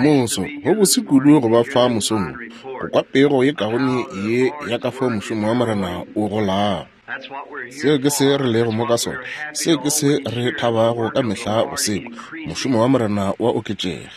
Moso, go bose kudu go ba fa mosong wo, go kwa pego ye kaone ye ya ka fao mošomo wa Morena o golago. Seo ke se re lego mo ka sona. Seo ke se re thabago ka mehla go se kwa. Mošomo wa Morena wa oketšega.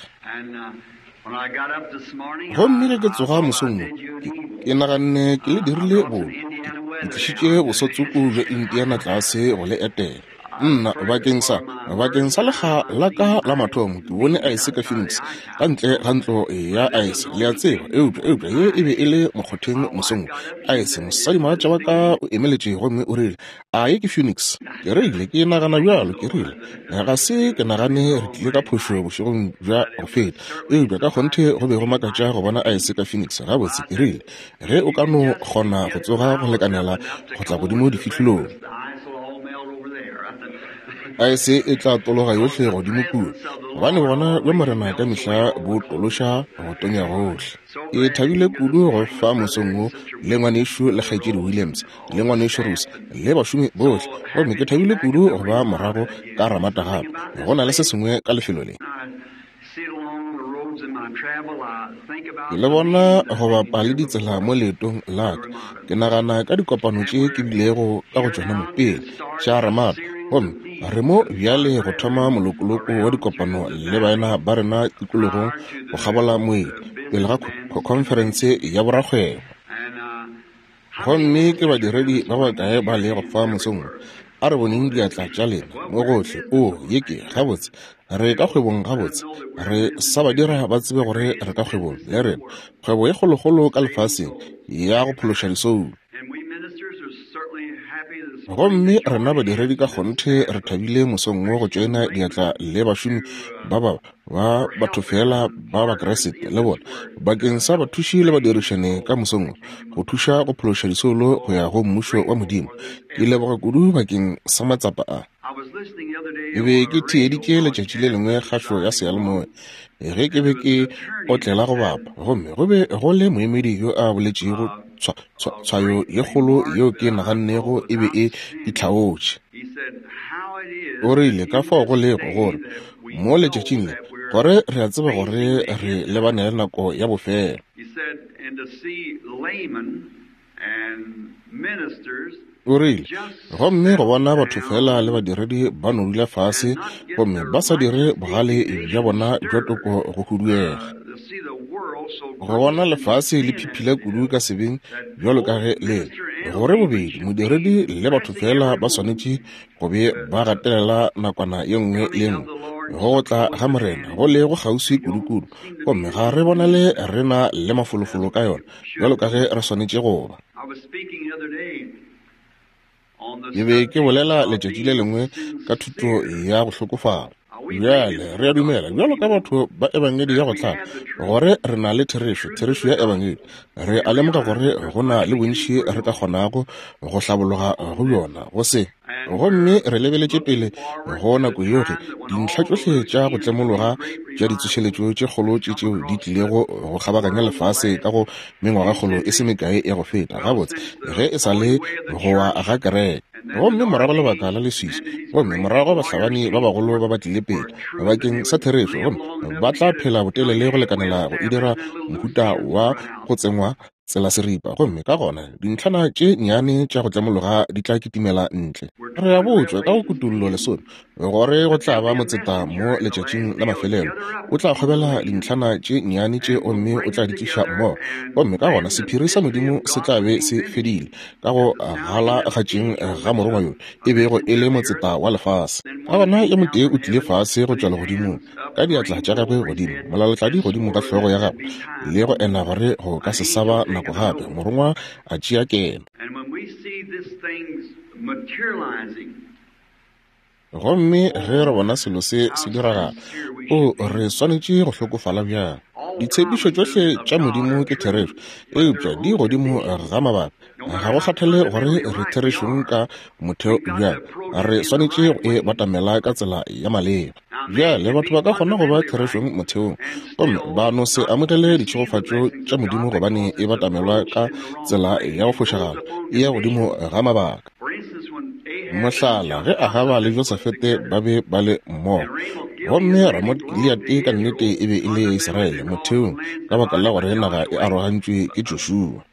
Gomme ge ke tsoga mosong wo, ke, ke naganne ke le dirile bobe. Ke, ke tlišitše bosotsoko bja Indiana tlase go le etela. Nna, bakeng sa, bakeng sa lekga la ka la mathomo, ke bone aese ka Phoenix, ka ntle ga ntlo ya aese, le a tseba, eupša, eupša ye e be e le mokgotheng mosong wo. Aese, mosadimogatša wa ka o emeletše gomme o rile, A ye ke Phoenix? Ke rile, Ke nagana bjalo. Ke rile, Ga se ke nagane re tlile ka phošo bošegong bja go feta, eupša ka kgonthe go be go makatša go bona aese ka Phoenix. Gabotse, ke rile, ge o ka no kgona go tsoga go lekanela go tla godimo difihlolong. Aese e tla tologa yohle godimo kua, gobane gona bja Morena ka mehla bo tološa go tonya gohle. Ke thabile kudu go fa mosong wo le ngwanešu le kgaetšedi Williams, le ngwanešu Rose, le bašomi bohle. Gomme ke thabile kudu go ba morago ka Ramada gape. Go na le se sengwe ka lefelo le. Ke le bona go bapa le ditsela mo leetong la ka. Ke nagana ka dikopano tše ke bilego ka go tšona mo pele, tša Ramada. Gomme re mo bjale go thoma molokoloko wa dikopano le baena ba rena tikologong go kgabola moedi, pele ga khonferense ya borakgwebo. Gomme ke badiredi ba bakae ba lego fa mosong wo? A re boneng diatla tša lena mo gohle. Oo, ye ke, gabotse, re ka kgwebong gabotse. Re sa ba dira ba tsebe gore re ka kgwebong, le rena, kgwebo ye kgolokgolo ka lefaseng, ya go phološa disoulo. Gomme rena badiredi ka kgonthe re thabile mosong wo go tšoena diatla le bašomi ba ba ba batho fela ba Bakriste le bona bakeng sa bathuši le badirišane ka mosong go thuša go phološa disoulo go ya go mmušo wa Modimo. Ke leboga kudu bakeng sa matsapa a. Ke be ke theeditše letšatši le lengwe kgašo ya seyalemoya ge ke be ke otlela go bapa, gomme go be go le moemedi yo a boletšego tshwayo ye kgolo yeo ke nagannego e be e itlhaotše. O rile ka fao go lego gore mo letšatšing le gore re a tseba gore re lebane le nako ya bofelo. O rile, gomme go bona batho fela le badiredi ba no dula fase gomme ba sa dire bogale bja bona bja toko go huduega. Go bona lefase le phiphila kudu ka sebeng bjalo ka ge le le, gore bobedi modiredi le batho fela ba swanetše go be ba gatelela nakwana ye nngwe le ye nngwe go go tla ga Morena go le go kgauswi kudukudu, gomme ga re bonale re na le mafolofolo ka yona bjalo ka ge re swanetše go ba. Ke be ke bolela letšatši le lengwe ka thuto ya go hlokofala. Bjale re a dumela bjalo ka batho ba Ebangedi ya go tlala gore re na le therešo, therešo ya Ebangedi. Re a lemoga gore go na le bontši re ka kgonago go hlabologa go bjona go se. Gomme re lebeletše pele go nako yeo ge dintlha tšohle tša go tlemologa tša ditsošeletšo tše kgolo tše tšeo di tlilego go kgabaganya lefase ka go mengwagakgolo e se mekae ya go feta, gabotse, ge e sa le go wa ga kereke. Gomme morago lebaka la leswiswi, gomme morago bahlabani ba bagolo ba ba tlile pele bakeng sa therešo, gomme ba tla phela botelele go lekanela go e dira mohuta wa go tsengwa tsela seripa, gomme ka gona dintlhana tše nnyane tša go tlemologa di tla kitimela ntle. Re a botšwa ka go Kutollo lesome gore go tla ba motseta mo letšatšing la mafelelo, o tla kgobela dintlhana tše nnyane tše gomme o tla di tliša mmogo, gomme ka gona sephiri sa Modimo se tla be se fedile ka go galagatšeng ga morongwa yo e bego e le motseta wa lefase. Ka gona yo motee o tlile fase go tšwa legodimong ka diatla tša gagwe godimo, molalatladi godimo ga hlogo ya gagwe, le go ena gore go ka se sa ba nako gape, morongwa a tšea keno. Gomme ge re bona selo se se diragala, o re swanetše go hlokofala bjang! Ditshepišo tšohle tša Modimo ke therešo, eupša di godimo ga mabaka. Ga go kgathale gore re therešong ka motheo bjang, re swanetše go e batamela ka tsela ya maleba. Bjale, batho ba ka kgona go ba therešong motheong gomme ba no se amogele ditšhegofatšo tša Modimo gobane e batamelwa ka tsela ya go fošagala, e ya godimo ga mabaka. Mohlala, ge Ahaba le Josafete ba be ba le mmogo, Gomme Ramot-Gilead ka nnete e be e le ya Israele, motheong, ka baka la gore naga e arogantšwe ke Joshua.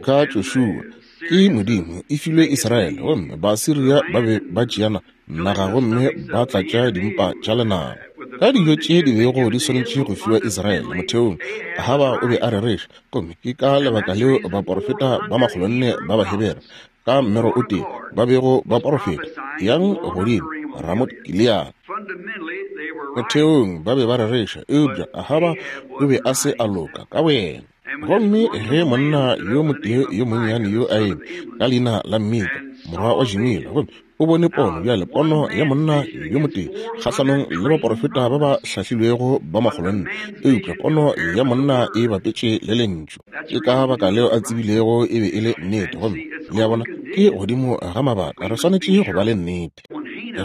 Ka Joshua, ke Modimo, e filwe Israele, gomme Basiria ba be ba tšeana naga gomme ba tlatša dimpa tša lenaba ka dijo tše di bego di swanetše go fiwa Israele. Motheong, Ahaba o be a rereša, gomme ke ka lebaka leo baporofeta ba makgolonne ba Bahebere ka mmero o tee ba bego ba porofeta, Yang godimo Ramot-Gilead. Motheong ba be ba rereša, eupša Ahaba o be a se a loka ka boyena. Gomme ge monna yo motee yo monnyane yo a eme ka leina la Mika, morwa wa Jimila, gomme o bone pono, bjale pono ya monna yo motee kgahlanong le baporofeta ba ba hlahlilwego ba makgolonne, eupša pono ya monna e bapetše le Lentšu. Ke ka baka leo a tsebilego e be e le nnete. Gomme le a bona, ke godimo ga mabaka, re swanetše go ba le nnete.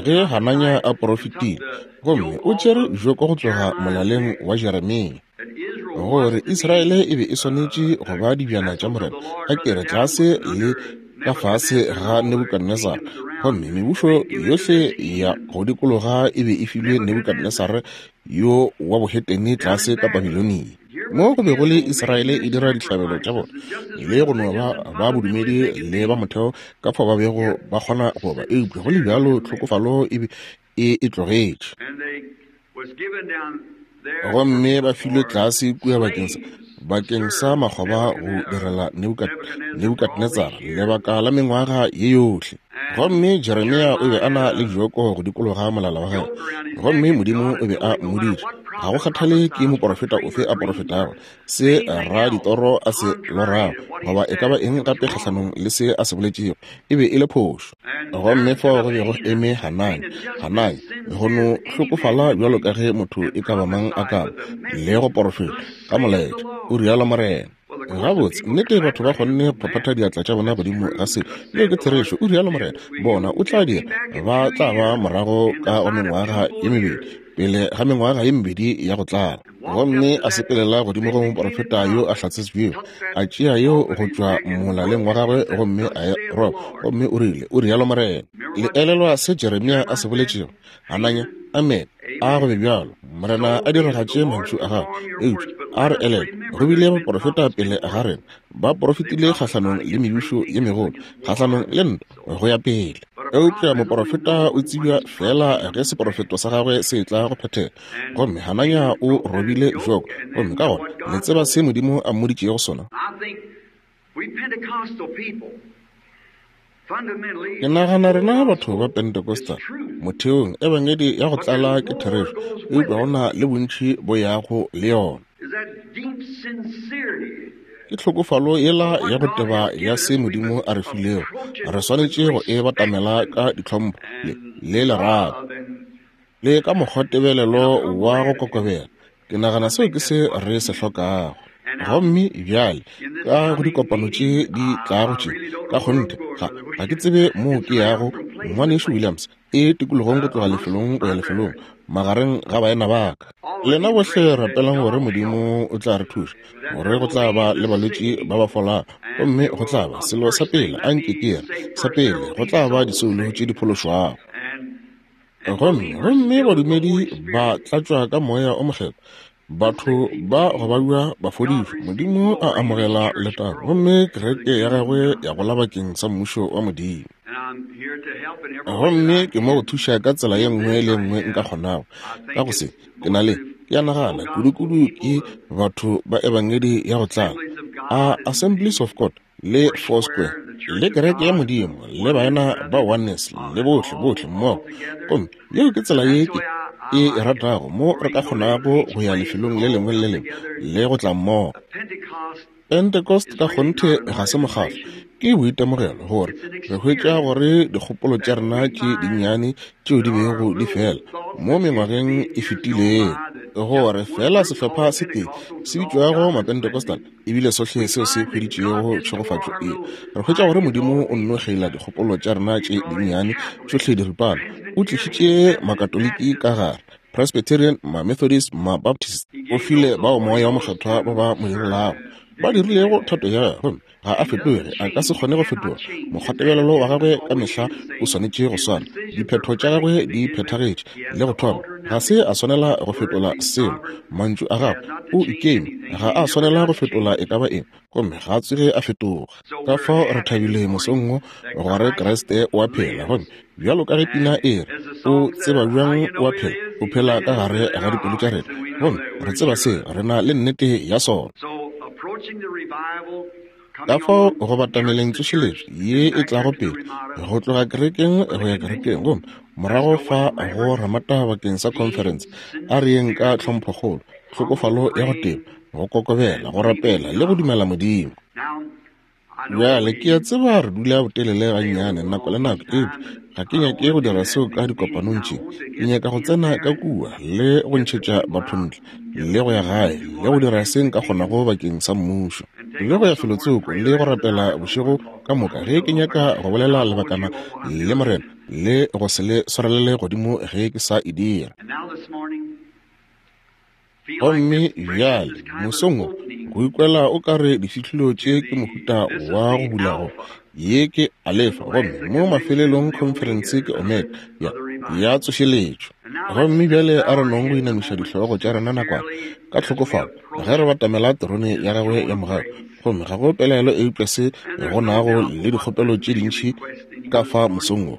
Ge Hananya a porofetile, gomme o tšere joko go tloga molaleng wa Jeremia, gore Israele e be e swanetše go ba dibjana tša Morena, a ke re tlase le ka fase ga Nebukadnesare, gomme mebušo yohle ya go dikologa e be e filwe Nebukadnesare yo wa bohetene tlase ka Babilonia. Mo go be go le Israele e dira dihlabelo tša bona le go no ba ba bodumedi le ba motheo ka fao ba bego ba kgona go ba, eupša go le bjalo tlhokofalo e be e e tlogetše. Gomme ba filwe tlase kua bakeng sa makgoba go direla Nebukadnetsara lebaka la mengwaga ye yohle. Gomme Jeremia o be a na le joko go dikologa molala wa gagwe, gomme Modimo o be a mmoditše, ga go kgathale ke moporofeta ofe a porofetago, se ra ditoro a se lorago, goba e ka ba eng gape kgahlanong le se a se boletšego, e be e le phošo. Gomme fao go be go eme Hanani, Hanani, go no hlokofala bjalo ka ge motho e ka ba mang a ka ba, le go porofeta ka molaetša, o rialo morena. Gabotse, nnete batho ba kgonne go phaphatha diatla tša bona godimo ga se. Yeo ke therešo, o rialo morena. Bona, o tla dira, ba tla ba morago ka go mengwaga ye mebedi, pele ga mengwaga ye mebedi ya go tlala. Gomme a sepelela godimo go moporofeta yo a hlatsetšwego, a tšea yeo go tšwa molaleng wa gagwe gomme a e roba, gomme o rile, O rialo morena. Le elelwa se Jeremia a se boletšego? Hananya, Amene, a go be bjalo, Morena a diragatše mantšu a gagwe. Eupša a re elelwe, go bile baporofeta pele ga rena, ba porofetile kgahlanong le mebušo ye megolo, kgahlanong le ntwa, go ya pele. Eupša moporofeta o tsebja feela ge seporofeto sa gagwe se etla go phethega. Gomme Hananya o robile joko, gomme ka gona le tseba se Modimo a mmoditšego sona. Ke nagana rena batho ba Pentecostal, motheong, Ebangedi ya go tlala ke therešo, eupša go na le bontši bo yago le yona. Ke tlhokofalo yela ya go teba ya se Modimo a re filego, re swanetše go e batamela ka ditlhompho le, le lerato. Le ka mokgwatebelelo wa go kokobela. Ke nagana seo ke se re se hlokago. Gomme bjale, ka go dikopano tše di tlago tše, ka kgonthe, ga, ga ke tsebe moo ke yago, Ngwanešu Williams, e tikologong go tloga lefelong go ya lefelong, magareng ga baena ba ka. Lena bohle rapelang gore Modimo o tla re thuša, gore go tla ba le balwetši ba ba folago, gomme go tla ba, selo sa pele, a nke ke re, sa pele, go tla ba disoulo tše di phološwago. Gomme, gomme badumedi ba tlatšwa ka Moya o Mokgethwa, batho ba go babja ba fodišwa, Modimo a amogela letago, gomme kereke ya gagwe ya gola bakeng sa mmušo wa Modimo. Gomme ke mo go thuša ka tsela ye nngwe le ye nngwe nka kgonago. Ka go se, ke na le, ke a nagana, kudukudu ke batho ba Ebangedi ya go tlala, a Assemblies of God, le Foursquare, le Kereke ya Modimo, le baena ba Oneness, le bohle, bohle mmogo. Gomme yeo ke tsela ye ke e e ratago, mo re ka kgonago go ya lefelong le lengwe le le lengwe le go tla mmogo. Pentecost ka kgonthe ga se mokgatlo, ke boitemogelo, gore re hwetša gore dikgopolo tša rena tše dinnyane tšeo di bego di fela mo mengwageng e fetilego, gore fela sehlopha se tee se bitšwago Mapentecostal ebile sohle seo se hweditšego tšhegofatšo e. Re hwetša gore Modimo o nno kgeila dikgopolo tša rena tše dinnyane tšohle diripana. O tlišitše Makatoliki ka gare, Presbyterian, Mamethodist, Mabaptist. O file bao Moya wo Mokgethwa ba ba mo direlago. Ba dirilego thato ya gagwe. Gomme ga a fetoge, a ka se kgone go fetoga. Mokgwatebelelo wa gagwe ka mehla o swanetše go swana. Diphetho tša gagwe di phethagetše le go thoma. Ga se a swanela go fetola selo. Mantšu a gagwe, o ikeme, ga a swanela go fetola e ka ba eng, gomme ga a tsoge a fetoga. Ka fao re thabile mosong wo gore Kriste o a phela, gomme bjalo ka ge pina e re, O tseba bjang o a phela? O phela ka gare ga dipelo tša rena, gomme re tseba se, re na le nnete ya sona. Ka fao go batameleng tsošeletšo ye e tlago pele, go tloga kerekeng go ya kerekeng, gomme morago fa go Ramata bakeng sa conference, a re yeng ka tlhomphokgolo, tlhokofalo ya go teba, go kokobela, go rapela le go dumela Modimo. Bjale, ke a tseba re dula botelele gannyane nako le nako, eupša ga ke nyake go dira seo ka dikopanong tše. Ke nyaka go tsena ka kua le go ntšhetša batho ntle, le go ya gae le go dira se nka kgonago bakeng sa Mmušo, le go ya felotsoko le go rapela bošego ka moka ge ke nyaka go bolela lebakana le Morena, le go se le swarelele godimo ge ke sa e dira. Gomme bjale, mosong wo, go ikwela o ka re difihlolo tše ke mohuta wa go bula go ye ke Alefa, gomme mo mafelelong khonferense ke Omega ya, ya tsošeletšo. Gomme bjale a re nong go inamiša dihlogo tša rena nakwana ka tlhokofalo ge re batamela terone ya gagwe ya mogau. Gomme ga go pelaelo eupša se go nago le dikgopelo tše dintši ka fa mosong wo.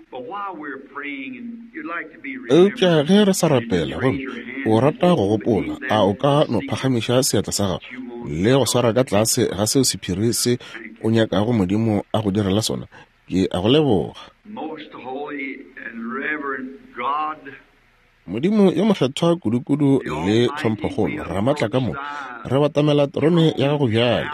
Eupša ge re sa rapela gomme o rata go gopola, a o ka no phagamiša seatla sa gago le go swara ka tlase ga seo sephiri se o nyakago Modimo a go direla sona? Ke a go leboga. Modimo yo mokgethwa kudukudu le tlhomphokgolo, Ramatlakamoka, re batamela terone ya gago bjale.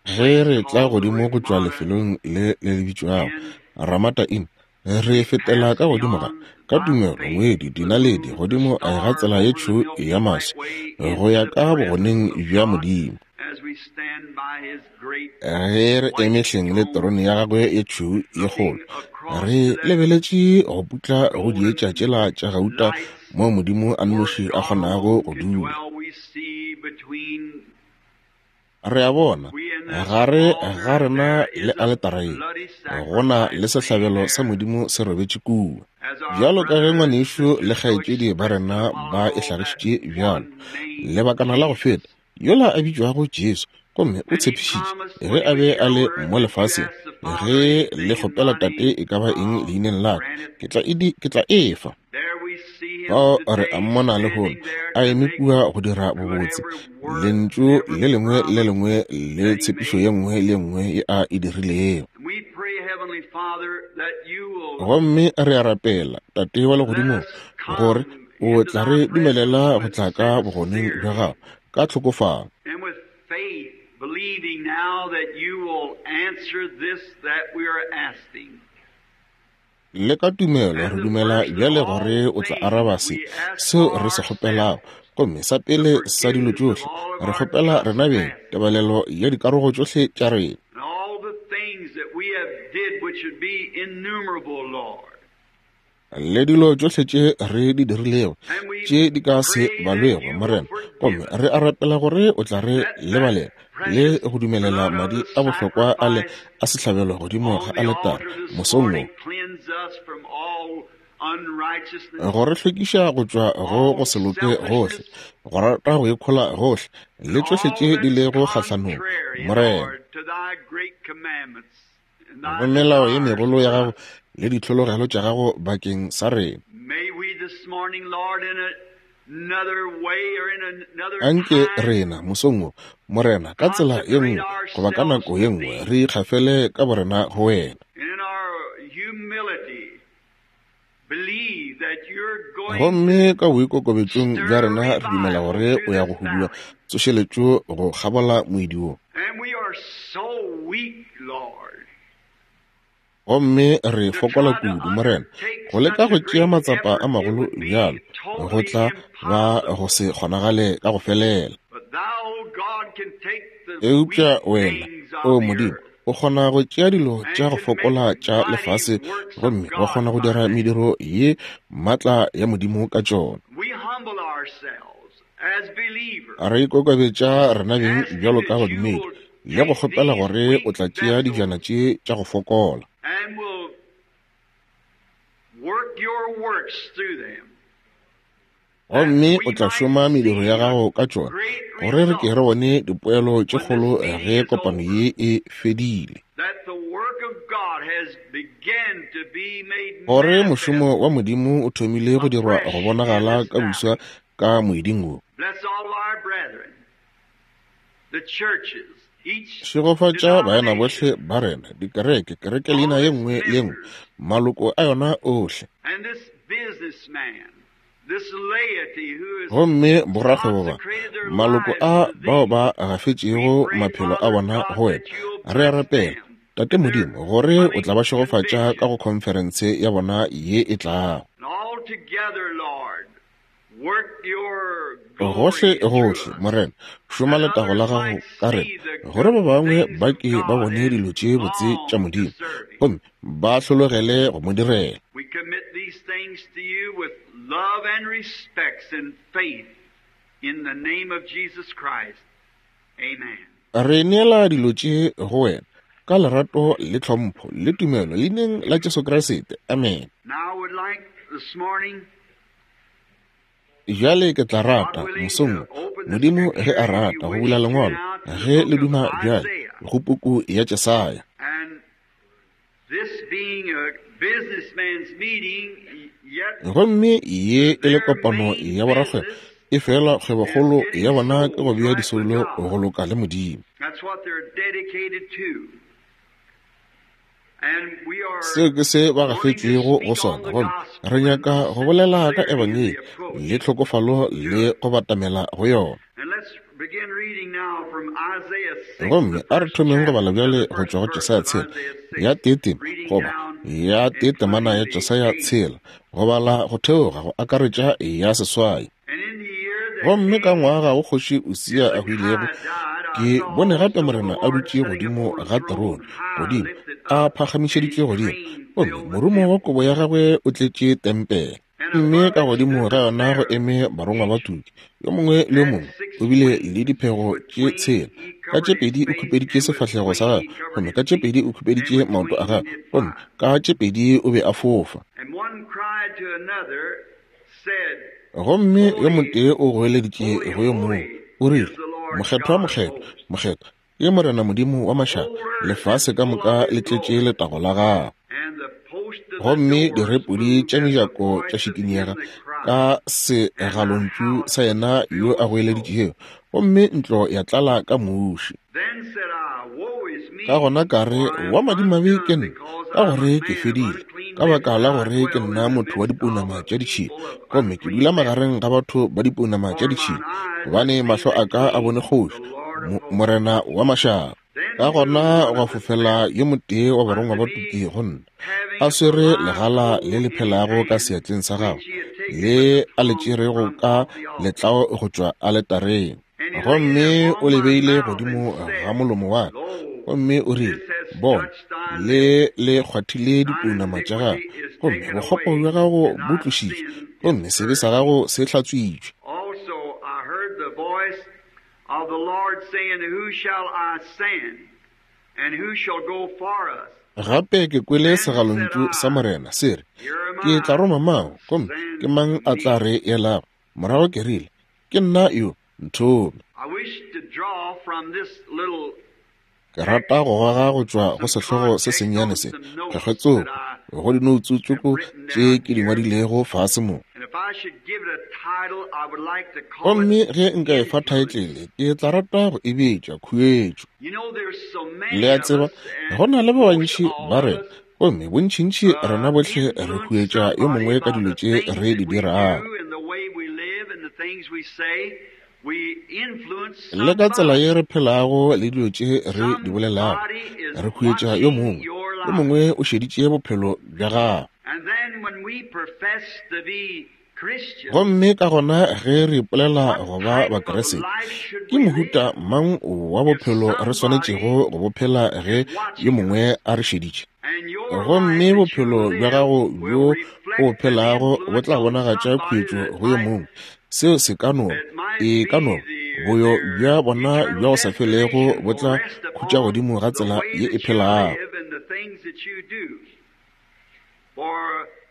Ge re tla godimo go tšwa lefelong le le le bitšwago Ramata Inn, re fetela ka godimo ga, ka tumelo, ngwedi, dinaledi, godimo ga tsela ye tšhweu ya maswi, go ya ka bogoneng bja Modimo. Ge re eme hleng le terone ya gagwe ye tšhweu ye kgolo, re lebeletše go putla go dietša tšela tša gauta moo Modimo a nnoši a kgonago go dula. Re a bona, gare ga rena le aletara ye, go na le sehlabelo sa Modimo se robetše kua. Bjalo ka ge ngwanešu le kgaetšedi ba rena ba e hlagišitše bjalo, lebakana la go feta, yola a bitšwago Jesu, gomme o tshepišitše, ge a be a le mo lefaseng, ge le kgopela Tate e ka ba eng leineng la ka, ke tla e, ke tla e fa. Fao re a mmona lehono a eme kua go dira bobotse, lentšu le lengwe le lengwe le tshepišo ye nngwe le nngwe ye a e dirilego. Gomme re a rapela, Tate wa Legodimong, gore o tla re dumelela go tla ka bogoneng bja gago ka tlhokofalo. Believing now that you will answer this that we are asking. Le ka tumelo re dumela bjale gore o tla araba se, seo re se kgopelago. Gomme sa pele sa dilo tšohle, re kgopela rena beng tebalelo ya dikarogo tšohle tša rena. Le dilo tšohle tše re di dirilego, tše di ka se balwego, Morena. Gomme re a rapela gore o tla re lebalela le go dumelela madi a bohlokwa a le a sehlabelo godimo ga aletare mosong wo, go re hlwekiša go tšwa go go se loke gohle, go rata go ikhola gohle, le tšohle tše di lego kgahlanong, Morena, go melao ye megolo ya gago le ditlhologelo tša gago bakeng sa rena. Anke rena, mosong wo, Morena, ka tsela ye nngwe goba ka nako ye nngwe, re ikgafele ka borena go wena. Gomme ka boikokobetšong bja rena re dumela gore o ya go hudua tsošeletšo go kgabola moedi wo. Gomme re fokola kudu, Morena, go leka go tšea matsapa a magolo bjalo, go tla ba go se kgonagale ka go felela. Eupša Wena, O Modimo, o kgona go tšea dilo tša go fokola tša lefase gomme wa kgona go dira mediro ye maatla ya Modimo ka tšona. Re ikokobetša rena beng bjalo ka badumedi, le go kgopela gore o tla tšea dijana tše tša go fokola. Gomme o tla šoma mediro ya gago ka tšona, gore re ke re bone dipoelo tše kgolo ge kopano ye e fedile. Gore mošomo wa Modimo o thomile go dirwa go bonagala ka buswa ka moeding wo. Šegofatša baena bohle ba rena, dikereke, kereke leina ye nngwe le ye nngwe, maloko a yona ohle. Gomme borakgwebo ba, maloko a bao ba gafetšego maphelo a bona go wena, re a rapela, Tate Modimo, gore o tla ba šegofatša ka go khonferense ya bona ye e tlago. Gohle gohle, Morena, šoma letago la gago ka rena, gore ba bangwe ba ke ba bone dilo tše botse tša Modimo, gomme ba hlologele go mo direla. We commit these things to you with love and respects and faith in the name of Jesus Christ. Amen. Re neela dilo tše go wena ka lerato le tlhompho le tumelo leineng la Jesu Kriste. Amen. Now I would like this morning Bjale ke tla rata, mosong wo, Modimo ge a rata, go bula Lengwalo, ge le duma bjale, go puku ya Jesaya. And this being a businessman's meeting, yet Gomme ye e le kopano ya borakgwebo, e fela kgwebokgolo ya bona ke go bea disoulo go loka le Modimo. that's what they're dedicated to. And we are Seo ke se ba gafetšwego go sona, gomme re nyaka go bolela ka Ebangedi le tlhokofalo le go batamela go yona. And let's begin reading now from Isaiah 6, Gomme the a re first thomeng go chapter, bala bjale the go first tšwa go verse Jesaya of tshela Isaiah 6, ya teetema reading goba down, ya teetemana ya including the Jesaya 8th. tshela, go bala go theoga go akaretša ya seswai. And in the year that Gomme ka King ngwaga wo kgoši Usia a hwilego, Hezekiah died, I ke saw bone gape also the Morena a Lord dutše sitting godimo upon a ga throne terone, high, godimo, lifted a up, and his phagamišeditšwe godimo, train gomme filled the morumo wa temple. kobo ya gagwe o tletše tempele. And Mme above ka it godimo stood ga the yona go seraphim, eme barongwa ba each tuki, yo mongwe le yo had mongwe 6 o bile le wings. diphego With tše twain tshela. he Ka tše covered his pedi o face, khupeditše and with sefahlego sa twain gagwe, he covered gomme his ka tše feet, pedi o and khupeditše with maoto a twain he gagwe, did gomme fly. ka tše pedi o be a fofa. And one cried to another, said, Gomme yo Holy, motee o goeleditše holy, go yo mongwe, holy o is rile, the Lord Mokgethwa, God of mokgethwa, hosts. mokgethwa ke Morena Modimo wa The mašaba, whole earth is lefase ka full moka of le his tletše glory. letago la gagwe. And the post of the Gomme doors direpodi moved tša at the mejako tša voice of him šikinyega that cried, ka and the segalontšu house sa yena was yo filled a with smoke. goeleditšego, gomme ntlo ya tlala ka muši. Then said I, Woe is Ka me, gona ka re, for I wa am madimabe ke undone, nna, because ka I am a gore ke man of fedile, unclean ka lips, baka and la I gore ke dwell nna in the motho wa midst of dipounama a tša ditšhila, people of gomme ke unclean dula lips. magareng ga batho ba dipounama tša For mine ditšhila, eyes have gobane seen mahlo the a ka a King, bone the kgoši, Lord of hosts. Morena wa mašaba. Then Ka flew gona one gwa of the fofela seraphim yo motee wa barongwa unto ba tuki me, go nna, having a a swere live legala coal le le in his phelago ka hand, seatleng sa which gagwe, he had taken le with the a le tongs tšerego from ka off the altar. letlao go tšwa aletareng. And he laid it Gomme o upon le my beile mouth and godimo ga said, molomo wa ka, Lo, gomme o rile, this has Bona, touched thy le lips. le kgwathile Thine dipounama tša gago, iniquity is gomme taken bokgopo away, bja gago and bo thy tlošitšwe, sin is gomme sebe sa purged. gago se hlatswitšwe. Also I heard the voice of the Lord saying, Who shall I send? And who shall go for us? Gape ke kwele Then said segalontšu sa I, Morena se re, Here am Ke tla I, roma mang, gomme ke send mang a tla me. re elago? Morago ke rile, Ke nna yo, nthome. I wish to draw from this little Ke rata text go goga go tšwa go some sehlogo se context sennyane on se, some notes kgekgetsoko, that I go dinoutsu have tsoko written tše down ke di here. ngwadilego fase mo. And if I should give it a title, I would like to call it Gomme ge nka e fa Influence. thaetlele, ke tla rata go e bitša khuetšo. You know, there's so Le many a of tseba, us, go and na le ba most bantši all ba of rena, us, gomme bontšintši rena bohle re influence huetša yo somebody mongwe ka by dilo the tše things re that di we dirago. do and the way we live and the things we say. We influence Le ka tsela somebody. ye re phelago le dilo tše re di bolelago, Somebody is re huetša yo watching mongwe. your Yo life. mongwe o šeditše bophelo bja gago. And then when we profess to be Christians, Gomme ka gona ge re ipolela what go ba type of Bakriste, life should ke we mohuta live? mang wa If bophelo re somebody swanetšego go bo phela ge is yo watching mongwe us, a re šeditše? and your life Gomme that you bophelo bja live gago will bjo o bo reflect an phelago bo influence tla on bonagatša somebody khuetšo that go yo might mongwe Seo se ka no ba, e ka no ba, boyo bja bona bja go sa felego bo tla khutša godimo ga tsela ye e phelago.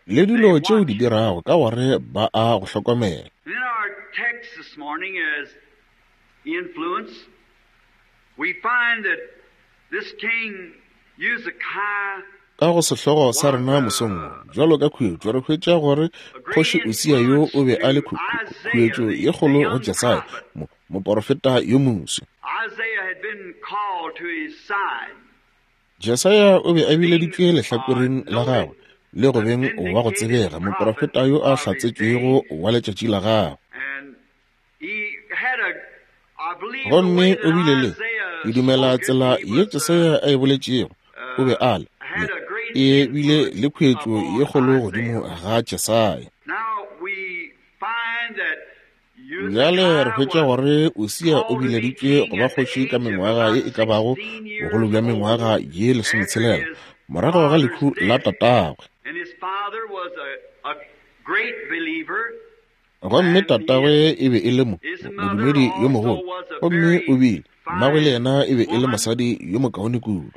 Le dilo tše o di dirago, ka gore ba a go hlokomela. Ka go sehlogo sa rena mosong wo, bjalo ka khuetšo, re hwetša gore Kgoši Usia yo o be a le khuetšo ye kgolo go Jesaya, mo, moporofeta yo moswi. Jesaya o be a bileditšwe lehlakoreng la gagwe le go beng wa go tsebega, moporofeta yo a hlatsetšwego wa letšatši la gagwe. Gomme o bile le, ke dumela tsela ye Jesaya a e boletšego, o be a le, e bile le khuetšo ye kgolo godimo ga Jesaya. Bjale re hwetša gore Usia o bileditšwe go ba kgoši ka mengwaga ye e ka bago bogolo bja mengwaga ye 16 morago ga lehu la tatagwe. Gomme tatagwe e be e le mo, modumedi yo mogolo, gomme o bile, mmagwe le yena e be e le mosadi yo mokaone kudu.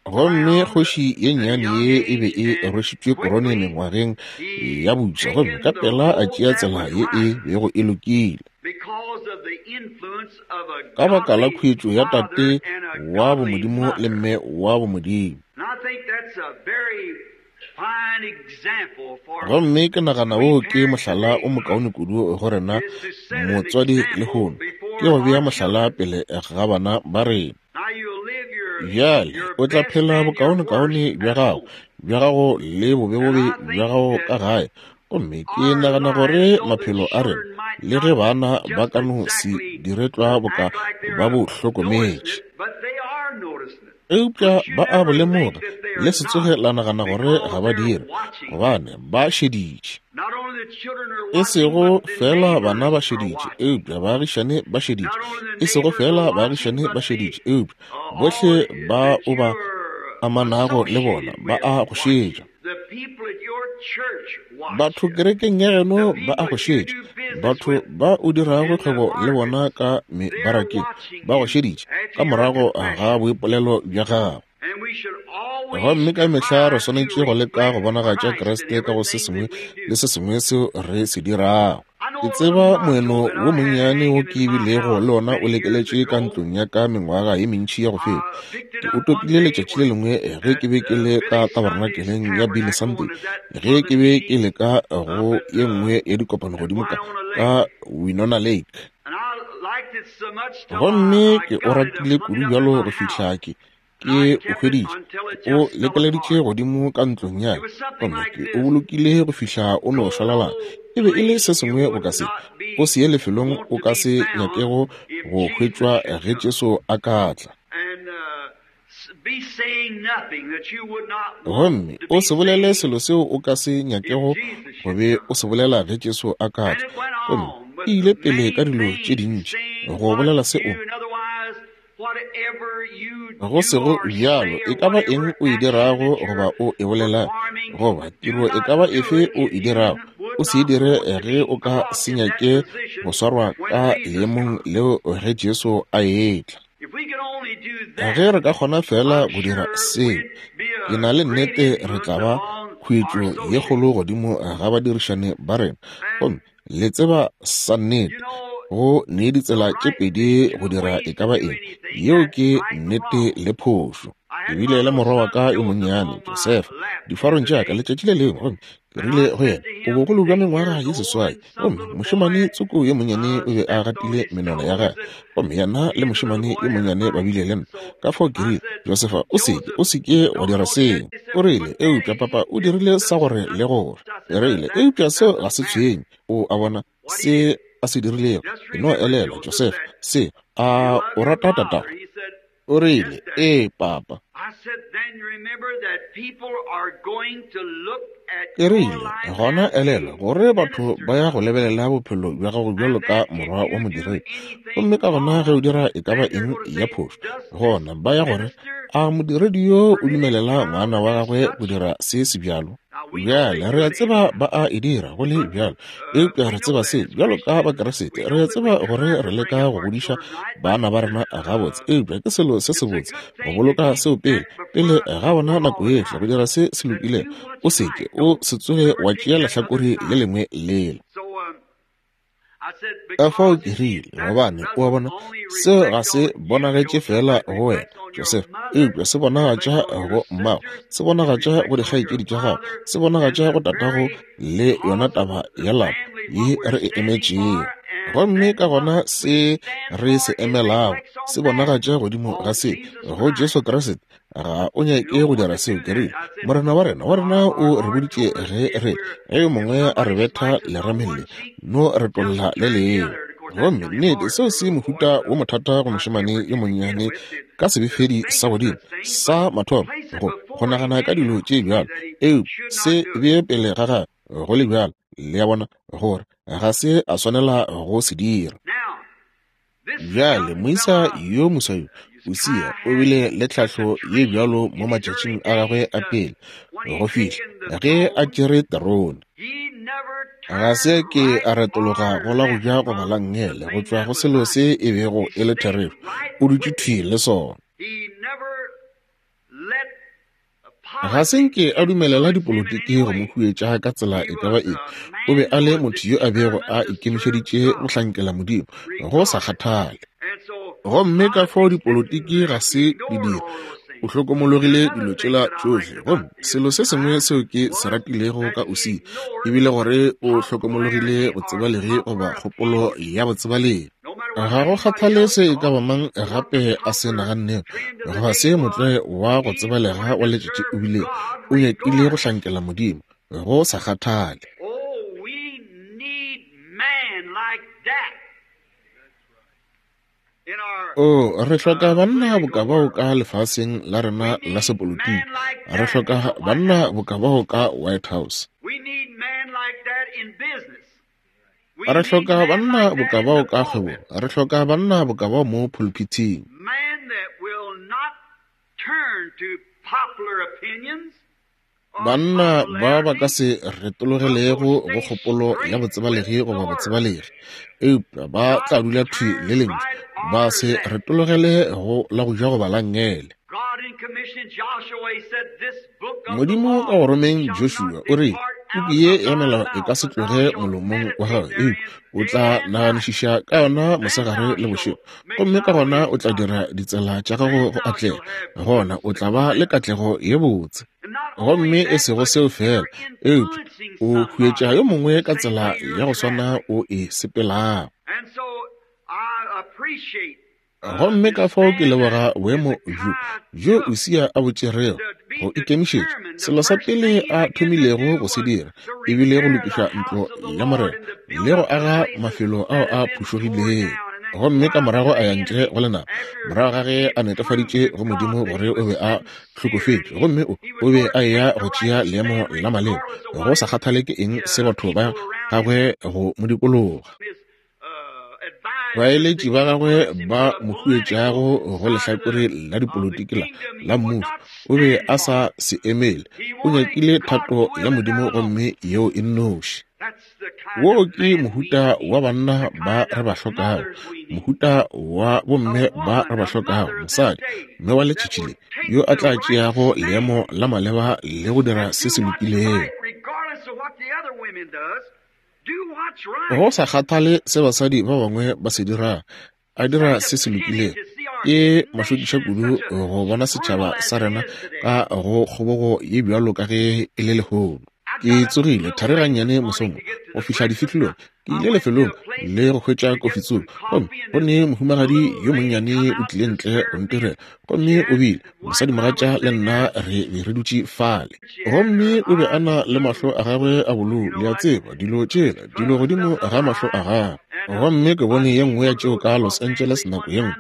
Gomme kgoši ye nnyane ye e be e rwešitšwe korone mengwageng ya bofsa, gomme ka pela a tšea tsela ye e bego e lokile. Ka baka la khuetšo ya tate wa bomodimo le mme wa bomodimo. Gomme ke nagana wo ke mohlala o mokaone kudu go rena motswadi lehono, ke go bea mohlala pele ga bana ba rena. Bjale o tla phela bokaonekaone bja gago, bja gago le bobebobe bja gago ka gae. Gomme ke nagana gore maphelo a rena, le ge bana ba ka no se dire tlwa boka ba bo hlokometše, eupša ba a bo lemoga, le se tsoge la nagana gore ga ba dire, gobane ba šeditše. E sego feela bana ba šeditše, eupša baagišane ba šeditše. E sego feela baagišane ba šeditše, eupša bohle ba o ba amanago le bona ba a go šetša. Batho kerekeng ya geno ba a go šetša. Batho ba o dirago kgwebo le bona ka mebarakeng ba go šeditše ka morago ga boipolelo bja gago. Gomme ka mehla re swanetše go leka go bonagatša Kriste ka go se sengwe le se sengwe seo re se dirago. Ke tseba moeno wo monnyane wo ke bilego le ona o lekeletše ka ntlong ya ka mengwaga ye mentši ya go feta. Ke o topile letšatši le lengwe ge ke be ke le ka tabernakeleng ya Billy Sunday, ge ke be ke le ka go ye nngwe ya dikopano godimo ka, ka Winona Lake. Gomme ke o ratile kudu bjalo go fihla ke, ke o hweditše, ke o lekeleditše godimo ka ntlong ya ka, gomme ke o bolokile go fihla o no šwalalana. E be e le se sengwe boka se, o se ye lefelong o ka se nyakego go hwetšwa ge Jesu a ka tla. Gomme o se bolele selo seo o ka se nyakego go be o se bolela ge Jesu a ka tla. Gomme e ile pele ka dilo tše dintši go bolela se o go sego bjalo, e ka ba eng o e dirago goba o e bolelago, goba tiro e ka ba efe o e dirago, o se e dire ge o ka se nyake go swarwa ka leemong leo ge Jesu a etla. Ge re ka kgona feela go dira seo, ke na le nnete re tla ba khuetšo ye kgolo godimo ga badirišani ba rena. Gomme le tseba sa nnete, go ne ditsela tše pedi go dira e ka ba eng, yeo ke nnete le phošo. Ke bile le morwa wa ka yo monnyane, Josefa, difarong tša ka letšatši le lengwe, gomme ke rile go yena, o bogolo bja mengwaga ye 8, gomme mošemane tsoko yo monnyane o be a gatile menwana ya gagwe, gomme yena le mošemane yo monnyane ba bile le nna. Ka fao ke rile, Josefa, o seke, o seke wa dira seo. O rile, Eupša papa o dirile sa gore le gore. Ke rile, Eupša seo ga se tshwenye. O a bona se a se dirilego. E no elelwa, Josefa, se, a o rata tatago? O rile, Ee, papa. Ke rile, Gona elelwa gore batho ba ya go lebelela bophelo bja gago bjalo ka morwa wa modiredi. Gomme ka gona ge o dira e ka ba eng ya phošo, gona ba ya gore, A modiredi yo o dumelela ngwana wa gagwe go dira se sebjalo? Bjale, re a tseba ba a e dira go le bjalo, eupša re tseba se bjalo ka Bakriste. Re a tseba gore re leka go godiša bana ba rena gabotse, eupša ke selo se sebotse go boloka seo pele, pele ga bona nako yohle go dira se se lokilego. O se ke, o se tsoge wa tšea lehlakore le lengwe lela. Ka fao ke rile, gobane, o a bona, seo ga se bonagetše feela go wena, Joseph, eupša se bonagatša go mmago, se bonagatša go dikgaetšedi tša gago, se bonagatša go tatago le yona taba ya lapa ye re e emetšego. Gomme ka gona se re se emelago se bonagatša godimo ga se, go Jesu Kriste. Ga o nyake go dira seo, ke rile, Morena wa rena, wa rena o re boditše ge re, ge yo mongwe a re betha lerameng le, no re tolla le lengwe. Gomme nnete seo se mohuta wo mothata go mošemane yo monnyane ka sebefedi sa godimo sa mathomo go, go nagana ka dilo tše bjalo, eupša se bee pele ga gagwe go le bjalo, le a bona, gore ga se a swanela go se dira. Bjale moisa yo moswa yo, Usia, o bile le tlhahlo ye bjalo mo matšatšing a gagwe a pele go fihla ge a tšere terone. Ga se ke a retologa go la go ja goba la nngele go tšwa go selo se e bego e le therešo. O dutše thwi le sona. Ga se nke a dumelela dipolotiki go mo huetša ka tsela e ka ba efe. O be a le motho yo a bego a ikemišeditše go hlankela Modimo, go sa kgathale. Gomme ka fao dipolotiki ga se di dira, o hlokomologile dilo tšela tšohle. Gomme selo se sengwe seo ke se ratilego ka Usia e bile gore o hlokomologile botsebalegi goba kgopolo ya botsebalegi. Ga go kgathale se e ka ba mang gape a se nagannego goba se motlwae wa go tsebalega wa letšatši o bile, o nyakile go hlankela Modimo, go sa kgathale. Oo, re hloka banna boka bao ka lefaseng la rena la sepolotiki. Re hloka banna boka bao ka White House. Re hloka banna boka bao ka kgwebong. Re hloka banna boka bao mo phulphithing. Banna ba ba ka se retologelego go kgopolo ya botsebalegi goba botsebalegi, eupša ba tla dula thwi le Lentšu, ba se retologele go la go ja goba la nngele. Modimo ka go romeng Joshua o rile, Puku ye ya melao e ka se tloge molomong wa gago, eupša o tla naganišiša ka yona mosegare le bošego, gomme ka gona o tla dira ditsela tša gago go atlega, gona o tla ba le katlego ye botse. Gomme e sego seo feela, eupša o huetša yo mongwe ka tsela ya go swana o e sepelago. Gomme ka fao ke leboga boemo bjo, bjo Usia a bo tšerego, go ikemišetša. Selo sa pele a thomilego go se dira e bile go lokiša ntlo ya Morena le go aga mafelo ao a phušogilego. Gomme ka morago a ya ntle go lenaba, morago ga ge a netefaditše go Modimo gore o be a hlokofetše, gomme o, o be a eya go tšea leemo la maleba, go sa kgathale ke eng se batho ba gagwe go mo dikologa. Baeletši ba gagwe ba mo huetšago go lehlakore la dipolotiki la, la mmušo, o be a sa se emele. O nyakile thato ya Modimo gomme yeo e nnoši. Wo ke mohuta wa banna ba re ba hlokago, mohuta wa bomme ba re ba hlokago, mosadi, mme wa letšatši le, yo a tla tšeago leemo la maleba le go dira se se lokilego. Go sa kgathale se basadi ba bangwe ba se dirago, a dira se se lokilego. Ke mašokiša kudu go bona setšhaba sa rena ka go kgobogo ye bjalo ka ge e le lehono. Ke tsogile thari gannyane mosong go fihla difihlolong. Ke ile lefelong le go hwetša kofi tsoko, gomme go ne mohumagadi yo monnyane o tlile ntle go ntirela. Gomme o bile, mosadimogatša le nna re be re dutše fale. Gomme o be a na le mahlo a gagwe a bolou, le a tseba, dilo tšela, dilo godimo ga mahlo a gagwe. Gomme ke bone ye nngwe ya tšeo ka Los Angeles nako ye nngwe,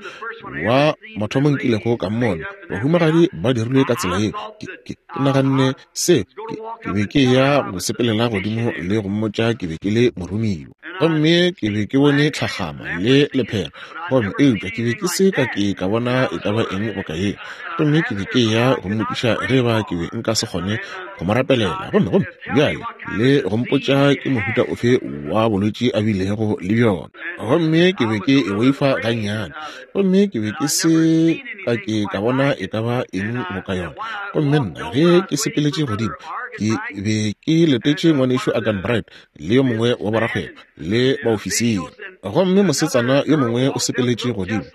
wa mathomo nkilego ka mmona, bahumagadi ba dirilwe ka tsela yeo. Ke, ke, ke naganne se, ke, ke be ke eya go sepelela godimo le go mmotša ke be ke le moromiwa. Gomme ke be ke bone tlhagama le lephera, gomme eupša ke be ke se ka ke ka bona e ka ba eng boka yeo. Gomme ke be ke eya go mmotšiša ge eba ke be nka se kgone go mo rapelela, gomme, gomme bjale le go mpotša ke mohuta ofe wa bolwetši a bilego le bjona. Gomme ke be ke e boifa gannyane, gomme ke be ke se ka ke ka bona e ka ba eng boka yona. Gomme nna ge ke sepeletše godimo, ke be ke letetše Ngwanešu Arganbright le yo mongwe wa borakgwebo le baofisiri. Gomme mosetsana yo mongwe o sepeletše godimo,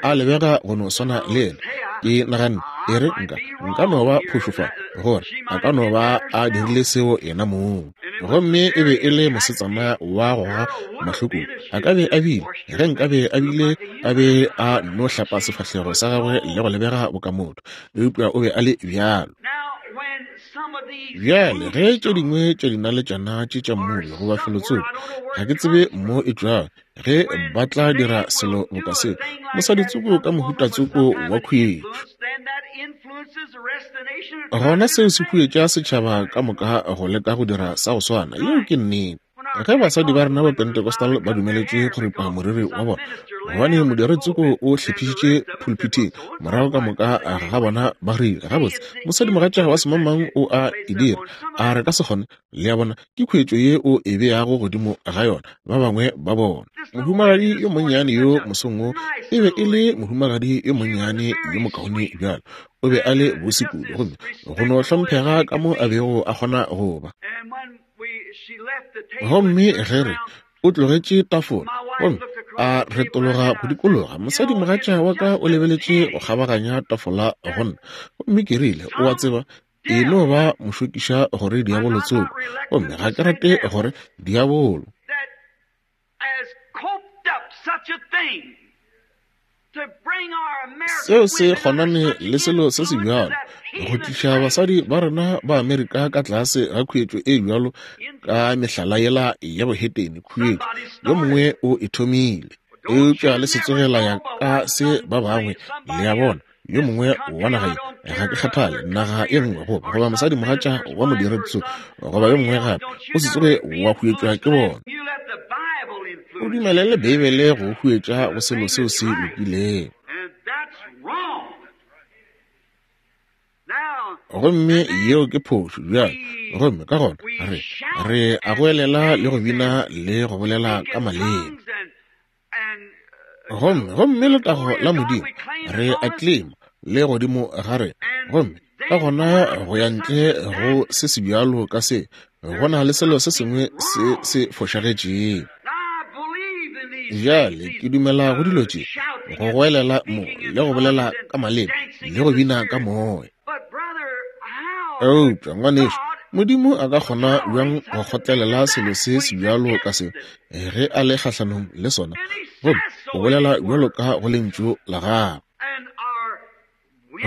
a lebega go no swana le yena. Ke naganne, E re, nka, nka no ba phošo fa, gore a ka no ba a dirile seo yena mong. Gomme e be e le mosetsana wa go goga mahlo kudu. A ka be a bile, ge nkabe a bile a be a no hlapa sefahlego sa gagwe le go lebega boka motho, eupša o be a le bjalo. Bjale, ge tše dingwe tša dinaletšana tše tša mmulo goba felotsoko, ga ke tsebe mo e tšwago, ge ba tla dira selo boka seo, mosaditsoko ka mohutatsoko wa khuetšo, gona seo se huetša setšhaba ka moka go leka go dira sa go swana. Yeo ke nnete. Ge basadi ba rena ba Pentecostal ba dumeletše go ripa moriri wa bona, gobane modiretsoko o hlephišitše phulphithing, morago ka moka ga bona ba rile, Gabotse, mosadimogatša wa semangmang o a e dira, a re ka se kgone? Le a bona, ke khuetšo ye o e beago godimo ga yona, ba bangwe ba bona. Mohumagadi yo monnyane yo mosong wo e be e le mohumagadi yo monnyane yo mokaone bjalo. O be a le bose kudu, gomme go no hlomphega ka mo a bego a kgona go ba. Gomme ge re, o tlogetše tafola, gomme a retologa go dikologa, mosadimogatša wa ka o lebeletše go kgabaganya tafola go nna. Gomme ke rile, O a tseba, e no ba mošokiša gore diabolo tsoko, gomme ga ke rate gore diabolo. Seo se kgonane le selo se se bjalo, go tliša basadi ba rena ba Amerika ka tlase ga khuetšo e bjalo ka mehlala yela ya bohetene, khuetšo, yo mongwe o e thomile. Eupša le se tsoge la ya ka se ba bangwe, le a bona, yo mongwe wa naga ye, ga ke kgathale, naga e nngwe, goba, goba mosadimogatša wa modiretso, goba yo mongwe gape, o se tsoge wa huetšwa ke bona. O dumelele Beibele go huetša go selo seo se lokilego. Gomme yeo ke phošo bjale. Gomme ka gona re, re a goelela le go bina le go bolela ka maleme. Gomme, gomme letago la Modimo, re a tlema le godimo ga rena. Gomme ka gona go ya ntle go se se bjalo ka se, go na le selo se sengwe se se fošagetšego. Bjale ke dumela go dilo tše, go goelela mo le go bolela ka maleme le go bina ka moya. Eupša, ngwanešu, Modimo a ka kgona bjang go kgotlelela selo se se bjalo ka seo ge a le kgahlanong le sona, gomme o bolela bjalo ka go Lentšu la Gagwe?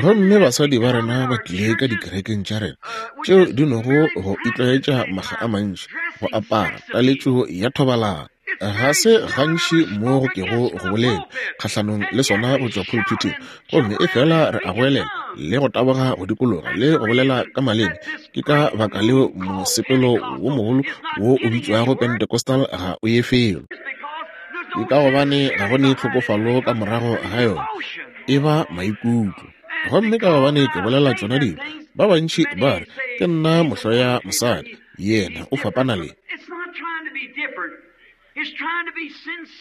Gomme basadi ba rena ba tlile ka dikerekeng tša rena tšeo di nogo go itlwaetša makga a mantši go apara taletšo ya thobalano. Ga se gantši mo go kego go bolelwa kgahlanong le sona go tšwa pulpithing, gomme efela re a goelela le go taboga go dikologa le go bolela ka maleme. Ke ka baka leo mosepelo wo mogolo wo o bitšwago Pentecostal ga o ye felo. Ke ka gobane ga go ne tlhokofalo ka morago ga yona, e ba maikutlo. Gomme ka gobane ke bolela tšona dilo, ba bantši ba re ke nna mohloya mosadi. Yena o fapana le.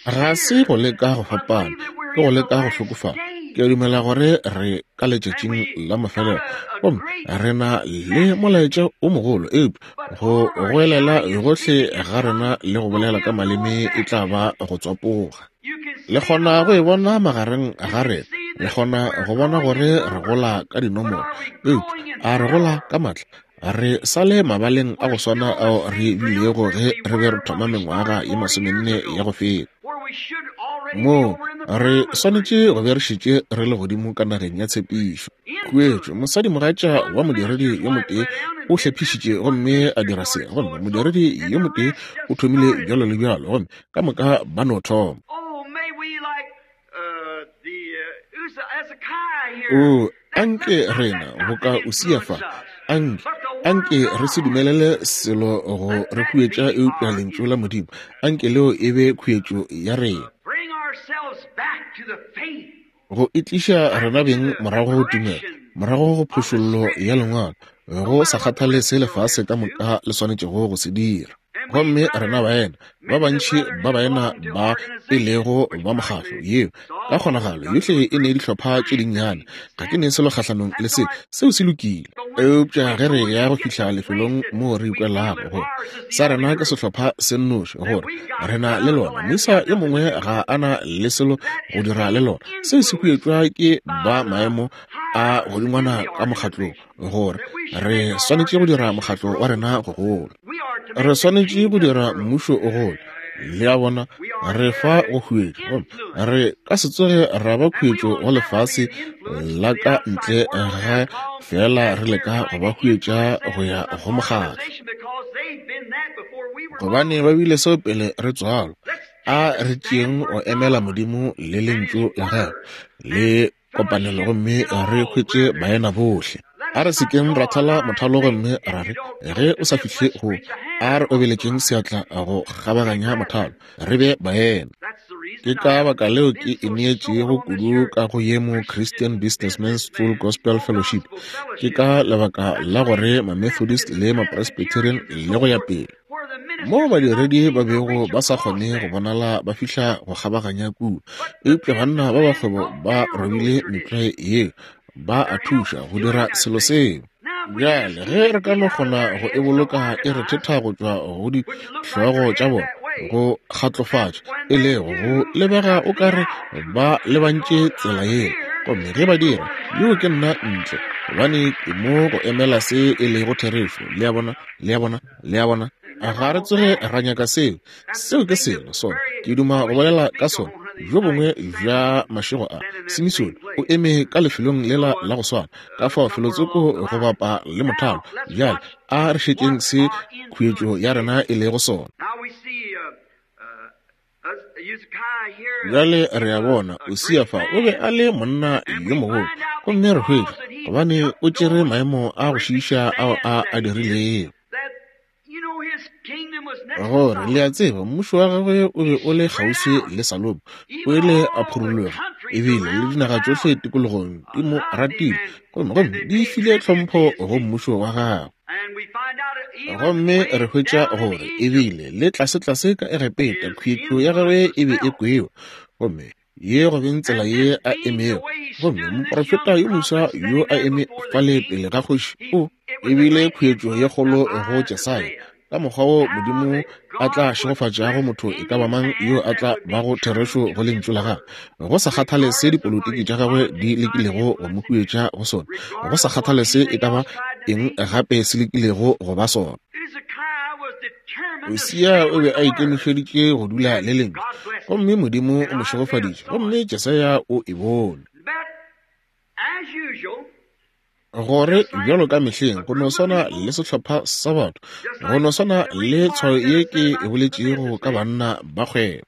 Ga se go leka go fapana, ke go leka go hlokofala. Ke a dumela gore re ka letšatšing la mafelelo, gomme re na le molaetša o mogolo, eupša go goelela gohle ga rena le go bolela ka maleme e tla ba go tswapoga. Le kgona go e bona magareng ga rena, le kgona go bona gore re gola ka dinomoro, eupša a re gola ka matla? Re sa le mabaleng a go swana ao re bilego ge re be re thoma mengwaga ye masomenne ya go feta. Moo re swanetše go be re šetše re le godimo ka nageng ya tshepišo. Khuetšo, mosadimogatša wa modiredi yo motee o hlephišitše gomme a dira se, gomme modiredi yo motee o thomile bjalo le bjalo, gomme ka moka ba no thoma. Oo, anke rena, boka Usia fa, anke Anke re se dumelele selo go re huetša eupša Lentšu la Modimo. Anke leo e be khuetšo ya rena. Go itliša rena beng morago go tumelo, morago go phošollo ya Lengwalo, go sa kgathale se lefase ka moka le swanetšego go se dira. Gomme rena baena, ba bantši ba baena ba e lego ba mokgatlo yeo ka kgonagalo yohle e ne dihlopha tše dinnyane. Ga ke ne selo kgahlanong le se, seo se lokile. Eupša ge re ya go fihla lefelong moo re ikwelago gore sa rena ke sehlopha se nnoši, gore re na le lona, moisa yo mongwe ga a na le selo go dira le lona, seo se huetšwa ke ba maemo a godingwana ka mokgatlong, gore re swanetše go dira mokgatlo wa rena go gola, re swanetše go dira mmušo o gole. Le a bona, re fa go huetšwa, gomme re ka se tsoge ra ba khuetšo go lefase la ka ntle ge fela re leka go ba huetša go ya go mokgatlo, gobane ba bile seo pele re tswalwa. A re tšeeng go emela Modimo le Lentšu la Gagwe le kopanelo, gomme re hwetše baena bohle. A re sekeng ra thala mothalo gomme ra re, ge o sa fihle go, a re obeletšeng seatla go kgabaganya mothalo, re be baena. Ke ka baka leo ke ineetšego kudu ka go ye mo Christian Businessmen's Full Gospel Fellowship. Ke ka lebaka la gore ma-Methodist le ma-Presbyterian le go ya pele, moo badiredi ba bego ba sa kgone go bonala ba fihla go kgabaganya kua, eupša banna ba ba kgwebo ba robile metlwae yeo, ba a thuša go dira selo seo. Bjale ge re ka no kgona go e boloka e re thetha go tšwa go dihlogo tša bona, go kgatlofatša, e lego go lebega o ka re ba lebantše tsela yeo, gomme ge ba dira, yoo ke nna ntle, gobane ke mo go emela se e lego therešo. Le a bona? Le a bona? Le a bona? Ga re tsoge ra nyaka seo. Seo ke selo sona. Ke duma go bolela ka sona bjo bongwe bja mašego a. Simisone o eme ka lefelong lela la go swana, ka fao felotsoko go bapa le mothalo. Bjale a re šetšeng se khuetšo ya rena e lego sona. Bjale re a bona Usia fa o be a le monna yo mogolo, gomme re hwetša gobane o tšere maemo a go šiiša ao a a dirilego. Gore, le a tseba, mmušo wa gagwe o be o le kgauswi le Salomo, o ile a phurologa, ebile le dinaga tšohle tikologong di mo ratile, gomme gomme di file tlhompho go mmušo wa gagwe. Gomme re hwetša gore ebile le tlasetlase ka Egepeta khuetšo ya gagwe e be e kwewa, gomme ye go beng tsela ye a emego. Gomme moprofeta yo moswa yo a eme fale pele ga kgoši, o ebile khuetšo ye kgolo go Jesaya, ka mokgwa wo Modimo a tla šegofatšago motho e ka ba mang yo a tla bago therešo go lentšu la gagwe, go sa kgathale se dipolotiki tša gagwe di lekilego go mo huetša go sona, go sa kgathale se e ka ba eng gape se lekilego go ba sona. Usia o be a ikemišeditše go dula le lentšu, gomme Modimo o mo šegofaditše, gomme Jesaya o e bone. Gore bjalo ka mehleng, go no swana le sehlopha sa batho, go no swana le tshwayo ye ke e boletšego ka banna ba kgwebo.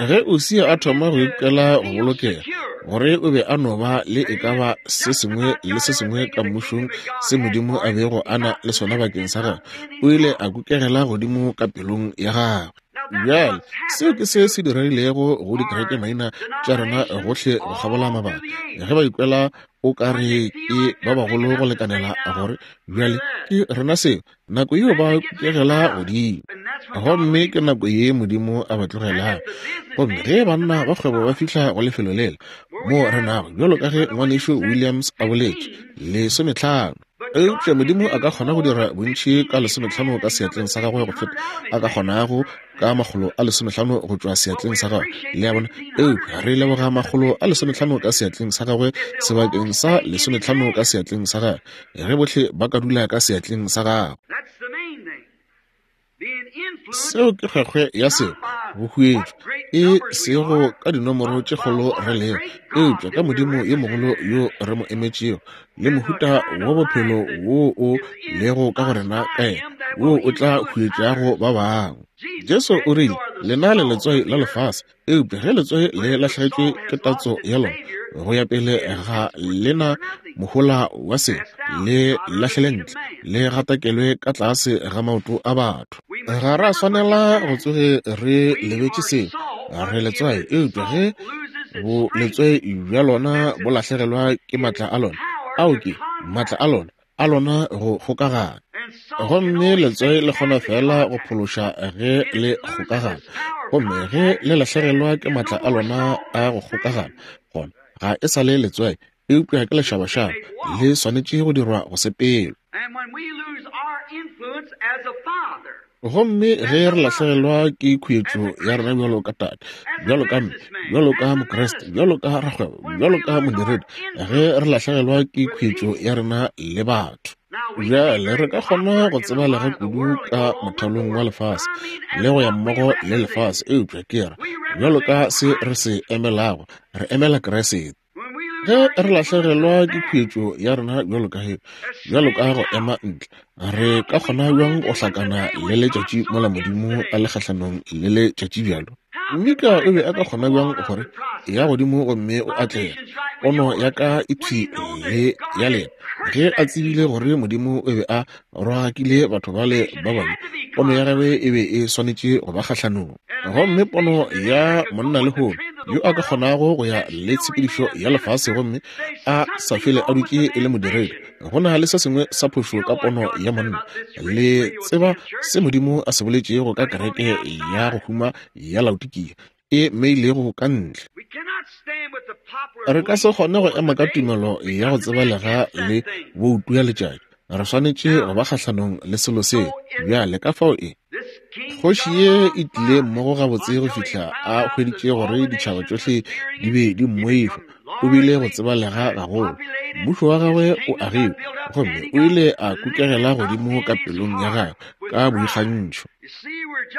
Ge Usia a thoma go ikwela go bolokega, gore o be a no ba le e ka ba se sengwe le se sengwe ka mmušong se Modimo a bego a na le sona bakeng sa gagwe, o ile a kukegela godimo ka pelong ya gagwe. Bjale, seo ke se se diregilego go dikerekemaina tša rena gohle go kgabola mabaka. Ge ba ikwela o ka re ke ba bagolo go lekanela gore bjale ke rena seo, nako yeo ba kukegela godimo, gomme ke nako ye Modimo a ba tlogelago. Gomme ge banna ba kgwebo ba fihla go lefelo lela moo re nago, bjalo ka ge Ngwanešu Williams a boletše, 15. Eupša Modimo a ka kgona go dira bontši ka 15 ka seatleng sa gagwe go feta a ka kgonago ka 150 go tšwa seatleng sa gagwe. Le a bona? Eupša re leboga 150 ka seatleng sa gagwe sebakeng sa 15 ka seatleng sa gagwe, ge bohle ba ka dula ka seatleng sa gagwe. Seo ke kgwekgwe ya seo, go huetšwa, e sego ka dinomoro tše kgolo re lego, eupša ka Modimo yo mogolo yo re mo emetšego, le mohuta wa bophelo wo o lego ka go rena ka yena. woo o tla huetšago ba bangwe. Jesu o rile, Lena le letswai la lefase, eupša ge letswai le lahlegetšwe ke tatso ya lona, go ya pele ga le na mohola wa selo, le lahlele ntle, le gatakelwe ka tlase ga maoto a batho. Ga ra swanela go tsoge re lebetše seo. Re letswai, eupša ge bo letswai bja lona bo lahlegelwa ke matla a lona, ao ke matla a lona, a lona go kgokagana. Gomme letswai le kgona feela go phološa ge le kgokagana. Gomme ge le lahlegelwa ke matla a lona a go kgokagana, gona ga e sa le letswai, eupša ke lešabašaba, le swanetše go dirwa go sepela. Gomme ge re lahlegelwa ke khuetšo ya rena bjalo ka tate, bjalo ka mme, bjalo ka Mokriste, bjalo ka rakgwebo, bjalo ka modiredi, ge re lahlegelwa ke khuetšo ya rena le batho, bjale re ka kgona go tsebalega kudu ka mothalong wa lefase le go ya mmogo le lefase, eupša ke ra bjalo ka se re se emelago, re emela Kriste. Ge re lahlegelwa ke khuetšo ya rena bjalo ka he, bjalo ka go ema ntle, re ka kgona bjang go hlakana le letšatši mola Modimo a le kgahlanong le letšatši bjalo? Mika o be a ka kgona bjang gore ya godimo gomme o atlege, pono ya ka e thwi le ya lena, ge a tsebile gore Modimo o be a rogakile batho bale ba babe, pono ya gagwe e be e swanetše go ba kgahlanong. Gomme pono ya monna lehono yo a ka kgonago go ya le tshepedišo ya lefase gomme a sa fele a dutše e le modiredi, go na le se sengwe sa phošo ka pono ya monna. Le tseba se Modimo a se boletšego ka kereke ya go huma ya Laodikia e mmeilego ka ntle. Re ka se kgone go ema ka tumelo ya go tsebalega le boutu ya letšatši. Re swanetše go ba kgahlanong le selo seo. Bjale, ka fao e kgoši ye e tlile mmogo gabotse go fihla a hweditše gore ditšhaba tšohle di be di mmoifa. O bile go tsebalega gagolo. Mmušo wa gagwe o agilwe, gomme o ile a kukegela godimo ka pelong ya gagwe ka boikgantšho.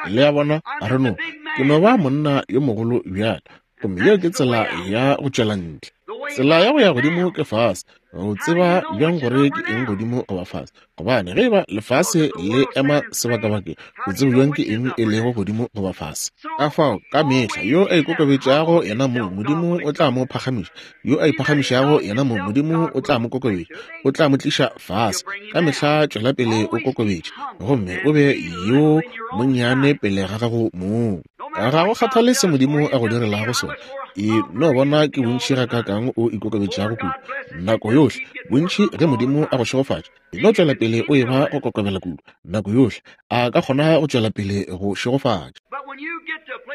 Le a bona, re no, ke no ba monna yo mogolo bjale, gomme yeo ke tsela ya go tšwela ntle. Tsela ya go ya godimo ke fase. O tseba bjang gore ke eng godimo goba fase? Gobane ge e ba lefase le ema sebakabakeng, o tseba bjang ke eng e lego godimo goba fase? Ka fao, ka mehla yo a ikokobetšago yena mong, Modimo o tla mo phagamiša. Yo a iphagamišago yena mong, Modimo o tla mo kokobetša, o tla mo tliša fase. Ka mehla tšwela pele o kokobetše, gomme o be yo monnyane pele ga gago mong. Ga go kgathale se Modimo a go direlago sona, e no bona ke bontši gakaakang o ikokobetšago kudu. Nako yohle, bontši ge Modimo a go šegofatša, e no tšwela pele o eba go kokobela kudu. Nako yohle, a ka kgona go tšwela pele go šegofatša.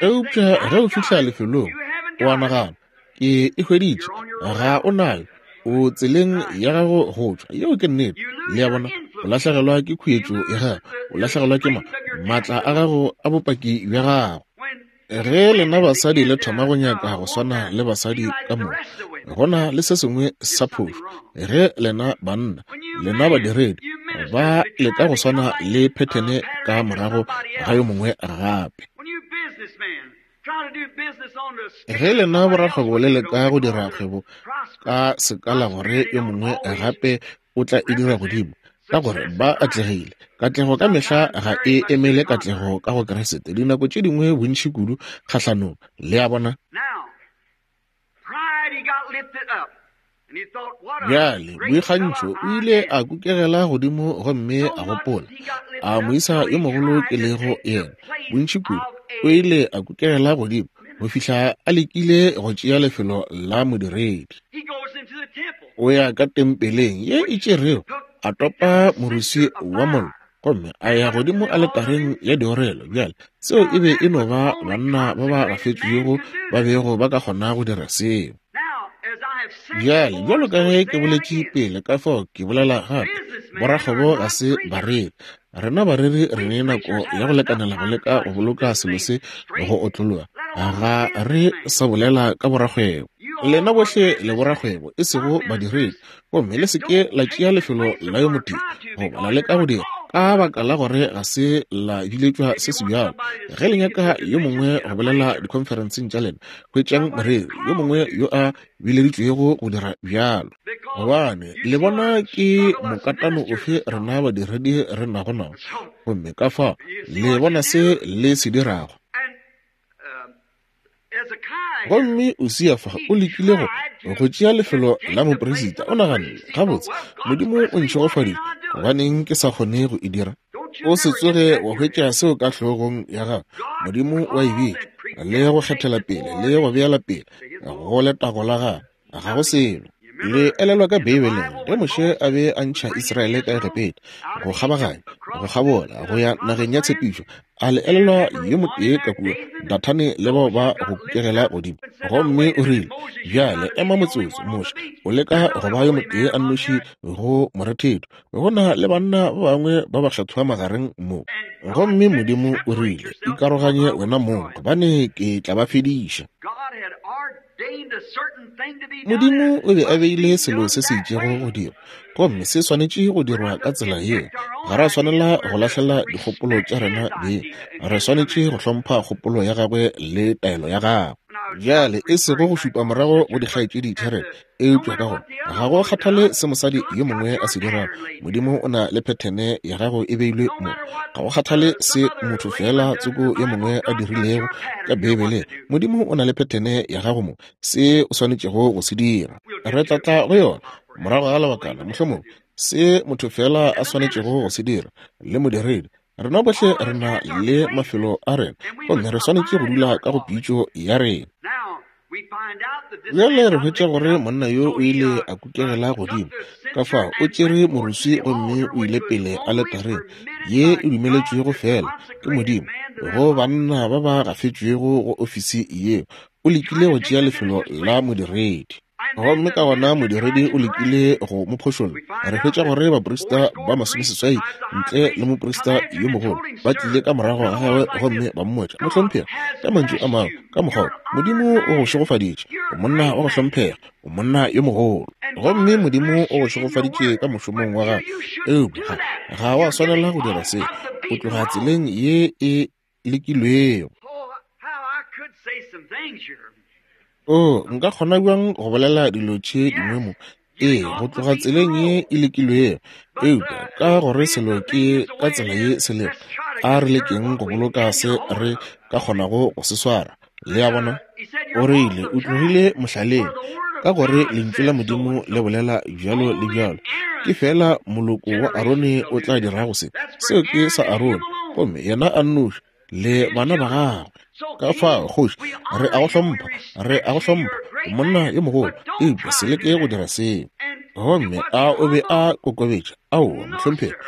Eupša ge o fihla lefelong, o a nagana, Ke e hweditše. Ga o nayo. O tseleng ya gago go tšwa. Yeo ke nnete. Le a bona? O lahlegelwa ke khuetšo ya gago. O lahlegelwa ke ma, maatla a gago a bopaki bja gago. Ge lena basadi le thoma go nyaka go swana le basadi ka moka, go na le se sengwe sa phošo. Ge lena banna, lena badiredi, ba leka go swana le phethene ka morago ga yo mongwe gape. Ge lena borakgwebo le leka go dira kgwebo ka sekala gore yo mongwe gape o tla e dira godimo, ka gore ba atlegile. Katlego ka mehla ga e emele katlego ka go Kriste, dinako tše dingwe bontši kudu kgahlanong. Le a bona? Bjale, boikgantšho, o ile a kukegela godimo gomme a gopola, a moisa yo mogolo ke lego yena. Bontši kudu, o ile a kukegela godimo go fihla a lekile go tšea lefelo la modiredi. O ya ka tempeleng ye e tšerego, a topa moruswi wa mollo gomme a ya godimo aletareng ya diorelo. Bjale, seo e be e no ba banna ba ba gafetšwego ba bego ba ka kgona go dira seo. Bjale, bjalo ka ge ke boletše pele, ka fao ke bolela gape, borakgwebo ga se bareri. Rena bareri re ne nako ya go lekanela go leka go boloka selo se go otlologa. Ga re sa bolela ka borakgwebo. Lena bohle le borakgwebo, e sego badiredi. Gomme le se ke la tšea lefelo la yo motee, goba la leka go dira. Ka baka la gore ga se la biletšwa se sebjalo. Ge le nyaka yo mongwe go bolela dikhonferenseng tša lena, hwetšang moreri yo mongwe yo a bileditšwego go dira bjalo. Gobane le bona ke mokatano ofe rena badiredi re nago nao, gomme ka fao le bona se le se dirago. Gomme Usia fa o lekile go go tšea lefelo la moperisita. O naganne, gabotse, Modimo o ntšhegofaditše, gobaneng ke sa kgone go e dira? O se tsoge wa hwetša seo ka hlogong ya gago. Modimo wa e bitša, le go kgethela pele, le go beela pele go letago la gagwe. Ga go selo. Le elelwa ka Beibeleng ge Moshe a be a ntšha Israele ka Egepeta, go kgabaganya, go kgabola, go ya nageng ya tshepišo. A le elelwa yo motee ka kua, Dathane le bao ba go kukegela godimo? Gomme o rile, Bjale ema motsotso, Moshe, o leka go ba yo motee a nnoši go morethetho. Go na le banna ba bangwe ba bakgethwa magareng mo. Gomme Modimo o rile, Ikaroganye wena mong, gobane ke tla ba fediša. Modimo o be a beile selo se se itšego go dirwa, gomme se swanetše go dirwa ka tsela yeo. Ga ra swanela go lahlela dikgopolo tša rena beng, re swanetše go hlompha kgopolo ya gagwe le taelo ya gagwe. Bjale, e sego go šupa morago go dikgaetšedi tša rena, eupša ka gore ga go kgathale se mosadi yo mongwe a se dirago, Modimo o na le phethene ya gago e beilwe mo. Ga go kgathale se motho feela tsoko yo mongwe a dirilego ka Beibeleng, Modimo o na le phethene ya gago mo, se o swanetšego go se dira. Re tla tla go yona morago ga lebakana, mohlomongwe, se motho feela a swanetšego go se dira, le modiredi. Rena bohle re na le mafelo a rena, gomme re swanetše go dula ka go pitšo ya rena. Bjale re hwetša gore monna yo o ile a kukegela godimo, ka fao o tšere moruswi gomme o ile pele aletareng ye e dumeletšwego feela ke Modimo go banna ba ba gafetšwego go ofisi yeo. O lekile go tšea lefelo la modiredi. Gomme ka gona modiredi o lekile go mo phošolla. Re hwetša gore baprista ba masomeseswai ntle le moprista yo mogolo ba tlile ka morago ga gagwe gomme ba mmotša, Mohlomphegi, ka mantšu a mangwe, ka mokgwa wo, Modimo o go šegofaditše, o monna wa go hlomphega, o monna yo mogolo. Gomme Modimo o go šegofaditše ka mošomong wa gago, eupša ga, ga wa swanela go dira se. O tloga tseleng ye e lekilwego. Oo, nka kgona bjang go bolela dilo tše dingwe mo? Ee, go tloga tseleng ye e lekilwego. Eupša ka gore selo ke ka tsela ye se lego, a re lekeng go boloka se re ka kgonago go se swara. Le a bona? O rile, o tlogile mohlaleng, ka gore Lentšu la Modimo le bolela bjalo le bjalo. Ke feela moloko wa Arone o tla dirago se. Seo ke sa Arone, gomme yena a nnoši, le bana ba gagwe. Ka fao, kgoši, re a go hlompha, re a go hlompha, o monna yo mogolo, eupša se leke go dira seo. Gomme a o be a kokobetša? Aowa, mohlomphegi.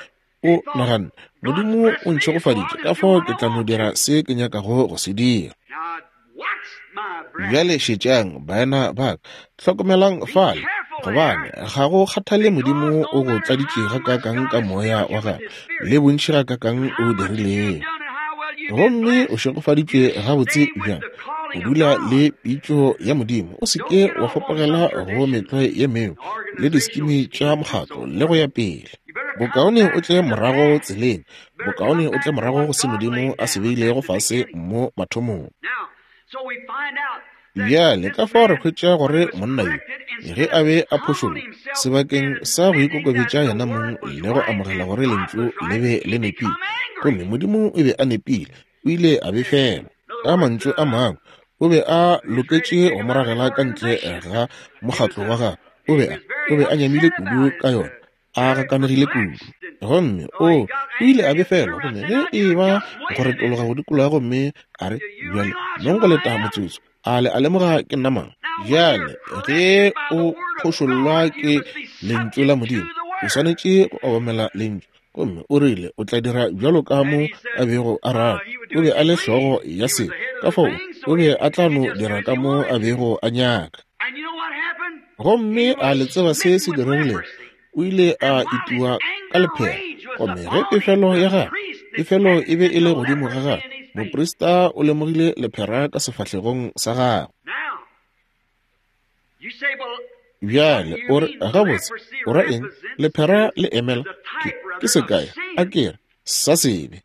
O naganne, Modimo o ntšhegofaditše, ka fao ke tla no dira se ke nyakago go se dira. Bjale šetšang, baena ba ka, hlokomelang fale, gobane ga go kgathale Modimo o go tladitše gakaakang ka Moya wa Gagwe, le bontši gakaakang o dirilego, gomme o šegofaditšwe gabotse bjang, o dula le pitšo ya Modimo, o se ke wa fapogela go metlwae ye mengwe le diskimi tša mokgatlo le go ya pele. Bokaone o tle morago tseleng, bokaone o tle morago go se Modimo a se beilego fase mo mathomong. Bjale ka fao re hwetša gore monna yo, ge a be a phošollwa, sebakeng sa go ikokobetša yena mong le go amogela gore Lentšu le be le nepile, gomme Modimo o be a nepile, o ile a befelwa. Ka mantšu a mangwe, o be a loketše go mo ragela ka ntle ga mokgatlo wa gagwe. O be a, o be a nyamile kudu ka yona, a gakanegile kudu. Gomme o, o ile a befelwa, gomme ge e ba go retologa go dikologa gomme a re, Bjale, nong go leta motsotso, a le a lemoga ke nna mang? Bjale, ge o phošollwa ke Lentšu la Modimo, o swanetše go obamela Lentšu. Gomme o rile o tla dira bjalo ka mo a bego a rata. O be a le hlogo ya se, ka fao o be a tla no dira ka mo a bego a nyaka. Gomme a le tseba se se diregilego? O ile a itiwa ka lephera. Gomme ge pefelo ya gagwe, pefelo e be e le godimo ga gagwe, moprista o lemogile lephera ka sefahlegong sa gagwe. Bjale o re, Gabotse, o ra eng? Lephera le emela ke, Ke sekai, a ke re, sa sebe.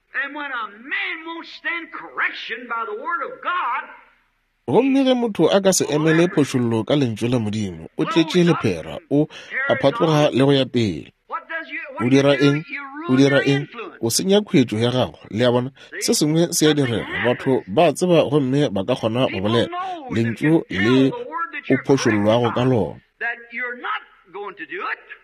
Gomme ge motho a ka se emele phošollo ka Lentšu la Modimo, o tletše lephera, o a phatloga le go ya pele. O dira eng? O dira eng? O senya khuetšo ya gago. Le a bona? Se sengwe se a direga. Batho ba a tseba gomme ba ka kgona go bolela Lentšu le o phošollwago ka lona,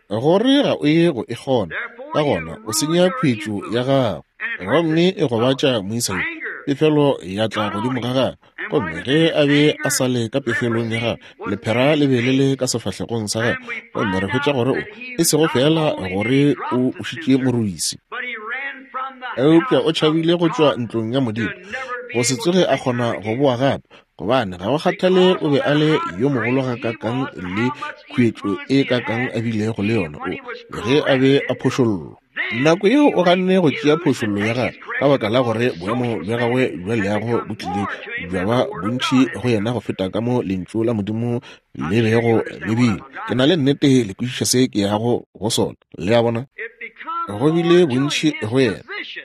gore ga o ye go e kgona. Ka gona o senya khuetšo ya gago, gomme e gobatša moisa yo. Pefelo ya tla godimo ga gagwe. Gomme ge a be a sa le ka pefelong ya gagwe, lephera le be le le ka sefahlegong sa gagwe. Gomme re hwetša gore o, e sego feela gore o ušitše morwisi, eupša o tšhabile go tšwa ntlong ya Modimo, go se tsoge a kgona go boa gape. Gobane ga go kgathale o be a le yo mogolo gakakang le khuetšo e kakang a bilego le yona, o, ge a be a phošollwa. Nako yeo o ganne go tšea phošollo ya gagwe ka baka la gore boemo bja gagwe bja leago bo tlile bja ba bontši go yena go feta ka mo Lentšu la Modimo le bego le bile. Ke na le nnete le kwešiša se ke yago go sona. Le a bona? Go bile bontši go yena.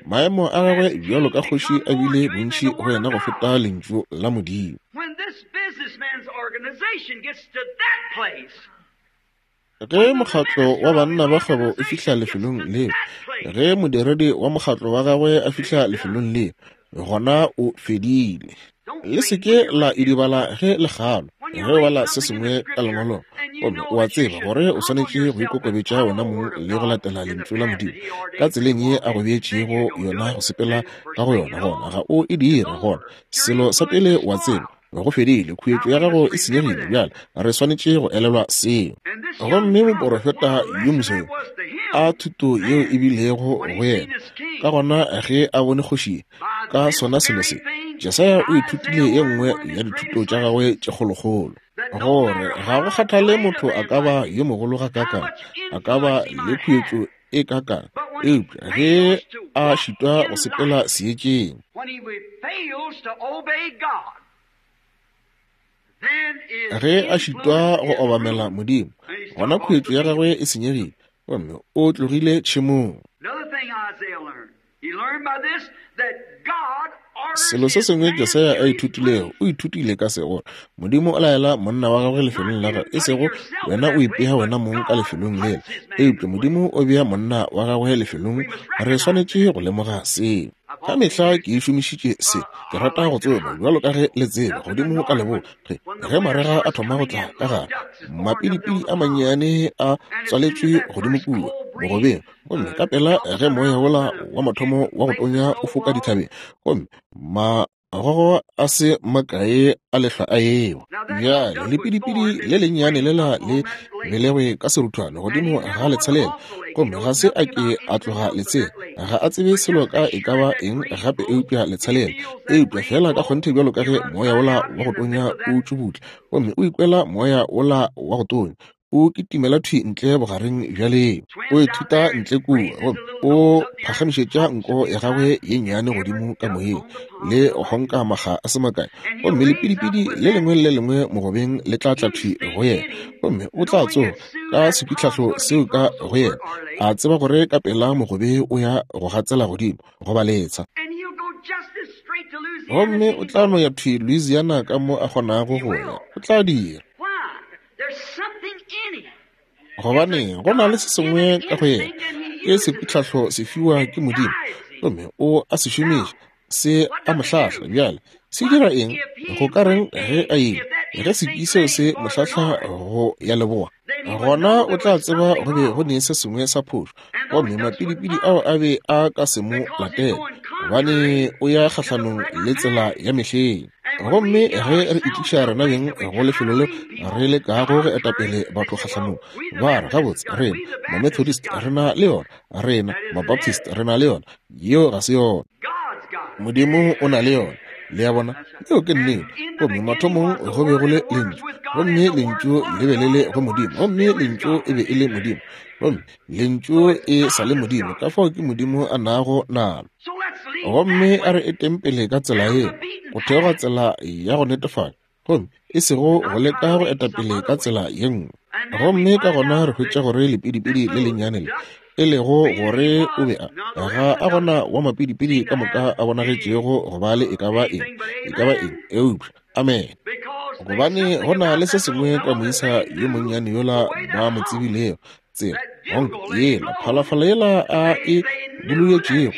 Maemo a gagwe bjalo ka kgoši a bile bontši go yena go feta Lentšu la Modimo. Ge mokgatlo wa banna ba kgwebo o fihla lefelong leo, ge modiredi wa mokgatlo wa gagwe a fihla lefelong leo, gona o fedile. Le se ke la idibala ge le kgalwa, ge o bala se sengwe ka Lengwalong, gomme o a tseba gore o swanetše go ikokobetša wena mong le go latela Lentšu la Modimo ka tseleng ye a go beetšego yona go sepela ka go yona, gona ga o e dire. Gona selo sa pele o a tseba, Go fedile, khuetšo ya gago e senyegile. Bjale re swanetše go elelwa seo. Gomme moporofeta yo moswa yo, a thuto yeo e bilego go yena! Ka gona ge a bone kgoši ka sona selo se, Jesaya o ithutile ye nngwe ya dithuto tša gagwe tše kgolokgolo, gore ga go kgathale motho a ka ba yo mogolo gakaakang, a ka ba le khuetšo e kakang, eupša ge a šitwa go sepela seetšeng, ge a šitwa go obamela Modimo, gona khuetšo ya gagwe e senyegile gomme o tlogile tšhemong. Selo se sengwe Jesaya a ithutilego, o ithutile ka se, gore Modimo o laela monna wa gagwe lefelong la gagwe, e sego wena o ipea wena mong ka lefelong lela, eupša Modimo o bea monna wa gagwe lefelong. Re swanetše go lemoga seo. Ka mehla ke e šomišitše se. Ke rata go tsoma, bjalo ka ge le tseba, godimo ka leboa, ge, ge marega a thoma go tla ka gare, mapidipidi a mannyane a tswaletšwe godimo kua mogobeng. Gomme ka pela ge moya wola wa mathomo wa go tonya o foka dithabeng, gomme magogo a se makae a lehlwa a ewa. Bjale lepidipidi le lennyane lela le belegwe ka seruthwane godimo ga letshelela, gomme ga se a ke a tloga letsheng. Ga a tsebe selo ka e ka ba eng gape eupša letshelela. Eupša feela ka kgonthe bjalo ka ge moya wola wa go tonya o tšubutla, gomme o ikwela moya wola wa go tonya, O kitimela thwi ntle bogareng bja leo. O ithuta ntle kua, gomme o phagamišetša nko ya gagwe ye nnyane godimo ka moyeng, le go honka makga a se makae, gomme lepidipidi le lengwe le le lengwe mogobeng le tla tla thwi go yena, gomme o tla tsoga ka sepitlhahlo seo ka go yena, a tseba gore ka pela mogobe o ya go gatsela godimo goba letsha. Gomme o tla no ya thwi Louisiana ka mo a kgonago go ya. O tla dira. Gobane go na le se sengwe ka go yena, ke sepitlhahlo se fiwa ke Modimo, gomme o a se šomiša, se a mo hlahla. Bjale, se dira eng? Go ka reng ge a ile, ge sekwi seo se mo hlahla go ya leboa? Gona o tla tseba go be go ne se sengwe sa phošo, gomme mapidipidi ao a be a ka se mo latele, gobane o ya kgahlanong le tsela ya mehleng. Gomme ge re itliša rena beng go lefelo leo re lekago go etapele batho kgahlanong, ba re, Gabotse, rena Mamethodist re na le yona. Rena Mabaptist re na le yona. Yeo ga se yona. Modimo o na le yona. Le a bona? Yeo ke nnete. Gomme mathomong go be go le Lentšu, gomme Lentšu le be le le go Modimo, gomme Lentšu e be e le Modimo, gomme Lentšu e sa le Modimo. Ka fao ke Modimo a nago nalo. Gomme a re eteng pele ka tsela ye, go theoga tsela ya go netefatša, gomme e sego go leka go eta pele ka tsela ye nngwe. Gomme ka gona re hwetša gore lepidipidi le lennyane le, E lego gore o be a, ga a gona wa mapidipidi ka moka a bonagetšego go ba le e ka ba eng, e ka ba eng, eupša, amene, gobane go na le se sengwe ka moisa yo monnyane yola ba mo tsebilego, tsela honk yela, phalafala yela a e bululetšego,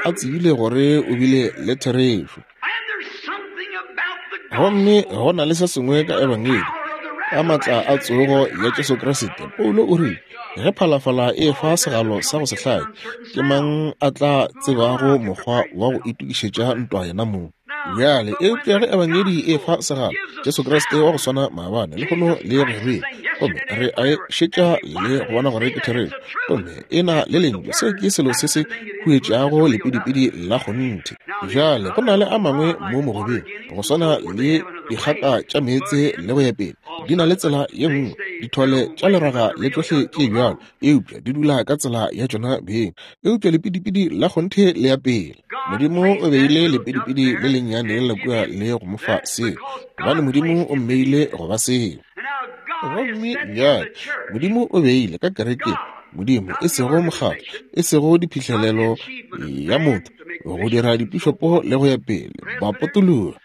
a tsebile gore o bile le therešo. Gomme go na le se sengwe ka Ebangedi, ka maatla a tsogo ya Jesu Kriste. Paulo o rile, ge phalafala e fa segalo sa go se hlake, ke mang a tla tsebago mokgwa wa go itokišetša ntwa yena mong? Bjale, eupša ge Ebangedi e fa segalo, Jesu Kriste wa go swana maabane, lehono le go ya gomme re a e šetša le go bona gore ke therešo, gomme e na le lentšu, seo ke selo se se huetšago lepidipidi la kgonthe. Bjale go na le a mangwe mo mogobeng, go swana le dikgata tša meetse le go ya pele, di na le tsela ye nngwe, dithole tša leraga le tšohle tše bjalo, eupša di dula ka tsela ya tšona beng. Eupša lepidipidi la kgonthe le ya pele. Modimo o beile lepidipidi le lennyane la kua le go mo fa seo, gobane Modimo o mmeile go ba seo. Gomme bjale Modimo o beile ka kerekeng, Modimo, e sego mokgatlo, e sego diphihlelelo ya motho, go dira dipišopo le go ya pele, bapotologi.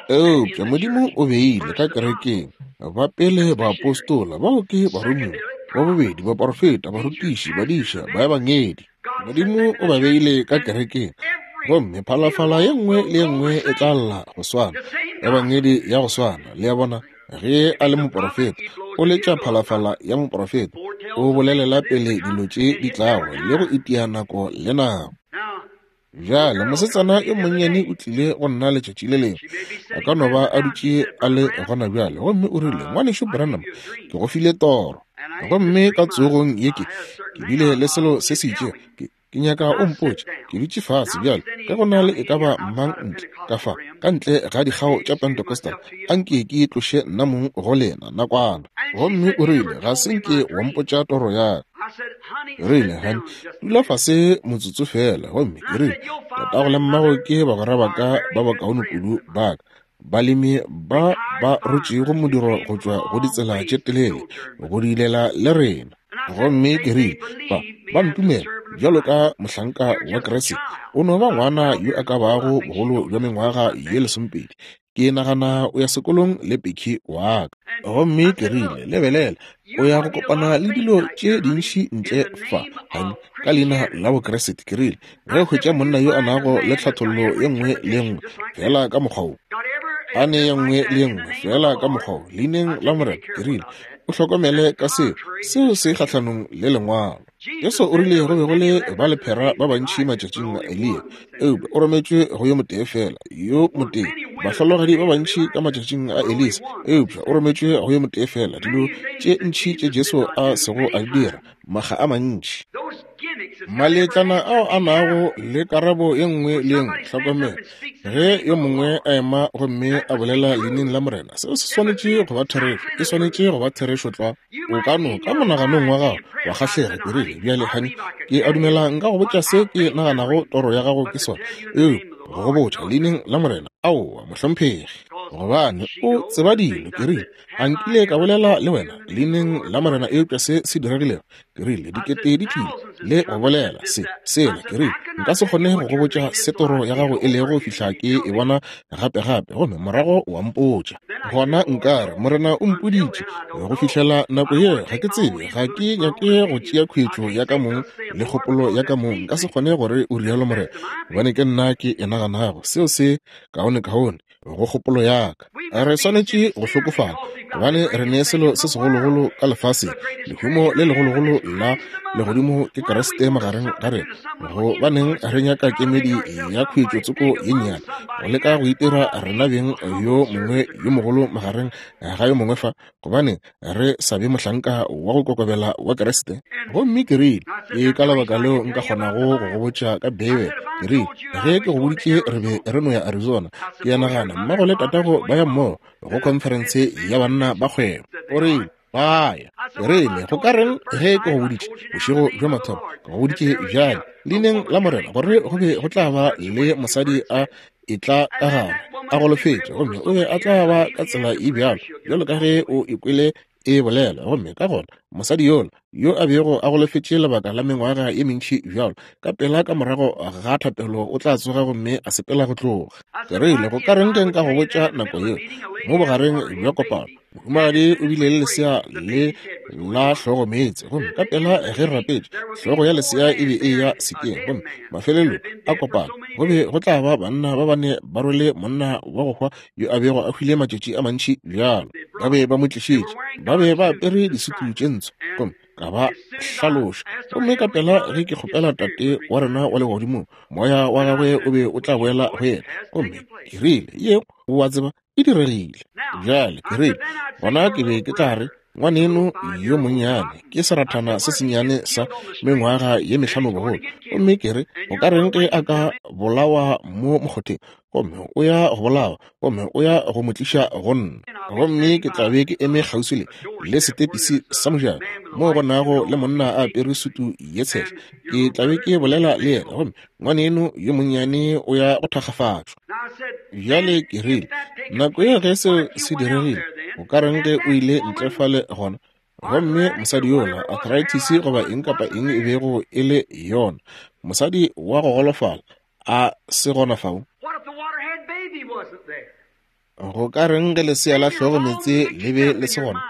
Eupša Modimo o beile ka kerekeng ba pele baapostola, bao ke baromiwa, ba bobedi baporofeta, barutiši, badiša, baebangedi. Modimo o ba beile ka kerekeng, gomme phalafala ye nngwe le ye nngwe e tla lla go swana, ebangedi ya go swana. Le a bona, ge a le moporofeta, o letša phalafala ya moporofeta, o bolelela pele dilo tše di tlago le go itia nako le nako. Bjale, mosetsana yo monnyane o tlile go nna letšatši le lengwe, a ka no ba a dutše a le gona bjale, gomme o rile, Ngwanešu Branham, ke go file toro. Gomme ka tsogong ye ke, ke bile le selo se se itšego, ke, ke nyaka o mpotše. Ke dutše fase bjale, ge go na le e ka ba mang ntle ka fa, ka ntle ga dikgao tša Pentecostal, a nke ke tloše nna mong go lena nakwana. Gomme o rile, Ga se nke wa mpotša toro ya ka. Ke rile, Honey, dula fase motsotso feela. Gomme ke rile, Tatago le mmago ke bagwera ba ka ba bakaone kudu ba ka, balemi ba ba rotšego modiro go tšwa go ditsela tše telele go diilela le rena. Gomme ke rile, Ba, ba ntumela bjalo ka mohlanka wa Kriste. O no ba ngwana yo a ka bago bogolo bja mengwaga ye lesomepedi. Ke nagana o ya sekolong le Becky wa ka. Gomme ke rile, Lebelela, o ya go kopana le dilo tše dintši ntle fa, honey, ka leina la Bokriste. Ke rile, Ge o hwetša monna yo a nago le tlhathollo ye nngwe le ye nngwe, feela ka mokgwa wo, a ne ye nngwe le ye nngwe, feela ka mokgwa wo, leineng la Morena, ke rile, o hlokomele ka seo, seo se kgahlanong le Lengwalo. Jesu o rile go be go le ba lephera ba bantši matšatšing a Eliya, eupša o rometšwe go yo motee fela, yo motee. Bahlologadi ba bantši ka matšatšing a Elisa, eupša o rometšwe go yo motee fela. Dilo tše ntši tše Jesu a sego a di dira, makga a mantši. Maletlana ao a nago le karabo ye nngwe le ye nngwe. Hlokomela, ge yo mongwe a ema gomme a bolela leineng la Morena, seo se swanetše go ba therešo, e swanetše go ba therešo tlwa. O ka no, ka monaganong wa gago, wa kgahlega. Ke rile, Bjale, honey, ke a dumela nka go botša se ke naganago toro ya gago ke sona. Eupša, go go botša, Leineng la Morena, aowa, mohlomphegi. Gobane, o tseba dilo. Ke rile, A nkile ka bolela le wena, Leineng la Morena, eupša se se diregilego? Ke rile, Dikete di tlile le go bolela se, sela. Ke rile, Nka se kgone go go botša se toro ya gago e lego go fihla ke e bona gape-gape, gomme morago wa mpotša. Gona nka re, Morena o mpoditše. Go fihlela nako ye, ga ke tsebe, ga ke nyake go tšea khuetšo ya ka mong le kgopolo ya ka mong. Nka se kgone gore o rialo Morena, gobane ke nna ke e naganago. Seo se kaonekaone go kgopolo ya ka. Re swanetše go hlokofala gobane re ne selo se segologolo ka lefaseng, lehumo le legologolo la legodimo ke Kriste magareng ga rena. Gobaneng re nyaka kemedi ya khuetšo tsoko ye nnyane, go leka go itira rena beng yo mongwe yo mogolo magareng ga yo mongwe fa? Gobaneng re sa be mohlanka wa go kokobela wa Kriste? Gomme ke rile, Ke ka lebaka leo nka kgonago go go botša ka Beibele. Ke rile, Ge ke go boditše re be re no ya Arizona, ke a nagana mmago le tatago ba ya mmogo go khonferense ya banna ba kgwebo. O rile, Ba ya. Ke rile, Go ka reng ge ke go boditše bošego bja mathomo, ke go boditše bjale, Leineng la Morena, gore go be go tla ba le mosadi a etla ka gare a golofetše, gomme o be a tla ba ka tsela e bjalo bjalo ka ge o ikwele e bolela. Gomme ka gona mosadi yola yo a bego a golofetše lebaka la mengwaga ye mentši bjalo, ka pela ka morago ga thapelo o tla tsoga gomme a sepela go tloga. Ke rile, go ka reng ge nka go botša nako yeo mo bogareng bja kopano, mohumagadi o bile le lesea le la hlogo meetse, gomme ka pela ge re rapetše, hlogo ya lesea e be e ya sekeng, gomme mafelelong a kopano go be go tla ba banna ba bane ba rwele monna wa go hwa yo a bego a hwile matšatši a mantši bjalo. Ba be ba mo tlišitše, ba be ba apere disutu tše ntsho, gomme ka ba hlaloša. Gomme ka pela ge ke kgopela Tate wa rena wa legodimong, moya wa gagwe o be o tla boela go yena. Gomme ke rile, Yeo, o a tseba, e diregile. Bjale ke rile, gona ke be ke tla re, ngwaneno yo monnyane ke serathana se sennyane sa mengwaga ye mehlano bogolo, gomme ke re, o ka reng ge a ka bolawa mo mokgotheng? Gomme o ya go bolawa, gomme o ya go mo tliša go nna, gomme ke tla be ke eme kgauswi le le setepisi sa mojako moo go nago le monna a apere sutu ye tshehla. Ke tla be ke bolela le yena, gomme ngwaneno yo monnyane o ya go thakgafatšwa. Bjale ke rile, nako ye ge seo se diregile, o ka reng ge o ile ntle fale gona, gomme mosadi yola, arthritis goba eng kapa eng e bego e le yona, mosadi wa go golofala, a se gona fao? Go ka reng ge lesea la hlogo meetse le be le se gona?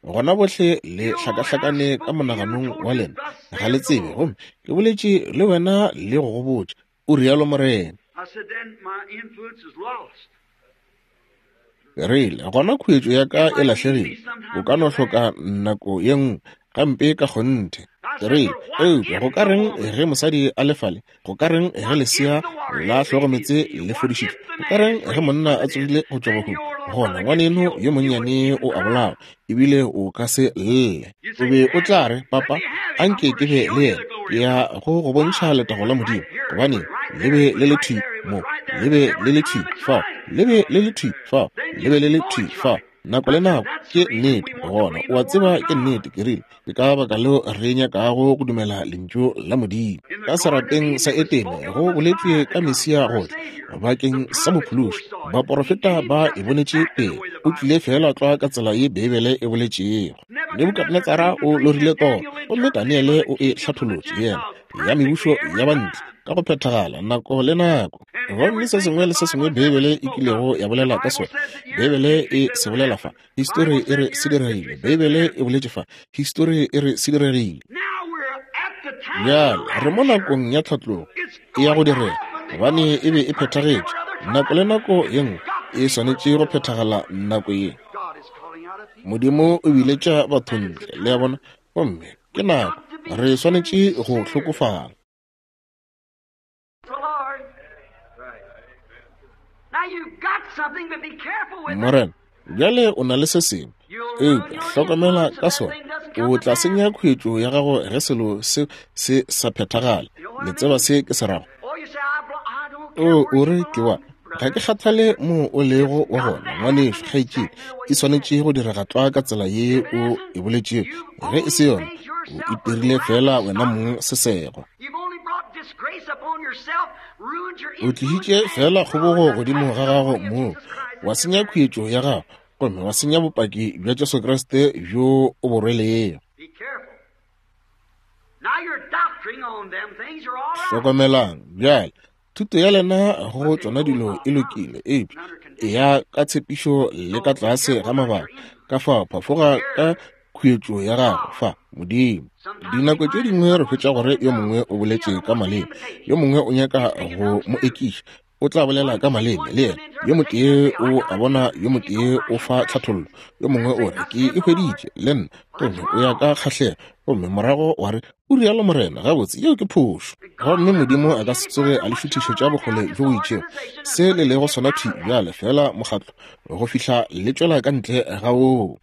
Gona bohle le hlakahlakane ka monaganong wa lena, ga le tsebe. Gomme ke boletše le wena le go go botša, o rialo Morena. Ke rile, gona khuetšo ya ka e lahlegile. O ka no hloka nako ye nngwe gampe ka kgonthe. Ke rile, eupša go ka reng ge mosadi a le fale? Go ka reng ge lesea la hlogometse le fodišitšwe? Go ka reng ge monna a tsogile go tšwa bahung? Gona ngwaneno yo monnyane o a bolawa, ebile o ka se lle. O be o tla re, Papa, anke ke be le yena. Ke ya go go bontšha letago la Modimo. Gobaneng, le be le le thwi mo, le be le le thwi fao, le be le le thwi fao, le be le le thwi fao. Nako le nako, ke nnete. Gona o a tseba ke nnete. Ke rile, ke ka baka leo re nyakago go dumela Lentšu la Modimo. Ka serapeng sa Etene go boletšwe ka Mesia go tla bakeng sa Mophološi. Baporofeta ba e bonetše pele. O tlile feela tlwa ka tsela ye Beibele e boletšego. Nebukadnetsara o lorile toro, gomme Daniele o e hlatholotše, yena, ya mebušo ya bantle, ka go phethagala, nako le nako. Gomme se sengwe le se sengwe Beibele e kilego ya bolela ka sona, Beibele e se bolela fa. Histori e re se diregile. Beibele e boletše fa. Histori e re se diregile. Bjale re mo nakong ya tlhatlogo e ya go direga, gobane e be e phethagetše. Nako le nako ye nngwe e swanetše go phethagala nako ye. Modimo o biletša batho ntle, le a bona, gomme ke nako re swanetše go hlokofala. Morena, bjale o na le se sengwe, eupša hlokomela ka sona. O tla senya khuetšo ya gago ge selo se se sa phethagale. Le tseba se ke se rago? O, o re ke wa. Ga ke kgathale moo o lego wa gona, ngwanešu, kgaetšedi. E swanetše go direga tlwa ka tsela ye o e boletšego. Ge e se yona, o itirile feela wena mong sesego. O tlišitše feela kgobogo godimo ga gago moo, wa senya khuetšo ya gago, gomme wa senya bopaki bja Jesu Kriste bjo o bo rwelego. Hlokomelang bjale, thuto ya lena go tšona dilo e lokile, eupša e ya ka tshepišo le ka tlase ga mabaka. Ka fao phafoga ka khuetšo ya gago fa, Modimo. Dinako tše dingwe re hwetša gore yo mongwe o boletše ka maleme, yo mongwe o nyaka go mo ekiša, o tla bolela ka maleme le yena. Yo motee o a bona, yo motee o fa tlhathollo, yo mongwe o re, ke e hweditše le nna, gomme o ya ka kgahlego, gomme morago wa re, o rialo Morena. Gabotse, yeo ke phošo. Gomme Modimo a ka se tsoge a le šuthišetša bokgole bjo bo itšego, se le lego sona thwi bjale, feela mokgatlo go fihla le tšwela ka ntle ga woo.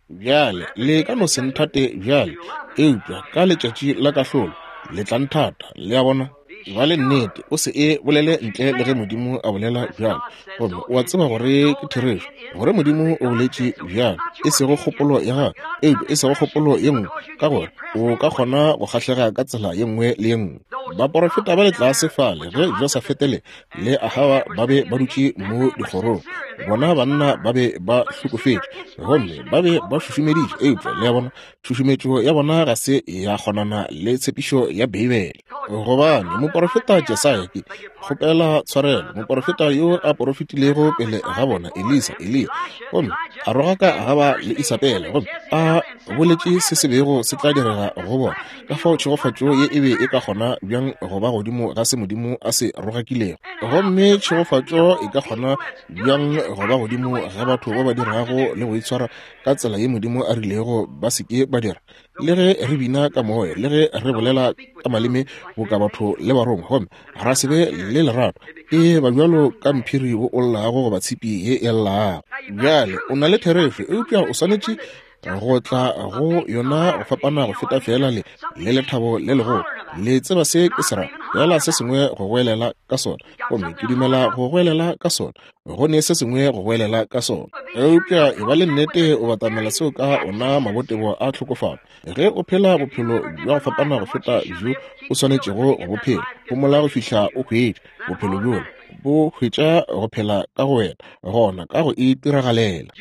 Bjale, le ka no se nthate bjale, eupša ka letšatši la kahlolo le tla nthata. Le a bona? Ba le nnete, o se e bolele ntle le ge Modimo a bolela bjalo. Gomme o a tseba gore ke therešo, gore Modimo o boletše bjalo, e sego kgopolo ya gago, eupša e sego kgopolo ye nngwe, ka gore o ka kgona go kgahlega ka tsela ye nngwe le ye nngwe. Baporofeta ba le tlase fale ge Josafete le le Ahaba ba be ba dutše mo dikgorong, bona banna ba be ba hlokofetše gomme ba be ba šušumeditše, eupša le a bona, tšhušumetšo ya bona ga se ya kgonana le tshepišo ya Beibele. Gobane moporofeta Jesaya, ke kgopela tshwarelo, moporofeta yo a porofetilego pele ga bona, Elisa, Eliya, gomme a rogaka Ahaba le Isabele, gomme a boletše se se bego se tla direga go bona. Ka fao tšhegofatšo ye e be e ka kgona bjang go ba godimo ga se Modimo a se rogakilego? Gomme tšhegofatšo e ka kgona bjang go ba godimo ga batho ba ba dirago le go itshwara ka tsela ye Modimo a rilego ba se ke ba dira? Le ge re bina ka moya, le ge re bolela ka maleme boka batho le barongwa, gomme ra se be le lerato, e ba bjalo ka mphiri wo o llago goba tshipi ye e llago. Bjale o na le therešo, eupša o swanetše go tla go yona go fapana go feta feela le le lethabo le legolo. Le tseba se ke se ra, feela se sengwe go goelela ka sona, gomme ke dumela go goelela ka sona, go ne se sengwe go goelela ka sona. Eupša e ba le nnete o batamela seo ka ona mabotebo a tlhokofalo. Ge o phela bophelo bja go fapana go feta bjo o swanetšego go bo phela, homola go fihla o hwetša bophelo bjola, bo hwetša go phela ka go wena, gona ka go itiragalela.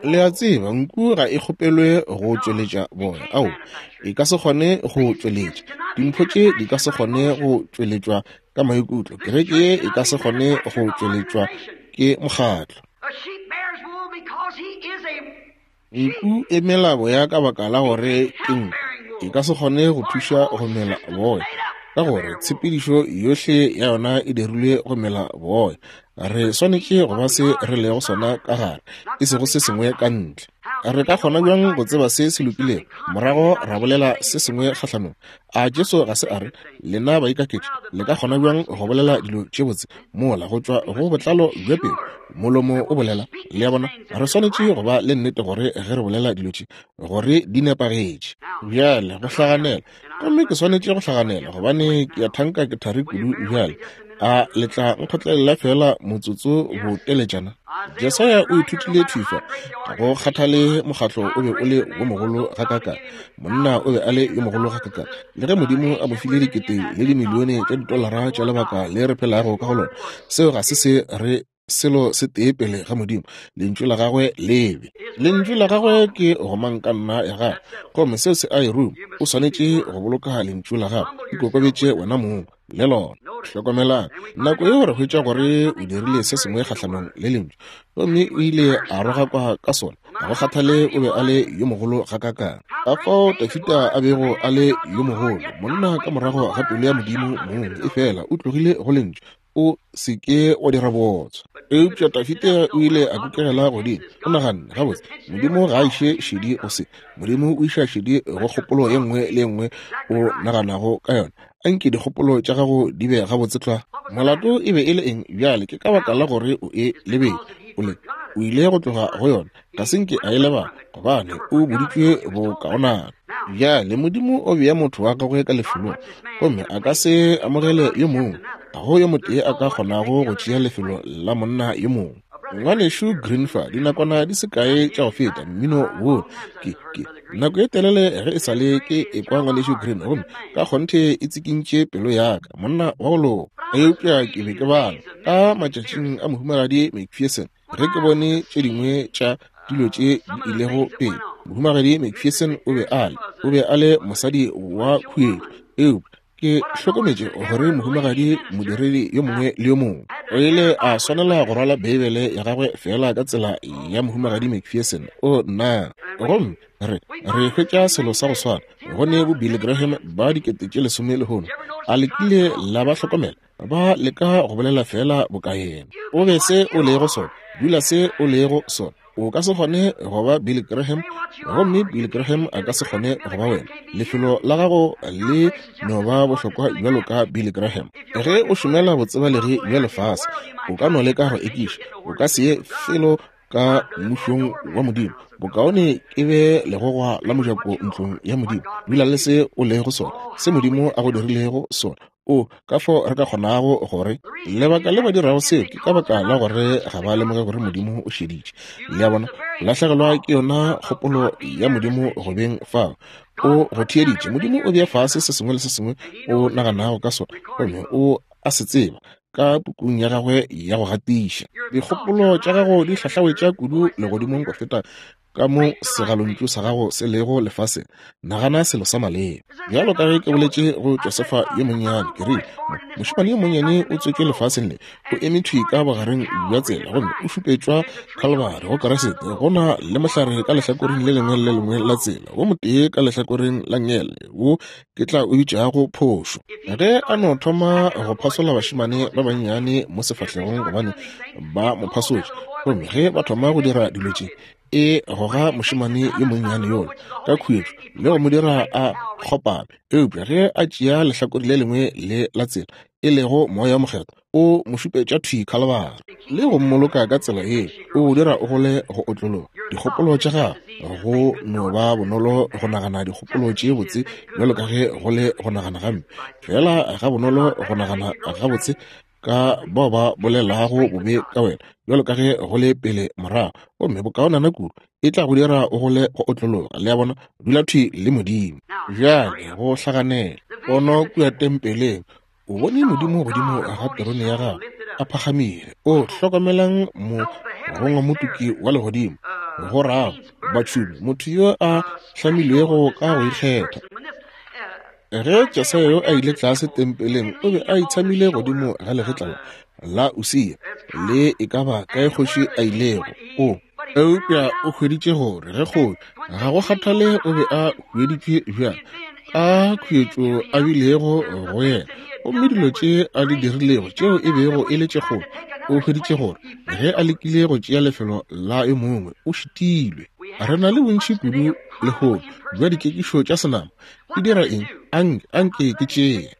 Le a tseba, nku ga e kgopelwe go tšweletša boya. Ao, e ka se kgone go tšweletša. Dimpho tše di ka se kgone go tšweletšwa ka maikutlo. Kereke ye e ka se kgone go tšweletšwa ke mokgatlo. Nku e mela boya ka baka la gore ke nku. E ka se kgone go thuša go mela boya, ka gore tshepedišo yohle ya yona e dirilwe go mela boya. Re swanetše go ba se re lego sona ka gare, e sego se sengwe ka ntle. Re ka kgona bjang go tseba se se lokilego, morago ra bolela se sengwe kgahlanong? A Jesu ga se a re, Lena baikaketši, le ka kgona bjang go bolela dilo tše botse mola go tšwa go botlalo bja pelo molomo o bolela? Le a bona, re swanetše go ba le nnete gore ge re bolela dilo tše, gore di nepagetše. Bjale, go hlaganela, gomme ke swanetše go hlaganela gobane ke a thanka ke thari kudu bjale. A le tla nkgotlelela feela motsotso boteletšana? Jesaya o ithutile thwi fa, ga go kgathale mokgatlo o be o le wo mogolo gakaakang, monna o be a le yo mogolo gakaakang, le ge Modimo a mo file dikete le dimilione tša ditolara tša lebaka le re phelago ka go lona, seo ga se se re selo se tee pele ga Modimo. Lentšu la gagwe lebe. Lentšu la gagwe ke gomangkanna ya gagwe, gomme seo se a e ruma. O swanetše go boloka lentšu la gagwe. Ikokobetše wena mong le lona. Hlokomelang, nako yeo re hwetša gore o dirile se sengwe kgahlanong le lentšu, gomme o ile a rogakwa ka sona. Ga go kgathale o be a le yo mogolo gakaakang, ka fao Dafida a bego a le yo mogolo, monna ka morago ga pelo ya Modimo mong, efela o tlogile go lentšu. O se ke wa dira bootswa. Eupša Dafida o ile a kukegela godimo. O naganne, gabotse, Modimo ga a iše šedi go se. Modimo o iša šedi go kgopolo ye nngwe le ye nngwe o naganago ka yona. Anke dikgopolo tša gago di be gabotse tlwa. Molato e be e le eng bjale? Ke ka baka la gore o e lebetše. O le, o ile go tloga go yona. Ga se nke a e lebala, gobane o boditšwe bokaonana. Bjale Modimo o bea motho wa gagwe ka lefelong, gomme a ka se amogele yo mongwe. Ga go yo motee a ka kgonago go tšea lefelo la monna yo mongwe. Ngwanešu Green fa, dinakwana di se kae tša go feta, mmino wo, ke, ke, nako e telele ge e sa le ke ekwa Ngwanešu Green, gomme ka kgonthe e tsikintše pelo ya ka, monna wa go loka. Eupša ke be ke bala ka matšatšing a Mohumagadi McPherson, ge ke bone tše dingwe tša dilo tše di ilego pele. Mohumagadi McPherson o be a le, o be a le mosadi wa khuetšo, eupša ke hlokometše gore mohumagadi modiredi yo mongwe le yo mongwe o ile a swanela go rwala Beibele ya gagwe feela ka tsela ya mohumagadi McPherson. O nna, gomme re re hwetša selo sa go swana go ne bo Billy Graham ba 10,000 lehono. A le kile la ba hlokomela? Ba leka go bolela feela boka yena. O be se o lego sona, dula se o lego sona. O ka se kgone go ba Billy Graham, gomme Billy Graham a ka se kgone go ba wena. Lefelo la gago le no ba bohlokwa bjalo ka Billy Graham. Ge o šomela botsebalegi bja lefase, o ka no leka go ekiša, o ka se ye felo. ka mmušong wa Modimo. Bokaone ke be legogwa la mojako ntlong ya Modimo. Dula le se o lego sona, se Modimo a go dirilego sona. O, ka fao re ka kgonago gore lebaka le ba dirago seo ke ka baka la gore ga ba lemoge gore Modimo o šeditše. Le a bona, lahlegelwa ke yona kgopolo ya Modimo go beng fao. O go theeditše. Modimo o bea fase se sengwe le se sengwe o naganago ka sona, gomme o a se tseba ka pukung ya gagwe ya go gatiša. Dikgopolo tša gago di hlahlawetša kudu legodimong go feta ka mo segalontšu sa gago se lego lefaseng. Nagana selo sa maleba. Bjalo ka ge ke boletše go Josefa yo monnyane, ke rile, mošemane yo monnyane o tswetšwe lefaseng le, o eme thwi ka bogareng bja tsela gomme o šupetšwa Kalvari go Kriste. Go na le mohlare ka lehlakoreng le lengwe le le lengwe la tsela, wo motee ka lehlakoreng la nngele, wo ke tla o bitšago phošo. Ge a no thoma go phasola bašemane ba bannyane mo sefahlegong gobane ba mo phasotše, gomme ge ba thoma go dira dilo tše, e goga mošemane yo monnyane yola ka khuetšo le go mo dira a kgopame. Eupša ge a tšea lehlakore le lengwe le la tsela, e lego Moya wo Mokgethwa, o mo šupetša thwi Khalabari le go mmoloka ka tsela ye, o go dira o gole go otlologa dikgopolo tša gago. Go no ba bonolo go nagana dikgopolo tše botse bjalo ka ge go le go nagana gampe, fela ga bonolo go nagana gabotse ka bao ba bolelago bobe ka wena bjalo ka ge go le pele morago, gomme bokaonana kudu e tla go dira o gole go otlologa. Le a bona, dula thwi le Modimo. Bjale go hlaganela pono kua tempeleng, o bone Modimo godimo ga terone ya gagwe a phagamile. O hlokomelang morongwamotuki wa legodimo, go rago batšhumi, motho yo a hlamilwego ka go ikgetha. Ge Jesaya yo a ile tlase tempeleng, o be a itshamile godimo ga legetla la Usia, le e ka ba kae kgoši a ilego. O eupša o hweditše gore ge kgoši, ga go kgathale o be a hweditšwe bjang, ka khuetšo a bilego go yena, gomme dilo tše a di dirilego tšeo e bego e le tše kgolo, o hweditše gore ge a lekile go tšea lefelo la yo mongwe, o šitilwe. Re na le bontši kudu lehono bja dikekišo tša senama. Di dira eng? Anke ke tšee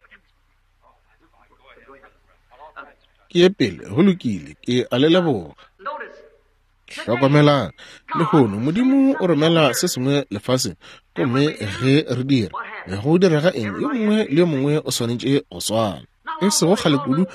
ke ye pele. Go lokile, ke a le leboga. Hlokomelang, lehono Modimo o romela se sengwe lefaseng, gomme ge re dira, go direga eng? Yo mongwe le yo mongwe o swanetše go swana. E sego kgale kudu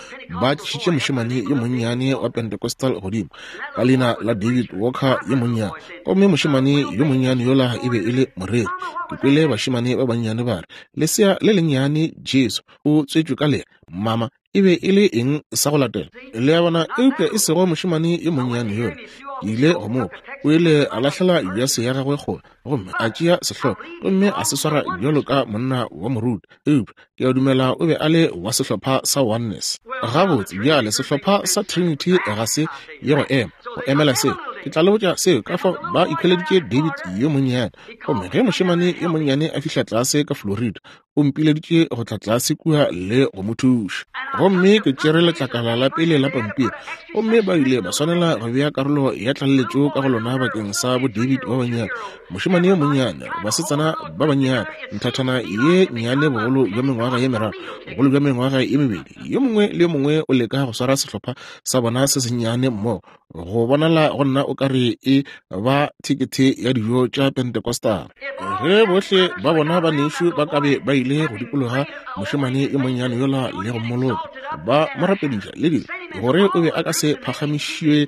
ba tlišitše mošemane yo monnyane wa Pentecostal godimo ka leina la David Walker yo monnyane, gomme mošemane yo monnyane yola e be e le moreri. Ke kwele bašemane ba bannyane ba re, lesea le lennyane Jesu o tswetšwe ka lena, mama. E be e le eng sa go latela? Le a bona? Eupša e sego mošemane yo monnyane yola. Ke ile go mo kwa. O ile a lahlela jase ya gagwe kgole, gomme a tšea sehlogo gomme a se swara bjalo ka monna wa moruti. Eupša ke a dumela o be a le wa sehlopha sa Oneness. Gabotse, bjale sehlopha sa Trinity ga se ye go ema go emela seo. Ke tla le botša seo ka fao ba ikhweleditše David yo monnyane. Gomme ge mošemane yo monnyane a fihla tlase ka Florida, o mpileditše go tla tlase kua le go mo thuša. Gomme ke tšere letlakala la pele la pampiri, gomme ba ile ba swanela go bea karolo ya tlaleletšo ka go lona bakeng sa bo David ba bannyane, mošemane yo monnyane, basetsana ba bannyane, nthathana ye nnyane bogolo bja mengwaga ye meraro, bogolo bja mengwaga ye mebedi. Yo mongwe le yo mongwe o leka go swara sehlopha sa bona se sennyane mmogo. Go bonala go nna o ka re e ba thekethe ya dijo tša Pentecostal. Ge bohle ba bona ba nešu ba ka be ba ile go dikologa mošemane yo monnyane yola le go mmoloka, ba mo rapediša le dilo, gore o be a ka se phagamišiwe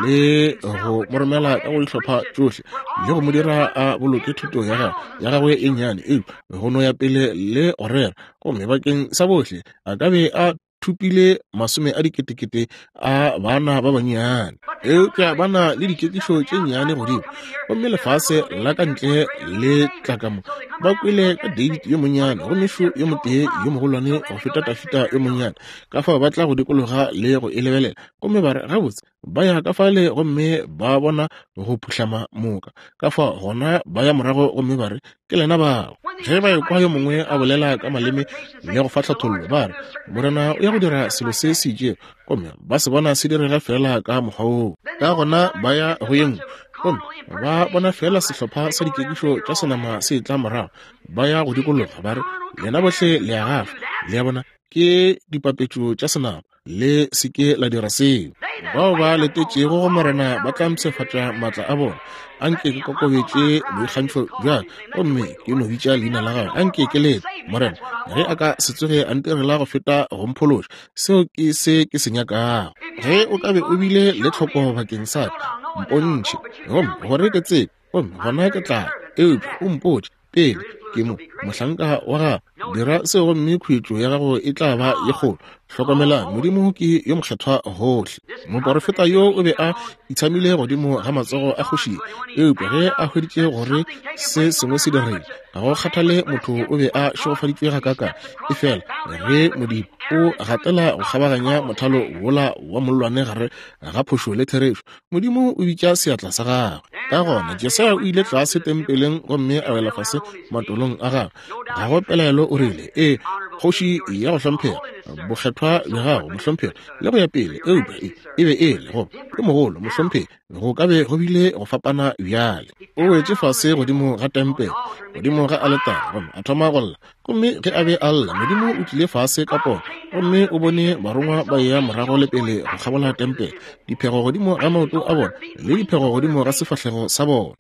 le go mo romela ka go dihlopha tšohle le go mo dira a boloke thuto ya gagwe ya gagwe e nnyane, eupša go no ya pele le go rera, gomme bakeng sa bohle a ka be a thopile masome a diketekete a bana ba bannyane. Eupša ba na le dikekišo tše nnyane godimo, gomme lefase la ka ntle le tla ka mo. Ba kwele ka David yo monnyane, gomme šo yo motee yo mogolwane go feta Tafita yo monnyane. Ka fao ba tla go dikologa le go e lebelela, gomme ba re, Gabotse, ba ya ka fale gomme ba bona go phuhlama moka. Ka fao gona ba ya morago gomme ba re, Ke lena bao. Ge ba ekwa yo mongwe a bolela ka maleme le go fa tlhathollo, ba re, Morena o ya go dira selo se se itšego, gomme ba se bona se direga feela ka mokgwa woo. Ka gona ba ya go ye nngwe, gomme ba bona feela sehlopha sa dikekišo tša senama se etla morago. Ba ya go dikologa, ba re, Lena bohle le a gafa. Le a bona, ke dipapetšo tša senama. Le se ke la dira seo. Bao ba letetšego go Morena ba tla mpshafatša maatla a bona. Anke ke kokobetše boikgantšho bja ka gomme ke no bitša leina la gagwe. Anke ke lete Morena ge a ka se tsoge a ntirela go feta go mphološa. Seo ke se ke se nyakago. Ge o ka be o bile le tlhoko bakeng sa ka, mpontšhe, gomme gore ke tsebe, gomme gona ke tla, eupša o mpotše pele ke mo mohlanka wa gago. Dira seo gomme khuetšo ya gago e tla ba ye kgolo. Hlokomelang, Modimo ke yo mokgethwa gohle. Moporofeta yo o be a itshamile godimo ga matsogo a kgoši, eupša ge a hweditše gore se sengwe se diregile, ga go kgathale motho o be a šegofaditšwe gakaakang, efela ge Modimo o gatela go kgabaganya mothalo wola wa mollwane gare ga phošo le therešo, Modimo o bitša seatla sa gagwe. Ka gona Jesaya o ile tlase tempeleng gomme a wela fase matolong a gagwe. Ga go pelaelo o rile, Ee, kgoši ya go hlomphega, bokgethwa bja gago, mohlomphegi, le go ya pele. Eupša e, e be e le goba yo mogolo, mohlomphegi, go ka be go bile go fapana bjale. O wetše fase godimo ga tempele, godimo ga aletare, gomme a thoma go lla. Gomme ge a be a lla, Modimo o tlile fase ka pono, gomme o bone barongwa ba eya morago le pele go kgabola tempele, diphego godimo ga maoto a bona le diphego godimo ga sefahlego sa bona,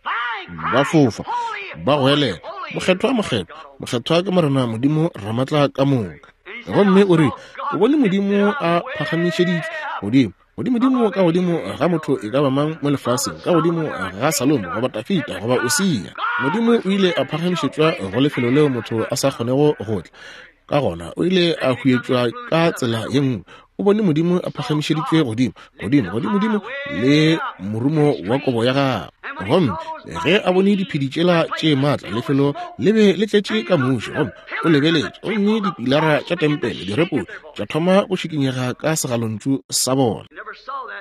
ba fofa, ba goelela, Mokgethwa, mokgethwa, mokgethwa ke Morena Modimo Ramatla ka moka. Gomme o rile o bone Modimo a phagamišeditšwe godimo godimodimo ka godimo ga motho e ka ba mang mo lefaseng, ka godimo ga Salomo goba Tafita goba Usia. Modimo o ile a phagamišetšwa go lefelo leo motho a sa kgonego go tla. Ka gona o ile a huetšwa ka tsela ye nngwe. O bone Modimo a phagamišeditšwe godimo, godimo, godimodimo le morumo wa kobo ya gagwe. Gomme ge a bone diphedi tšela tše maatla, lefelo le be le tletše ka muši, gomme o lebeletše, gomme dipilara tša tempele, direpodi, tša thoma go šikinyega ka segalontšu sa bona.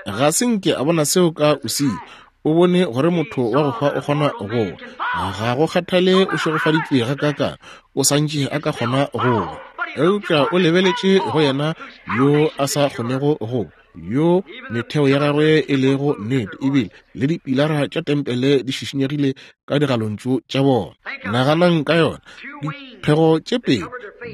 Ga se nke a bona seo ka Usia. O bone gore motho wa go hwa o kgona go wa. Ga go kgathale o šegofaditšwe gakaakang, o sa ntše a ka kgona go wa. Eupša o lebeletše go yena yo a sa kgonego go wa, yo metheo ya gagwe e lego nnete, ebile le dipilara tša tempele di šišinyegile ka digalontšu tša bona. Naganang ka yona, diphego tše pedi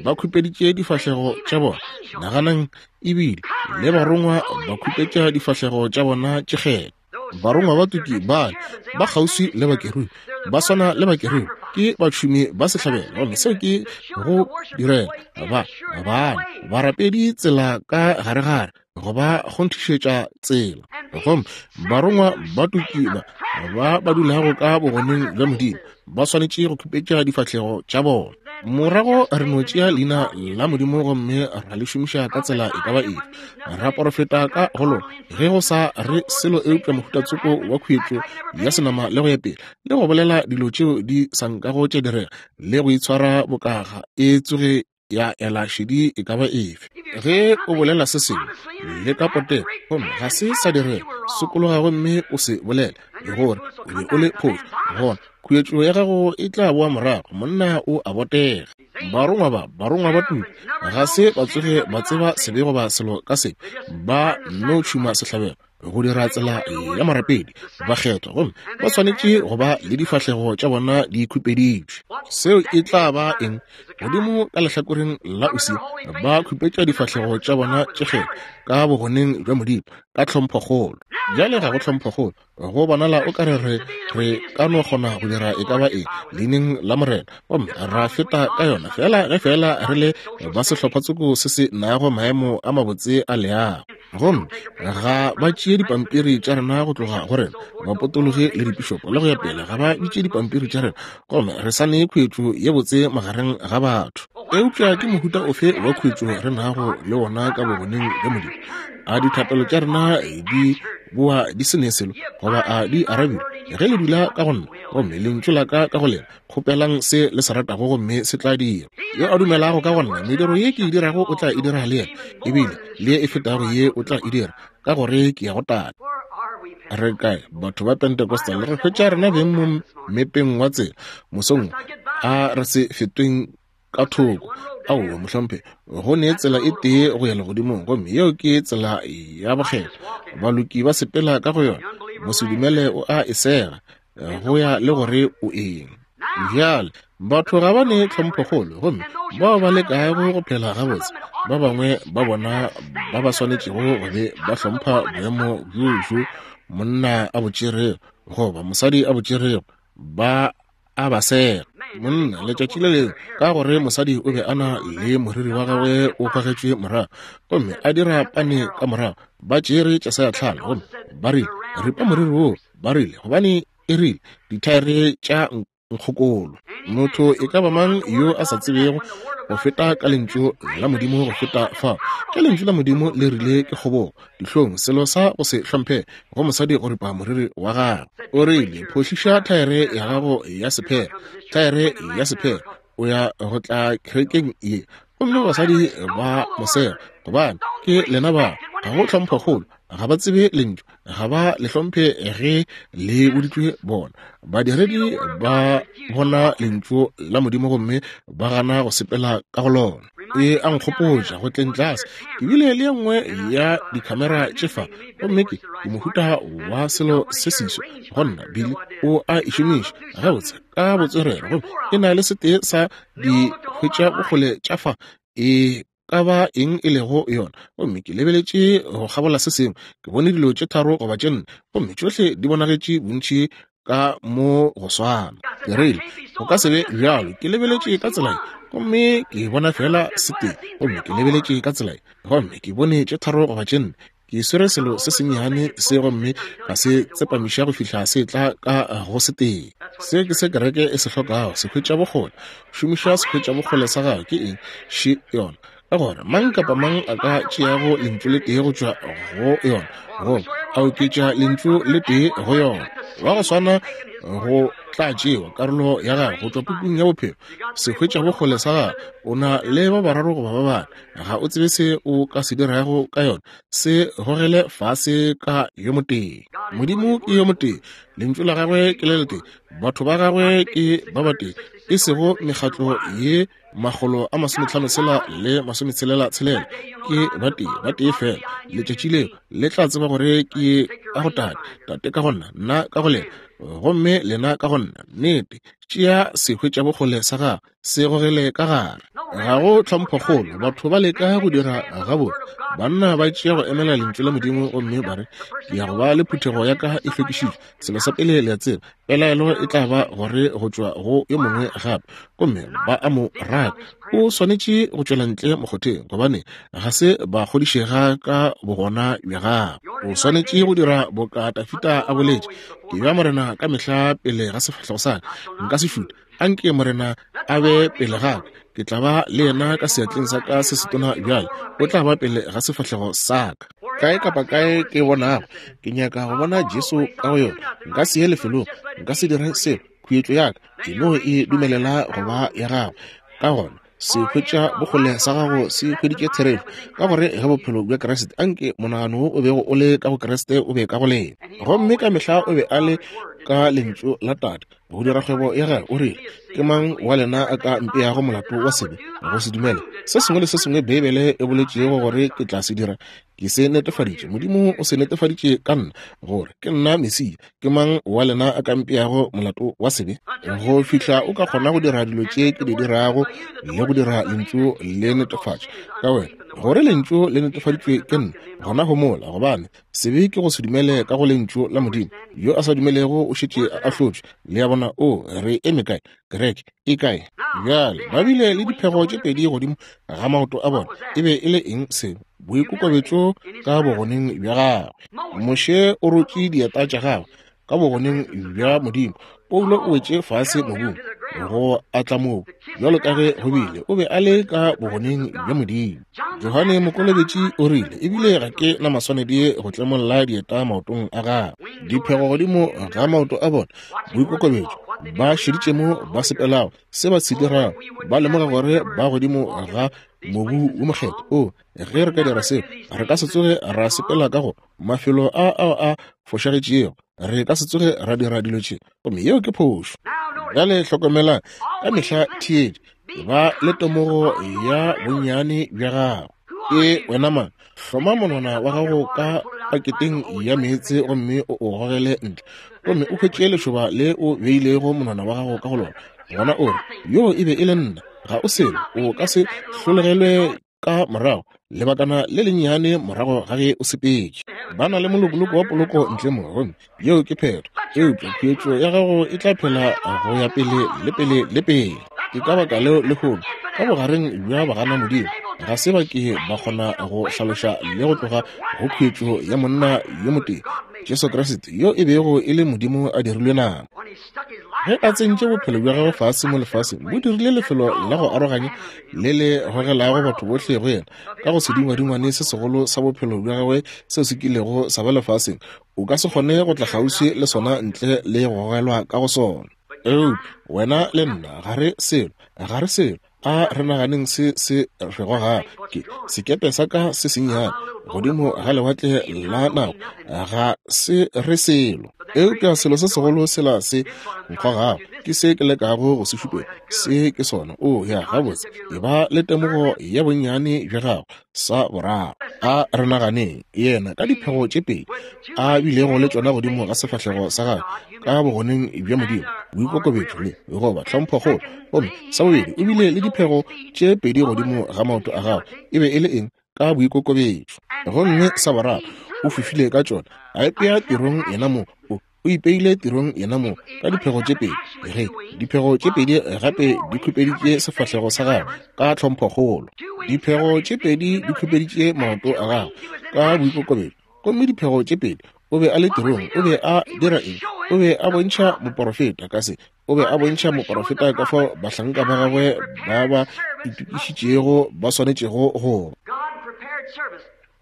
ba khupeditše difahlego tša bona. Naganang, ebile le barongwa ba khupetša difahlego tša bona tše kgethwa. Barongwa ba tuki bale ba kgauswi le bakerubi, ba swana le bakerubi, ke batšhumi ba sehlabelo, gomme seo ke go direla ba bane barapedi tsela ka garegare go ba kgonthišetša tsela. Gomme barongwa ba tuki ba ba ba dulago ka bogoneng bja Modimo ba swanetše go khupetša difahlego tša bona. Morago re no tšea leina la Modimo gomme ra le šomiša ka tsela e ka ba efe, ra porofeta ka go lona ge go sa re selo eupša mohuta tsoko wa khuetšo ya senama le go ya pele, le go bolela dilo tšeo di sa nkago tša direga, le go itshwara bokaga e tsoge ya ela šedi e ka ba efe. Ge o bolela se sengwe le ka potego gomme ga se sa direga, sokologa gomme o se bolele gore o be o le phošo, gona khuetšo ya gago e tla boa morago. Monna o a botega. Barongwa ba, barongwa ba tumo, ga se ba tsoge ba tseba sebe goba selo ka sebe, ba no tšhuma sehlabelo go dira tsela ya morapedi bakgethwa, gomme ba swanetše go ba le difahlego tša bona di khupeditšwe. Seo e tla ba eng? Godimo ka lehlakoreng la Usia ba khupetša difahlego tša bona tše kgethwa ka bogoneng bja Modimo ka tlhomphokgolo. Bjale ga go tlhomphokgolo, go bonala o ka re re re ka no kgona go dira e ka ba eng leineng la Morena gomme ra feta ka yona fela ge fela re le ba sehlopha-tsoko se se nago maemo a mabotse a leago. Gomme ga ba tšee dipampiri tša rena go tloga go rena, bapotologi le dipišopo le go ya pele, ga ba bitše dipampiri tša rena, gomme re sa ne khuetšo ye botse magareng ga batho. Eupša ke mohuta ofe wa khuetšo re nago le wona ka bogoneng bja Modimo? A dithapelo tša rena di boa di se ne selo, goba a di arabilwe? Ge le dula ka go nna, gomme lentšu la ka ka go lena, kgopelang se le se ratago gomme se tla dira. Yo a dumelago ka go nna, mediro ye ke e dirago o tla e dira le yena, ebile le ye e fetago ye o tla e dira, ka gore ke ya go Tate. Re kae batho ba Pentecostal? Re hwetša rena beng mo mmepeng wa tsela mosong, a re se fetweng ka thoko. Aowa, mohlomphegi, go ne tsela e tee go ya legodimong, gomme yeo ke tsela ya bokgethwa. Baloki ba sepela ka go yona, mosedumele o a e sega, go ya le gore o eng. Bjale, batho ga ba ne tlhomphokgolo, gomme bao ba lekago go phela gabotse, ba bangwe ba bona ba ba swanetšego go be ba hlompha boemo bjo bjo monna a bo tšerego goba mosadi a bo tšerego, ba a ba sega. Monna, letšatši le lengwe, ka gore mosadi o be a na le moriri wa gagwe o kwagetšwe morago, gomme a dira pane ka morago, ba tšere tšasa ya tlhalo, gomme ba rile, Ripa moriri woo, ba rile, gobane e rile, dithaere tša nkgokolo. Motho e ka ba mang yo a sa tsebego go feta ka lentšu la Modimo go feta fao, ke lentšu la Modimo le rile ke kgobogo, dihlong, selo sa go se hlomphe go mosadi go ripa moriri wa gagwe. O rile, Phohliša thaere ya gago ya sephere, thaere ya sephere, o ya go tla kerekeng ye. Gomme basadi ba mosega, gobane ke lena ba, ga go tlhomphokgolo, ga ba tsebe lentšu, ga ba le hlomphe ge le boditšwe bona. Badiredi ba bona lentšu la Modimo gomme ba gana go sepela ka go lona. E a nkgopotša go tleng tlase, ke bile le ye nngwe ya dikhamera tše fa, gomme ke mohuta wa selo se seswa go nna. Billy o a e šomiša gabotse ka botswerere, gomme e na le setee sa di hwetša bokgole tša fa e ka ba eng e lego yona. Gomme ke lebeletše go kgabola se sengwe, ke bone dilo tše tharo goba tše nne, gomme tšohle di bonagetše bontši ka mo go swana. Ke rile, go ka se be bjalo. Ke lebeletše ka tsela ye, gomme ke bona fela setee, gomme ke lebeletše ka tsela ye, gomme ke bone tše tharo goba tše nne. Ke swere selo se sennyane se gomme ka se tsepamiša go fihla se tla ka go setee. Se ke se kereke e se hlokago, sehwetša bokgole. Šomiša sehwetša bokgole sa gago. Ke eng? Še yona. Ka gore mang kapa mang a ka tšeago lentšu le tee go tšwa go yona, goba a oketša lentšu le tee go yona, wa go swana go tla tšewa karolo ya gago go tšwa pukung ya bophelo. Sehwetša bokgole sa gago, o na le ba bararo goba ba bane, ga o tsebe se o ka se dirago ka yona, se gogele fase ka yo motee. Modimo ke yo motee, lentšu la gagwe ke le letee, batho ba gagwe ke ba batee, e sego mekgatlo ye 556 le 66, ke batee, batee fela. Letšatši leo le tla tseba gore ke ka go Tate, Tate ka go nna, nna ka go lena, gomme lena ka go nna. Nnete, tšea sehwetšabokgole sa gago, se gogele ka gare. Ga go tlhomphokgolo, batho ba leka go dira gabotse. Banna ba tšea go emela lentšu la Modimo gomme ba re, Ke ya go ba le phuthego ya ka e hlwekišitšwe. Selo sa pele le a tseba, pelaelo e tla ba gore go tšwa go yo mongwe gape, gomme ba a mo raka. O swanetše go tšwela ntle mokgotheng, gobane ga se ba kgodišega ka bogona bja gagwe. O swanetše go dira boka Dafida a boletše, Ke bea Morena ka mehla pele ga sefahlego sa ka, nka se šute. Anke Morena a be pele ga ka, ke tla ba le yena ka seatleng sa ka se setona bjale, o tla ba pele ga sefahlego sa ka. Kae kapa kae ke bonago, ke nyaka go bona Jesu ka go yona. Nka se ye lefelong, nka se dire selo, khuetšo ya ka ke no e dumelela go ba ya gagwe. Ka gona se hwetša bokgole sa gago se hweditše therešo, ka gore ge bophelo bja Kriste, anke monagano wo o bego o le ka go Kriste o be ka go lena. Gomme ka mehla o be a le ka lentšu la Tate go dira kgwebo ya gagwe. O rile, Ke mang wa lena a ka mpeago molato wa sebe go se dumele? Se sengwe le se sengwe Beibele e boletšego gore ke tla se dira, ke se netefaditše. Modimo o se netefaditše ka nna, gore ke nna Mesia. Ke mang wa lena a ka mpeago molato wa sebe? Go fihla o ka kgona go dira dilo tše ke di dirago le go dira lentšu le netefatša ka wena, gore lentšu le netefaditšwe ke nna, gona homola, gobane sebe ke go se dumele ka go lentšu la Modimo. Yo a sa dumelego o šetše a ahlotšwe. Le a bona? O re eme kae? Kereke e kae bjale? Ba bile le diphego tše pedi godimo ga maoto a bona. E be e le eng seo? Boikokobetšo ka bogoneng bja gagwe. Moshe o rotše dieta tša gagwe ka bogoneng bja Modimo. Paulo o wetše fase mobung go atla mobu, bjalo ka ge go bile, o be a le ka bogoneng bja Modimo. Johane Mokolobetši o rile, ebile ga ke na maswanedi go tlemolla dieta maotong a gagwe. Diphego godimo ga maoto a bona, boikokobetšo, ba šeditše mo ba sepelago, se ba se dirago, ba lemoga gore ba godimo ga mobu wo mokgethwa. O, ge re ka dira seo, re ka se tsoge ra sepela ka go mafelo a ao a fošagetšego, re ka se tsoge ra dira dilo tše, gomme yeo ke phošo. Bjale hlokomelang, ka mehla theetša, ba le temogo ya bonnyane bja gago. Ke wena mang? Hloma monwana wa gago ka paketeng ya meetse gomme o o gogele ntle, gomme o hwetše lešoba le o beilego monwana wa gago ka go lona, gona o re, Yoo e be e le nna. Ga o selo, o ka se hlologelwe ka morago lebakana le lennyane morago ga ge o sepetše. Ba na le molokoloko wa poloko ntle mo, gomme yeo ke phetho. Eupša khuetšo ya gago e tla phela go ya pele le pele le pele. Ke ka baka leo lehono, ka bogareng bja bagana Modimo, ga se ba ke ba kgona go hlaloša le go tloga go khuetšo ya monna yo motee, Jesu Kriste, yo e bego e le Modimo a dirilwe nama. Ge a tsentše bophelo bja gagwe fase mo lefaseng, bo dirile lefelo la go aroganya le le gogelago batho bohle go yena. Ka go sedingwadingwane se segolo sa bophelo bja gagwe seo se kilego sa ba lefaseng, o ka se kgone go tla kgauswi le sona ntle le go gogelwa ka go sona. Eupša wena le nna ga re selo, ga re selo. A re naganeng se se re gogago. Ke sekepe sa ka se sennyane godimo ga lewatle la nako, ga se re selo. Eupša selo se segolo sela se nkgogago ke se ke lekago go se šupetša. Se ke sona. O ya gabotse, e ba le temogo ya bonnyane bja gago. Sa boraro, a re naganeng yena ka diphego tše pedi a bilego le tšona godimo ga sefahlego sa gagwe ka bogoneng bja Modimo, boikokobetšo le goba tlhomphokgolo. Gomme sa bobedi, o bile le diphego tše pedi godimo ga maoto a gagwe. E be e le eng? Ka boikokobetšo. Gomme sa boraro, o fofile ka tšona, a ipea tirong yena mong. O ipeile tirong yenamong ka diphego tše pedi. Ge diphego tše pedi gape di khupeditše sefahlego sa gagwe ka tlhomphokgolo, diphego tše pedi di khupeditše maoto a gagwe ka boikokobetšo, gomme diphego tše pedi o be a le tirong. O be a dira eng? O be a bontšha moporofeta ka se. O be a bontšha moporofeta ka fao bahlanka ba gagwe ba ba itokišitšego ba swanetšego go ba.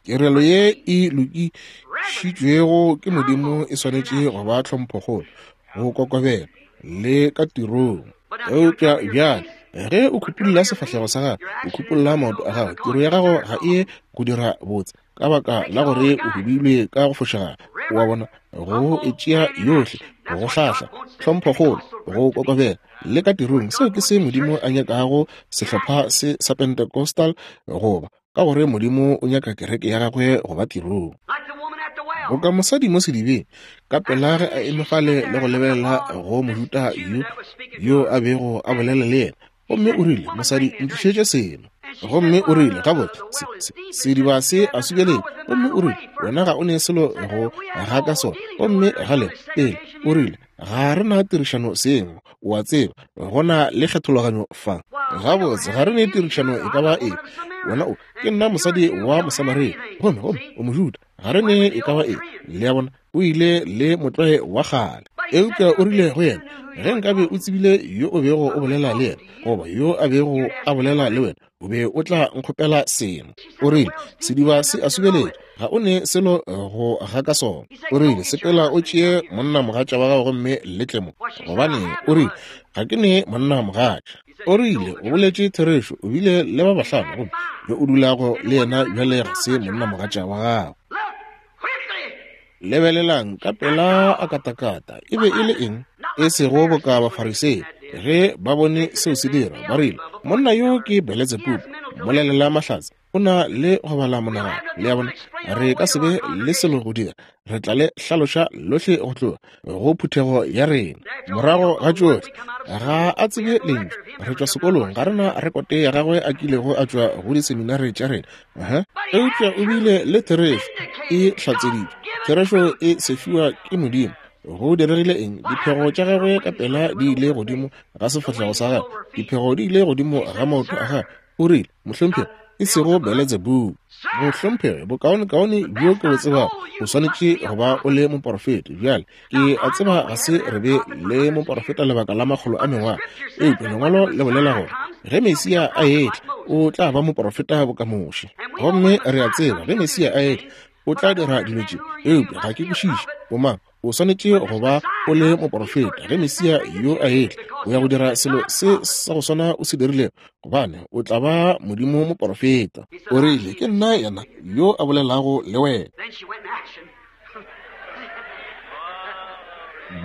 Tirelo ye e lokišitšwego ke Modimo e swanetše go ba tlhomphokgolo, go kokobela le ka tirong. Eupša bjale ge o khupulla sefahlego sa gago, o khupulla maoto a gago, tiro ya gago ga e go dira botse ka baka la gore o hubilwe ka go fošagala. O a bona, go e tšea yohle, go hlahla, tlhomphokgolo, go kokobela le ka tirong, seo ke se Modimo a nyakago sehlopha se sa Pentecostal goba. Ka gore Modimo o nyaka kereke ya gagwe go ba tirong. Boka mosadi mo sedibeng, ka pela ge a eme fale le go lebelela go Mojuda yo, yo a bego a bolela le yena, gomme o rile, Mosadi, ntlišetše seno. Gomme o rile, Gabotse, se, se, sediba se a subeletše. Gomme o rile, Wena ga o ne selo go ga ka sona. Gomme gale, pele, o rile, Ga re na tirišano sengwe. O a tseba, go na le kgethologanyo fa. Gabotse, ga re ne tirišano e ka ba efe. Wena o, ke nna mosadi wa Mosamaria, gomme, gomme o Mojuda. Ga re ne e ka ba efe. Le a bona, o ile le motlwae wa kgale. Eupša o rile go yena, Ge nkabe o tsebile yo o bego o bolela le yena, goba yo a bego a bolela le wena, o be o tla nkgopela seno. O rile, Sediba se a subeletša, ga o ne selo go ga ka sona. O rile, Sepela o tšee monnamogatša wa gago gomme le tle mo. Gobaneng, o rile, ga ke ne monnamogatša. O rile, O boletše therešo, o bile le ba bahlano, gomme yo o dulago le yena bjale ga se monnamogatša wa gago. Lebelelang, ka pela a katakata. E be e le eng? E sego boka Bafarisei, ge ba bone seo se dira, ba rile, Monna yo ke Beletsebubu, mmolelela mahlatse, o na le go bala monagano. Le a bona? Re ka se be le selo go dira. Re tla le hlaloša lohle go tloga go phuthego ya rena. Morago ga tšohle, ga a tsebe lentšu. Re tšwa sekolong, ga re na rekote ya gagwe a kilego a tšwa go diseminare tša rena. Aha. Eupša o bile le therešo e hlatseditšwe. Therešo e sefiwa ke Modimo. Go diregile eng? Diphego tša gagwe ka pela di ile godimo ga sefahlego sa gagwe. Diphego di ile godimo ga maoto a gagwe. O rile, Mohlomphegi, e sego Beletsebubu. Mohlomphegi, bokaonekaone bjo ke bo tsebago, o swanetše go ba o le moporofeta. Bjale, ke a tseba ga se re be le moporofeta lebaka la makgolo a mengwaga, eupša Lengwalo le bolela gore ge Mesia a etla, o tla ba moporofeta boka Moshe. Gomme re a tseba ge Mesia a etla, o tla dira dilo tše, eupša ga ke kwešiše bomang. O swanetše go ba o le moporofeta ge Mesia yo a etla, o ya go dira selo se sa go swana o se dirilego, gobane o tla ba Modimo moporofeta. O rile, Ke nna yena yo a bolelago le wena.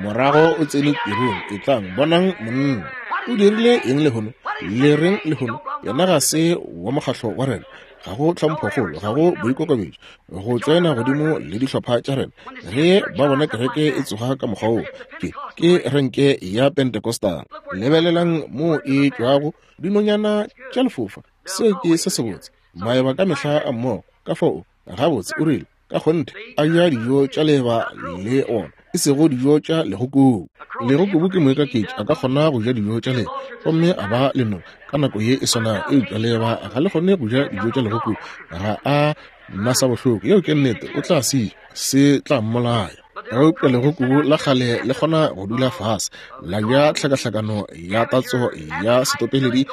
Morago o tsene tirong, etlang, bonang monna. O dirile eng lehono? Le reng lehono? Yena ga se wa mokgahlo wa rena. Ga go tlhomphokgolo, ga go boikokobetšo, go tšoena godimo le dihlopha tša rena. Ge ba bona kereke e tsoga ka mokgwa woo, ke, ke renke ya Pentecostal. Lebelelang moo e tšwago, dinonyana tša lefofa. Seo ke se sebotse. Maeba ka mehla a mmogo. Ka fao, gabotse, o rile, ka kgonthe, a ja dijo tša leeba le ona, e sego dijo tša legokubu. Legokubu ke moikaketši, a ka kgona go ja dijo tša leeba gomme a ba lenong ka nako ye e swanago, eupša leeba ga le kgone go ja dijo tša legokubu, ga a na sa bohloko. Yeo ke nnete, o tla se ja, se tla mmolaya. Eupša legokubu la kgale le kgona go dula fase la ja tlhakahlakano ya tatso ya setopeledi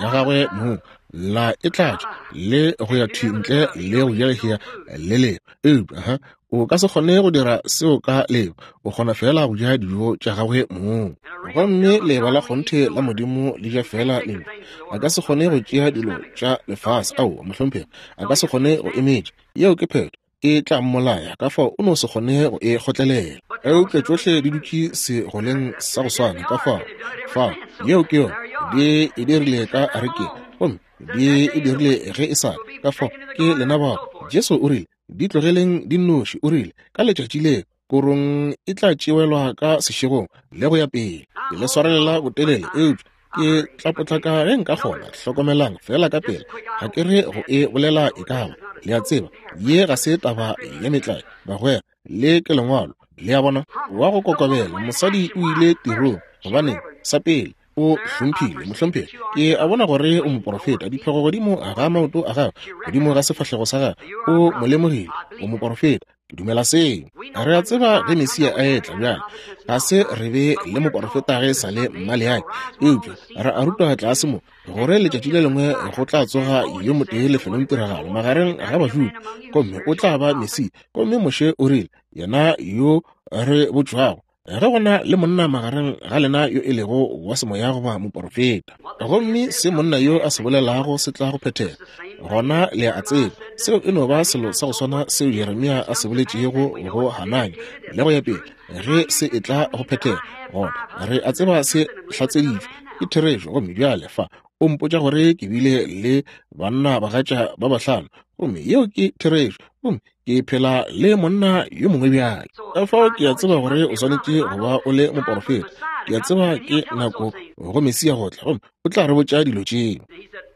ya gagwe mong, la e tlatša le go ya thwi ntle le go ja lehea le lengwe. Eupša ha o ka se kgone go dira seo ka leo, o kgona feela go ja dijo tša gagwe mong. Gomme leeba la kgonthe la Modimo le ja feela lentšu. A ka se kgone go tšea dilo tša lefase. Aowa, mohlomphegi, a ka se kgone go emetša. Yeo ke phetho. E tla mmolaya, ka fao o no se kgone go e kgotlelela. Eupša tšohle di dutše segoleng sa go swana, ka fao, fao, yeo ke yona. Di e dirile ka arekeng, gomme di e dirile ge e sa le. Ka fao, ke lena bao. Jesu o rile, Di tlogeleng di nnoši, o rile, ka letšatši leo korong e tla tšewelwa ka sešegong, le go ya pele. Ke le swarelela botelele, eupša ke tla potlaka ge nka kgona. Hlokomelang feela ka pela, ga ke re go e bolela e ka ba. Le a tseba, ye ga se taba ya metlae, bagwera, le ke Lengwalo. Le a bona? Wa go kokobela mosadi o ile tirong. Gobaneng? Sa pele, o hlomphile mohlomphegi. Ke a bona gore o moporofeta. Diphego godimo ga maoto a gagwe, godimo ga sefahlego sa gagwe, o mo lemogile, o moporofeta. Ke dumela seo. Re a tseba ge Mesia a etla bjale, ga se re be le moporofeta ge e sa le Maleaki, eupša re a rutwa tlase mo gore letšatši le lengwe go tla tsoga yo motee lefelong tiragalo magareng ga Bajuda, gomme o tla ba Mesia. Gomme Moshe o rile, Yena yo re botšwago, ge go na le monna magareng ga lena yo e lego wa semoya goba moporofeta, gomme se monna yo a se bolelago se tla go phethega, gona le a tseba seo e no ba selo sa go swana seo Jeremia a se boletšego go Hananya le go ya pele. Ge se e tla go phethega, gona re a tseba se hlatseditšwe ke therešo. Gomme bjale fa o mpotša gore ke bile le banna bagatša ba bahlano, gomme yeo ke therešo, gomme ke phela le monna yo mongwe bjale. Ka fao ke a tseba gore o swanetše go ba o le moporofeta. Ke a tseba ke nako go Mesia go tla, gomme o tla re botša dilo tšeo.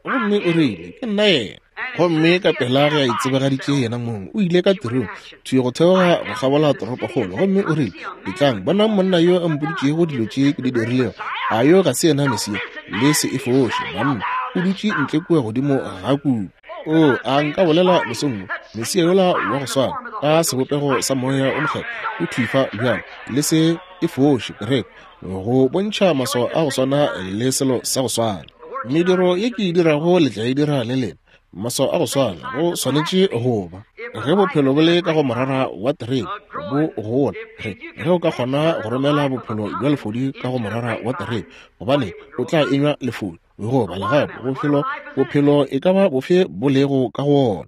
Gomme o rile, Ke nna yena. Gomme ka pela ge a itsebagaditše yena mong, o ile ka tirong, thwi go theoga go kgabola toropokgolo, gomme o rile, Etlang, bonang monna yo a mpoditšego dilo tše ke di dirilego. A yo ga se yena Mesia? Le se e foše, banna. O dutše ntle kua godimo ga kubu. O, a nka bolela mosong wo, Mesia yola wa go swana, ka sebopego sa Moya o Mokgethwa, o thwi fa bjale, le se e foše, kereke, go bontšha maswao a go swana le selo sa go swana. Mediro ye ke e dirago le tla e dira le lena. Maswao a go swana, go swanetše go ba. Ge bophelo bo le ka go morara wa terebe, bo gola. Ge, ge o ka kgona go romela bophelo bja lefodi ka go morara wa terebe, gobane o tla enywa lefodi. Goba legapo, bophelo, bophelo e ka ba bofe bo lego ka go wona.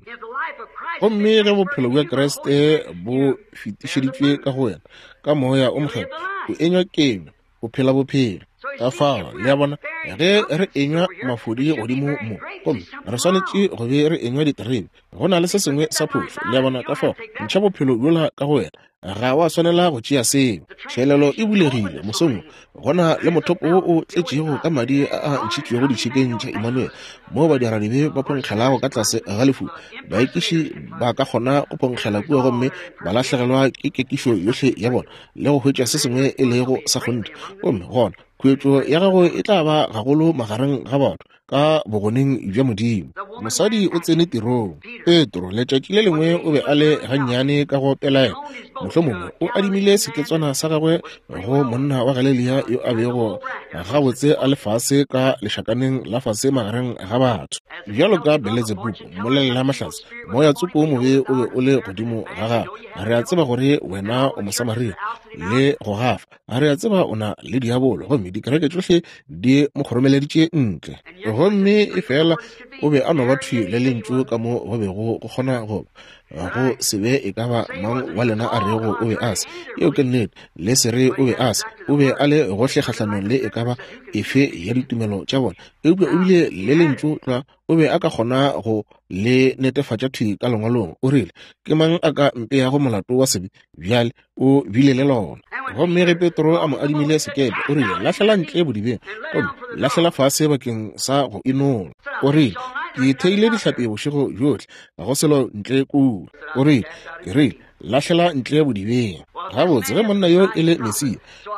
Gomme ge bophelo bja Kriste bo fetišeditšwe ka go wena, ka Moya o Mokgethwa, o enywa kenywa, o phela bophelo. Ka fao, le a bona, ge re enywa mafodi godimo mo, gomme re swanetše go be re enywa diterebe, go na le se sengwe sa phošo. Le a bona? Ka fao, ntšha bophelo bjola ka go wena. Ga wa swanela go tšea seo. Tšhelelo e bulegile mosong wo. Go na le mothopo wo o tletšego ka madi a a ntšhitšwego ditšhikeng tša Emmanuel, moo badiradibe ba phonkgelago ka tlase ga lefu. Baekiši ba ka kgona go phonkgela kua gomme ba lahlegelwa ke kekišo yohle ya bona le go hwetša se sengwe e lego sa kgonthe. Gomme gona khuetšo ya gago e tla ba gagolo magareng ga batho ka bogoneng bja Modimo. Mosadi o tsene tirong. Petro, letšatši le lengwe o be a le gannyane ka go pelaela. Mohlomongwe o adimile seketswana sa gagwe go monna wa Galelia yo a bego gabotse a le fase ka lešakaneng la fase magareng ga batho. Bjalo ka Beletsebubu, mmolelela mahlatse, moya tsoko wo mobe o be o le godimo ga gagwe. Re a tseba gore wena o Mosamaria le go gafa. A re a tseba o na le diabolo, gomme dikereke tšohle di mo kgoromeleditše ntle. Gomme efela o be a no ba thwi le Lentšu ka mo go bego go kgona go ba. Go se be e ka ba mang wa lena a rego o be a se. Yeo ke nnete. Le se re o be a se. O be a le gohle kgahlanong le e ka ba efe ya ditumelo tša bona. Eupša o bile le Lentšu tlwa, o be a ka kgona go Le netefatša thwi ka Lengwalong. O rile, Ke mang a ka mpeago molato wa sebe? Bjale, o bile le lona. Gomme ge Petro a mo adimile sekepe, o rile, Lahlela ntle bodibeng, gomme lahlela fase bakeng sa go inola. O rile, Ke theile dihlapi bošego bjohle, ga go selo ntle kua. O rile, Ke rile, Lahlela ntle bodibeng. Gabotse, ge monna yo e le Mesia,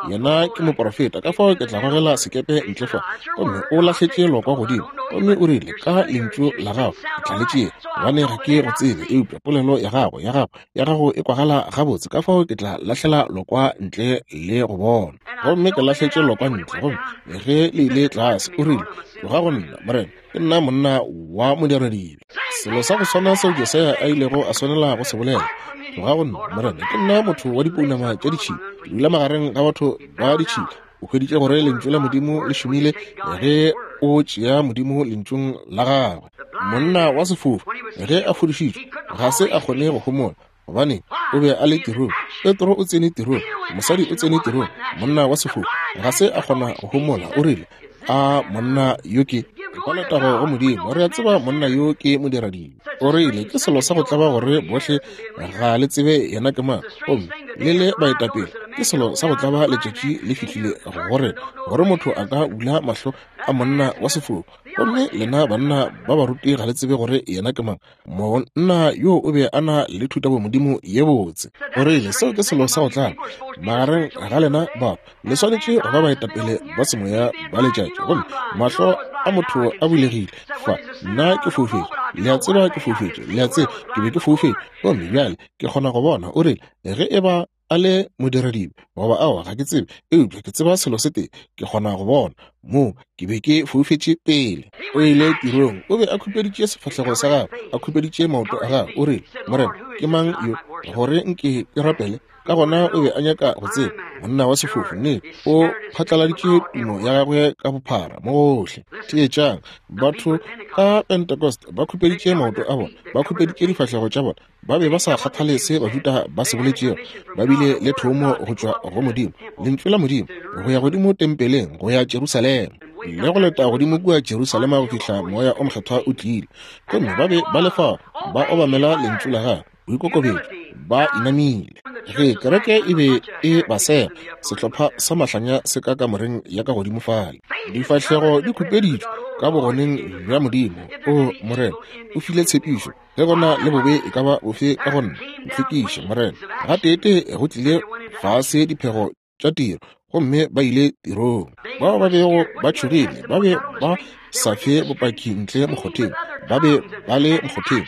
yena ke moporofeta, ka fao ke tla gogela sekepe ntle fa. Gomme o lahletše lokwa godimo, gomme o rile, Ka lentšu la gago ke tla le tšea, gobane ga ke go tsebe, eupša polelo ya gago, ya gago, ya gago e kwagala gabotse, ka fao ke tla lahlela lokwa ntle le go bona. Gomme ke lahletše lokwa ntle, gomme ge le ile tlase, o rile, Tloga go nna, Morena, ke nna monna wa modiradibe. Selo sa go swana seo Jesaya a ilego a swanela go se bolela, Tloga go nna, Morena, ke nna motho wa dipounama tša ditšhila, ke dula magareng ga batho ba ditšhila. O hweditše gore Lentšu la Modimo le šomile ge o tšea Modimo Lentšung la Gagwe. Monna wa sefofu, ge a fodišitšwe, ga se a kgone go homola, gobane o be a le tirong. Petro o tsene tirong, mosadi o tsene tirong, monna wa sefofu ga se a kgona go homola. O rile, A monna yo ke kwa letago go Modimo, re a tseba monna yo ke modiradibe. O rile, Ke selo sa go tlaba gore bohle ga le tsebe yena ke mang, gomme le le baetapele. Ke selo sa go tlaba letšatši le fihlile gore, gore motho a ka bula mahlo a monna wa sefofu, gomme lena banna ba baruti ga le tsebe gore yena ke mang. Monna yo o be a na le thutabomodimo ye botse. O rile, Seo ke selo sa go tlaba magareng ga lena batho. Le swanetše go ba baetapele ba semoya ba letšatši. Gomme mahlo a motho a bulegile fa. Nna ke foufetše. Le a tseba ke foufetše. Le a tseba ke be ke foufetše. Gomme bjale ke kgona go bona. O rile, Ge e ba a le modiradibe goba aowa, ga ke tsebe, eupša ke tseba selo se tee, ke kgona go bona. Moo ke be ke foufetše pele. O ile tirong, o be a khupeditše sefahlego sa gagwe, a khupeditše maoto a gagwe. O rile, Morena, ke mang yo, gore nke ke rapele? Ka gona o be a nyaka go tseba, monna wa sefofu, nnete, o phatlaladitše tumo ya gagwe ka bophara mo gohle. Theetšang, batho ka Pentecost ba khupeditše maoto a bona, ba khupeditše difahlego tša bona, Ba be ba sa kgathale se Bajuda ba se boletšego. Ba bile le thomo go tšwa go Modimo, Lentšu la Modimo, go ya godimo tempeleng, go ya Jerusalema, le go leta godimo kua Jerusalema go fihla Moya o Mokgethwa o tlile. Gomme ba be ba le fao, ba obamela Lentšu la Gagwe, boikokobetšo, ba inamile. Ge kereke e be e ba sega, sehlopha sa mahlanya se ka kamoreng ya ka godimo fale, difahlego di khupeditšwe ka bogoneng bja Modimo. O Morena, o file tshepišo. Ge go na le bobe e ka ba bofe ka go nna, ntlhwekiše, Morena. Gateetee go tlile fase diphego tša tiro, gomme ba ile tirong. Bao ba bego ba tšhogile ba be ba sa fe bopaki ntle mokgotheng, ba be ba le mokgotheng,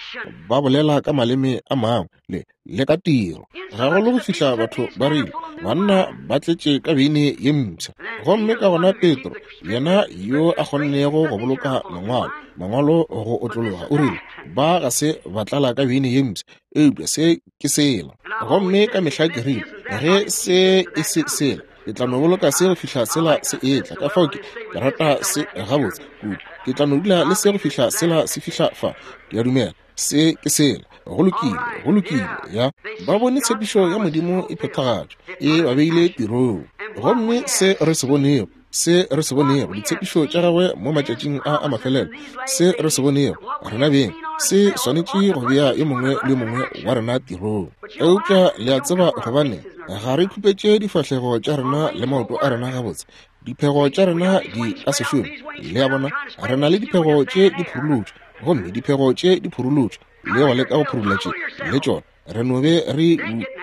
ba bolela ka maleme a mangwe le le ka tiro. Gagolo go fihla batho ba rile, Banna ba tletše ka beine ye mpsha. Gomme ka gona Petro, yena yo a kgonnego go boloka Mangwalo, Mangwalo go otlologa, o rile, Ba ga se ba tlala ka beine ye mpsha, eupša se ke sela. Gomme ka mehla ke rile, Ge se e se sela, ke tla no boloka se go fihla sela se etla. Ka fao ke, ke rata se gabotse kudu. Ke tla no dula le se go fihla sela se fihla fa. Ke a dumela. Se ke sela. Go lokile, go lokile, ya. Ba bone tshepišo ya Modimo e phethagatšwa, e ba beile tirong. Gomme se re se bonego, se re se bonego, ditshepišo tša Gagwe mo matšatšing a a mafelelo, se re se bonego, rena beng, se swanetše go bea yo mongwe le yo mongwe wa rena tirong. Eupša le a tseba gobane ga re khupetše difahlego tša rena le maoto a rena gabotse, diphego tša rena di ka se šome. Le a bona, re na le diphego tše di phurulotšwe, gomme diphego tše di phurulotšwe le go leka go phurula tše le tšona re no be re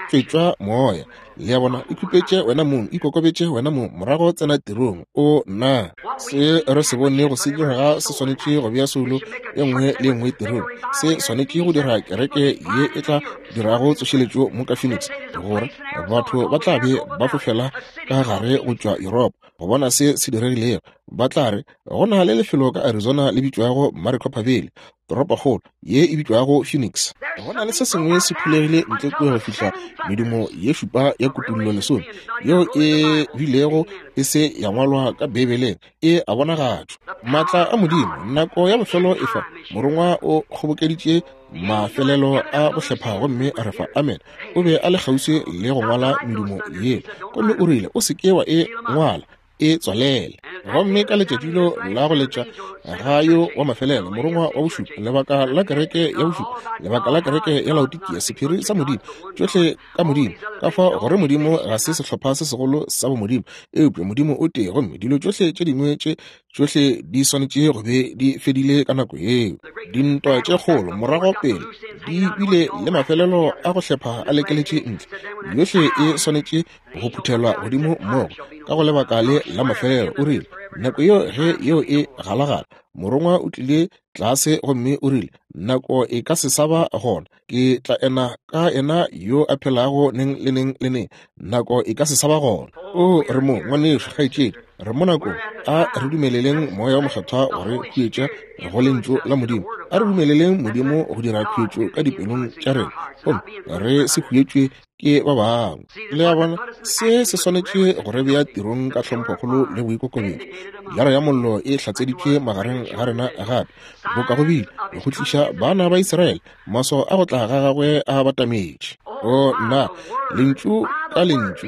tšwetšwa moya. Le a bona, ikhupetše wena mong, ikokobetše wena mong, morago tsena tirong. O na se re se bonego se direga se swanetše go bea soulo e nngwe le e nngwe tirong. Se swanetše go dira kereke ye e tla dirago tsošeletšo mo ka Phoenix, gore batho ba tla be ba fofela ka gare go tšwa Yuropa go bona se se diregilego. Ba tla re, Go na le lefelo ka Arizona le bitšwago Maricopa Valley. toropokgolo ye e bitšwago Phoenix. Go na le se sengwe se phulegile ntle kua go fihla medumo ye šupa ya Kutullo lesome, yeo e bilego e se ya ngwalwa ka Beibeleng, e a bonagatšwa. Maatla a Modimo, nako ya bofelo e fa. Morongwa o kgobokeditše mafelelo a go hlepha gomme a re fa. Amen. O be a le kgauswi le go ngwala medumo yela, gomme o rile, O se ke wa e ngwala, e tswalele. Gomme ka letšatšilo la go letša ga yo wa mafelelo, morongwa wa bošupa, lebaka la kereke ya bošupa, lebaka la kereke ya Laodikia, sephiri sa Modimo, tšohle ka Modimo, ka fao gore Modimo ga se sehlopha se segolo sa bomodimo, eupša Modimo o tee, gomme dilo tšohle tše dingwe tše tšohle di swanetše go be di fedile ka nako yeo. Dintwa tše kgolo morago pele di bile le mafelelo a go hlepha a lekeletše ntle, yohle e swanetše go phuthelwa godimo mmogo ka go lebaka le la mafelelo. O rile, nako yeo ge yeo e galagala, morongwa o tlile tlase gomme o rile, nako e ka se sa ba gona, ke tla ena ka ena yo a phelago neng le neng le neng, nako e ka se sa ba gona. O re mo, ngwanešu, kgaetšedi, re mo nakong. A re dumeleleng Moya wo Mokgethwa go re huetša go Lentšu la Modimo. A re dumeleleng Modimo go dira khuetšo ka dipelong tša rena, gomme re se huetšwe ke ba bangwe. Le a bona, se se swanetše go re bea tirong ka tlhomphokgolo le boikokobetšo. Pilara ya Mollo e hlatseditšwe magareng ga rena gape, boka go bile, go tliša bana ba Israele, maswao a go tla ga gagwe a batametše. O nna, lentšu ka lentšu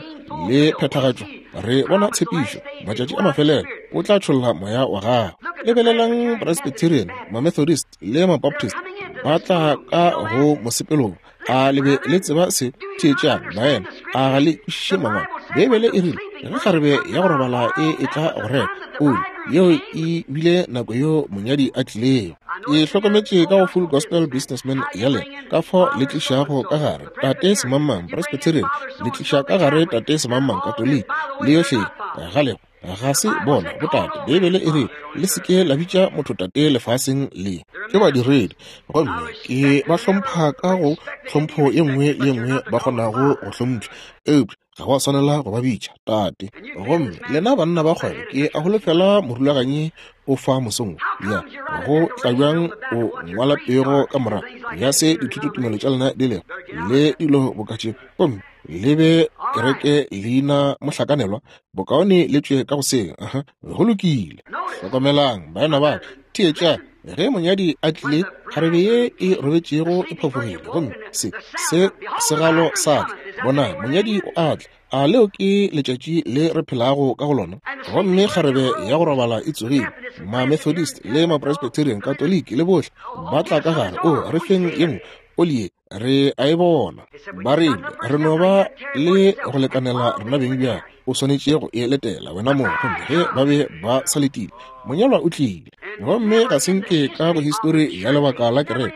le phethagatšwa, re bona tshepišo, matšatši a mafelelo o tla tšholla moya wa gagwe. Lebelelang Presbyterian, Mamethodist le Mabaptist ba tla ka go mosepelong. A le be le tseba se? Theetšang, baena, a ga le kwešiše Mangwalo? Beibele e rile, Ge kgarebe ya go robala e etla go reka oli, yeo e bile nako yeo monyadi a tlilego. Ke hlokometše ka go Full Gospel Businessmen ya lena, ka fao le tlišago ka gare Tate Semangmang, Presbyterian, le tliša ka gare Tate Semangmang, Katoliki, le yohle ga lego. Ga se bona botate. Beibele e re le se ke la bitša motho tate lefaseng le. Ke badiredi, gomme ke ba hlompha ka go tlhompho ye nngwe le ye nngwe ba kgonago go hlompšha, eupša ga wa swanela go ba bitša tate. Gomme lena banna ba kgwebo, ke a holofela morulaganyi o fa mosong ya go tla bjang o ngwala pego ka morago ya se dithutotumelo tša lena di lego le dilo boka tše, gomme le be kereke leina mohlakanelwa, bokaone le tšwe ka go seo. Aha, go lokile. Hlokomelang, baena ba ka, theetšang. Ge monyadi a tlile, kgarebe ye e robetšego e phafogile, gomme se, se segalo sa tla. Bonang, monyadi o a tla. A leo ke letšatši le re phelago ka go lona? Gomme kgarebe ya go robala e tsogile. Mamethodist le Mapresbyterian, Katoliki le bohle ba tla ka gare. O re feng ye nngwe oli ye. Re a e bona. Ba rile, Re no ba le go lekanela rena beng bjale. O swanetše go e letela wena mong. Gomme ge ba be ba sa letile, monyalwa o tlile. Gomme ga se nke ka go histori ya lebaka la kereke,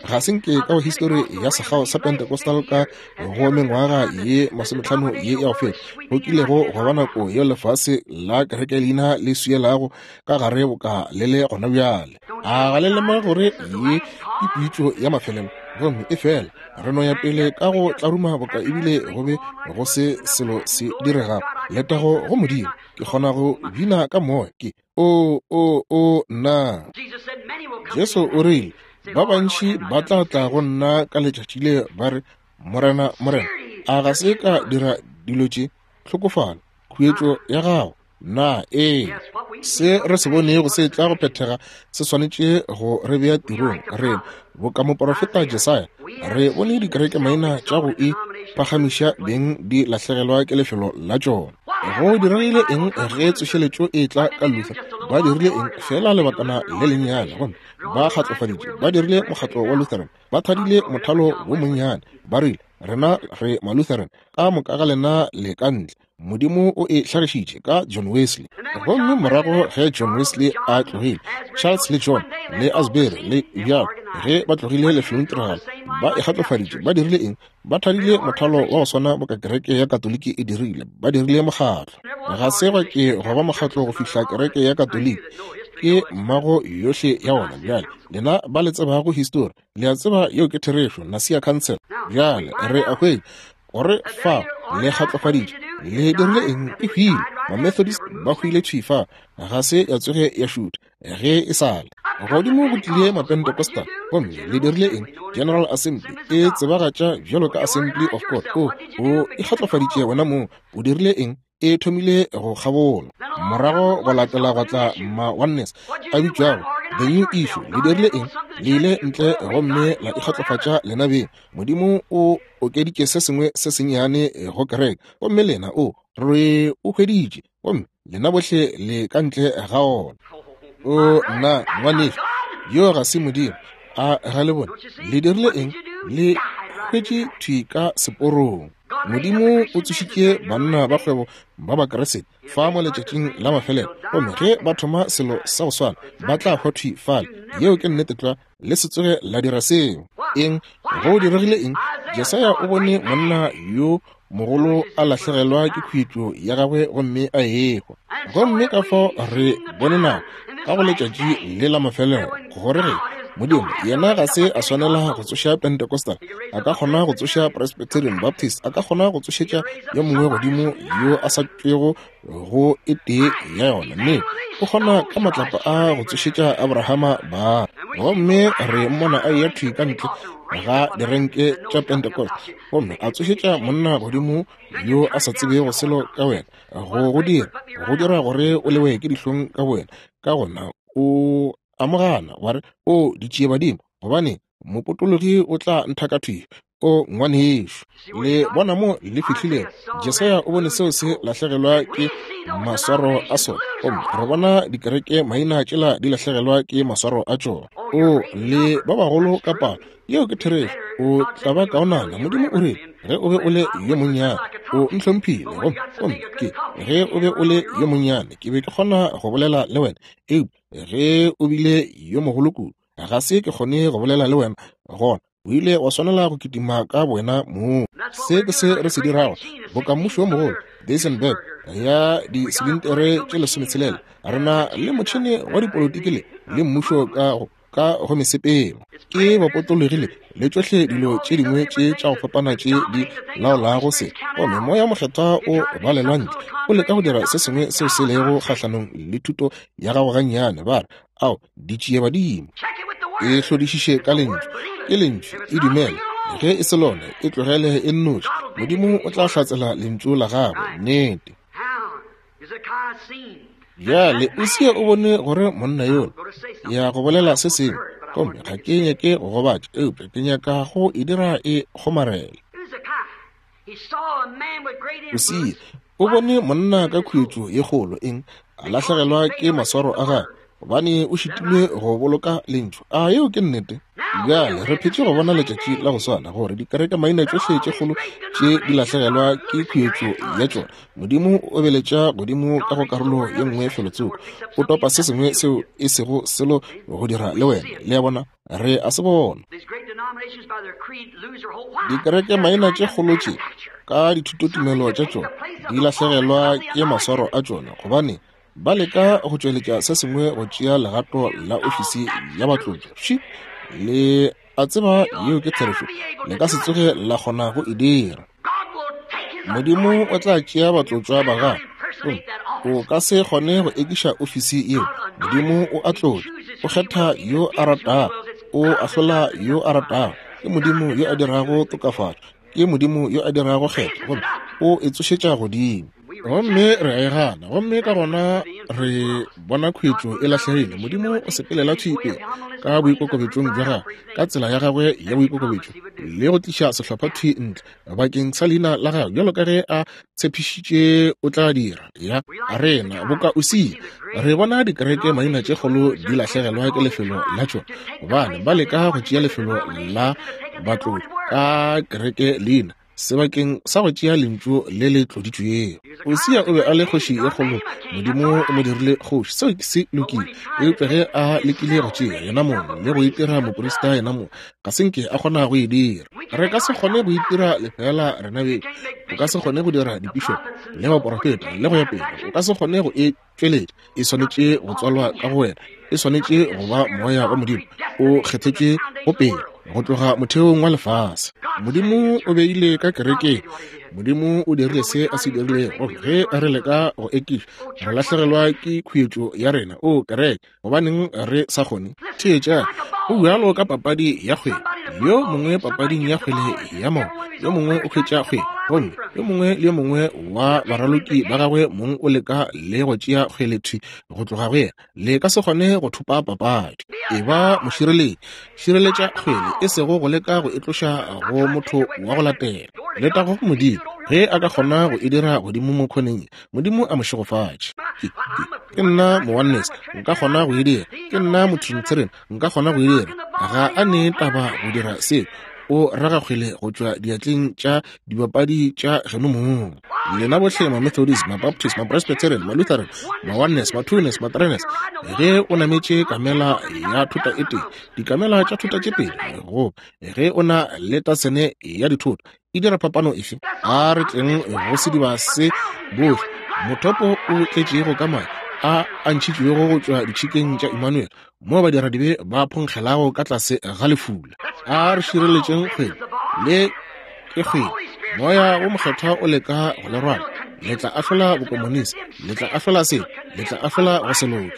ga se nke ka go histori ya sekgao sa Pentecostal ka go mengwaga ye masometlhano ye ya go feta, go kilego gwa ba nako yeo lefase la kereke leina le swielago ka gare boka le le gona bjale. A ga le lemoge gore ye ke pitšo ya mafelelo? Gomme e fela re no ya pele ka go tlaruma boka ebile go be go se selo se diregago. Letago go Modimo, ke kgona go bina ka moya. Ke o, o, o, nna. Jesu o rile, Ba bantši ba tla tla go nna ka letšatši le ba re, Morena, Morena, a ga se ka dira dilo tše? Hlokofala, khuetšo ya gago. Na ee, se re se bonego se tla go phethega se swanetše go re bea tirong. Re boka moporofeta Jesaya, re bone dikerekemaina tša go e phagamiša beng di lahlegelwa ke lefelo la tšona. Go diregile eng ge tsošeletšo e tla ka Luther? Ba dirile eng? Feela lebakana le lennyane, gomme ba kgatlofaditše. Ba dirile mokgatlo wa Lutheran, ba thadile mothalo wo monnyane, ba rile, Rena re Malutheran, ka moka ga lena le ka ntle. Modimo o e hlagišitše ka John Wesley. Gomme morago ge John Wesley a tlogile, Charles le John le Asbury le bjalo, ge ba tlogile lefelongtiragalo, ba e kgatlofaditše. Ba dirile eng? Ba thadile mothalo wa go swana boka kereke ya Katoliki e dirile. Ba dirile mokgatlo. Ga se gwa ke gwa ba mokgatlo go fihla kereke ya Katoliki. Ke mmago yohle ya ona. Bjale, lena ba le tsebago histori, Le a tseba yeo ke therešo, Nasia Council. Bjale re a hwetša gore fa le kgatlofaditše. Le dirile eng? E hwile. Mamethodist ba hwile thwi fa. Ga se ya tsoge ya šutha ge e sa le. Godimo go tlile Mapentecostal. Gomme le dirile eng? General Assembly e tsebagatša bjalo ka Assembly of God. O, o ikgatlofaditše wena mong. O dirile eng? E thomile go kgabola. Morago go latela gwa tla ma Oneness, a bitšwago The New Issue. Le dirile eng? Le ile ntle gomme la ikgatlofatša lena beng. Modimo o okeditše se sengwe se sennyane go kereke, gomme lena, o, re o hweditše, gomme lena bohle le ka ntle ga ona. O, nna, ngwanešu, yo ga se Modimo. A ga le bone? Le dirile eng? Le hwetše thwi ka seporong. Modimo o tsošitše banna ba kgwebo ba Bakriste fa mo letšatšing la mafelelo, gomme ge ba thoma selo sa go swana, ba tla hwa thwi fale. Yeo ke nnete tlwa. Le se tsoge la dira seo. Eng? Go diregile eng? Jesaya o bone monna yo mogolo a lahlegelwa ke khuetšo ya gagwe gomme a ehwa. Gomme ka fao re bone nako ka go letšatši le la mafelelo gore ge Modimo yena ga se a swanela go tsoša Pentecostal, a ka kgona go tsoša Presbyterian, Baptist, a ka kgona go tsošetša yo mongwe godimo yo a sa tšwego go e tee ya yona. Mme o kgona ka matlapa a go tsošetša Abrahama ba. Gomme re mmona a eya thwi ka ntle ga direnke tša Pentecost gomme a tsošetša monna godimo yo a sa tsebego selo ka wena, go go dira, go dira gore o lewe ke dihlong ka wena. Ka gona o amogana wa re, O ditšiebadimo, gobane mopotologi o tla nthaka thwi. O ngwanešu, le bona mo le fihlilego. Jesaya o bone seo se lahlegelwa ke maswaro a sona, gomme re bona dikereke maina tšela di lahlegelwa ke maswaro a tšona. O le ba bagolo ka palo. Yeo ke therešo. O tla ba kaonana. Modimo o rile, ge o be o le yo monnyane, o ntlhomphile. Gomme, gomme ke, ge o be o le yo monnyane, ke be ke kgona go bolela le wena. Eupša ge o bile yo mogolo kudu, ga se ke kgone go bolela le wena. Gona o ile wa swanela go kitima ka bowena mong. Se ke se re se dirago, boka mmušo wo mogolo, Duisenberg ya disilintere tše lesometshela. Re na le motšhene wa dipolotiki le, le mmušo ka go, ka go mesepelo. Ke bapotologile le tšohle dilo tše dingwe tše tša go fapana tše di laolago se. Gomme Moya wo Mokgethwa o balelwa ntle, o leka go dira se sengwe seo se lego kgahlanong le thuto ya gago gannyane. Ba re, Ao, ditšiebadimo. E hlodišiše ka Lentšu. Ke Lentšu, e dumele. Ge e se lona, e tlogele e nnoši. Modimo o tla hlatsela Lentšu la Gagwe. Nnete. Bjale, Usia o bone gore monna yola ya go bolela se sengwe, gomme ga ke nyake go gobatša, eupša ke nyaka go e dira e kgomarele. Usia o bone monna ka khuetšo ye kgolo, eng, a lahlegelwa ke maswaro a gagwe, gobane o šitilwe go boloka Lentšu. A yeo ke nnete? Bjale re phetše go bona letšatši la go swana, gore dikereke maina tšohle tše kgolo tše di lahlegelwa ke khuetšo ya tšona. Modimo o obeletša godimo ka go karolo ye nngwe felotsoko, o topa se sengwe seo e sego selo go dira le wena. Le a bona? Re a se bona. Dikereke maina tše kgolo tše ka dithutotumelo tša tšona di lahlegelwa ke maswaro a tšona, gobane ba leka go tšweletša se sengwe go tšea legato la ofisi ya batlotšwa. Fši! Le a tseba yeo ke therešo. Le ka se tsoge la kgona go e dira. Modimo o tla tšea batlotšwa ba gagwe. O ka se kgone go ekiša ofisi yeo. Modimo o a tlotša, o kgetha yo a ratago, o ahlola yo a ratago. Ke Modimo yo a dirago tokafatšo, ke Modimo yo a dirago kgetho, gomme o e tsošetša godimo. Gomme re a e gana, gomme ka gona re bona khuetšo e lahlegile. Modimo o sepelela thwi pele ka boikokobetšong bja gagwe, ka tsela ya gagwe ya boikokobetšo, le go tliša sehlopha thwi ntle bakeng sa leina la gagwe, bjalo ka ge a tshepišitše o tla dira. Ya rena boka Usia, re bona dikereke maina tše kgolo di lahlegelwa ke lefelo la tšona, gobane ba leka go tšea lefelo la batlotšwa ka kereke leina sebakeng sa go tšea lentšu le le tloditšwego. Usia o be a le kgoši ye kgolo, Modimo o mo dirile kgoši, seo se lokile. Eupša ge a lekile go tšea yena mong le go itira moprista yena mong, ga se nke a kgona go e dira. Re ka se kgone go itira lefeela rena beng. O ka se kgone go dira dipišopo le baporofeta le go ya pele. O ka se kgone go e tšweletša. E swanetše go tswalwa ka go wena. E swanetše go ba Moya wa Modimo o kgethetšwe go pele. go tloga motheong wa lefase. Modimo o beile ka kerekeng. Modimo o dirile se a se dirilego. Ge re leka go ekiša, re lahlegelwa ke khuetšo ya rena. O kereke, gobaneng re sa kgone? Theetša, go bjalo ka papadi ya kgwele. Yo mongwe papading ya kgwele ya maoto, yo mongwe o hwetša kgwele, gomme yo mongwe le yo mongwe wa baraloki ba gagwe mong o leka le go tšea kgwele thwi go tloga go yena. Le ka se kgone go thopa papadi. Eba mošireletši, šireletša kgwele, e sego go leka go e tloša go motho wa go latela. Letago go Modimo, ge a ka kgona go e dira godimo mo khoneng ye, Modimo a mo šegofatše. Ke, ke, ke nna mo-Oneness, nka kgona go e dira. Ke nna mo-Trinitarian, nka kgona go e dira. Ga a ne taba go dira seo. O raga kgwele go tšwa diatleng tša dibapadi tša geno mong. Lena bohle ma-Methodist, ma-Baptist, ma-Presbyterian, ma-Lutheran, ma-Oneness, ma-Twoness, ma-Threeness, ge o nametše kamela ya thota e tee, dikamela tša thota tše pedi, goba ge o na le tasene ya dithoto, e dira phapano efe? A re tleng go sediba se bohle, mothopo o tletšego ka madi a a ntšhitšwego go tšwa ditšhikeng tša Emmanuel, moo badiradibe ba phonkgelago ka tlase ga lefula. A re šireletšeng kgwele le ke kgwele. Moya wo Mokgethwa o leka go le rwala. Le tla ahlola bokomonisi, le tla ahlola se, le tla ahlola go se loke.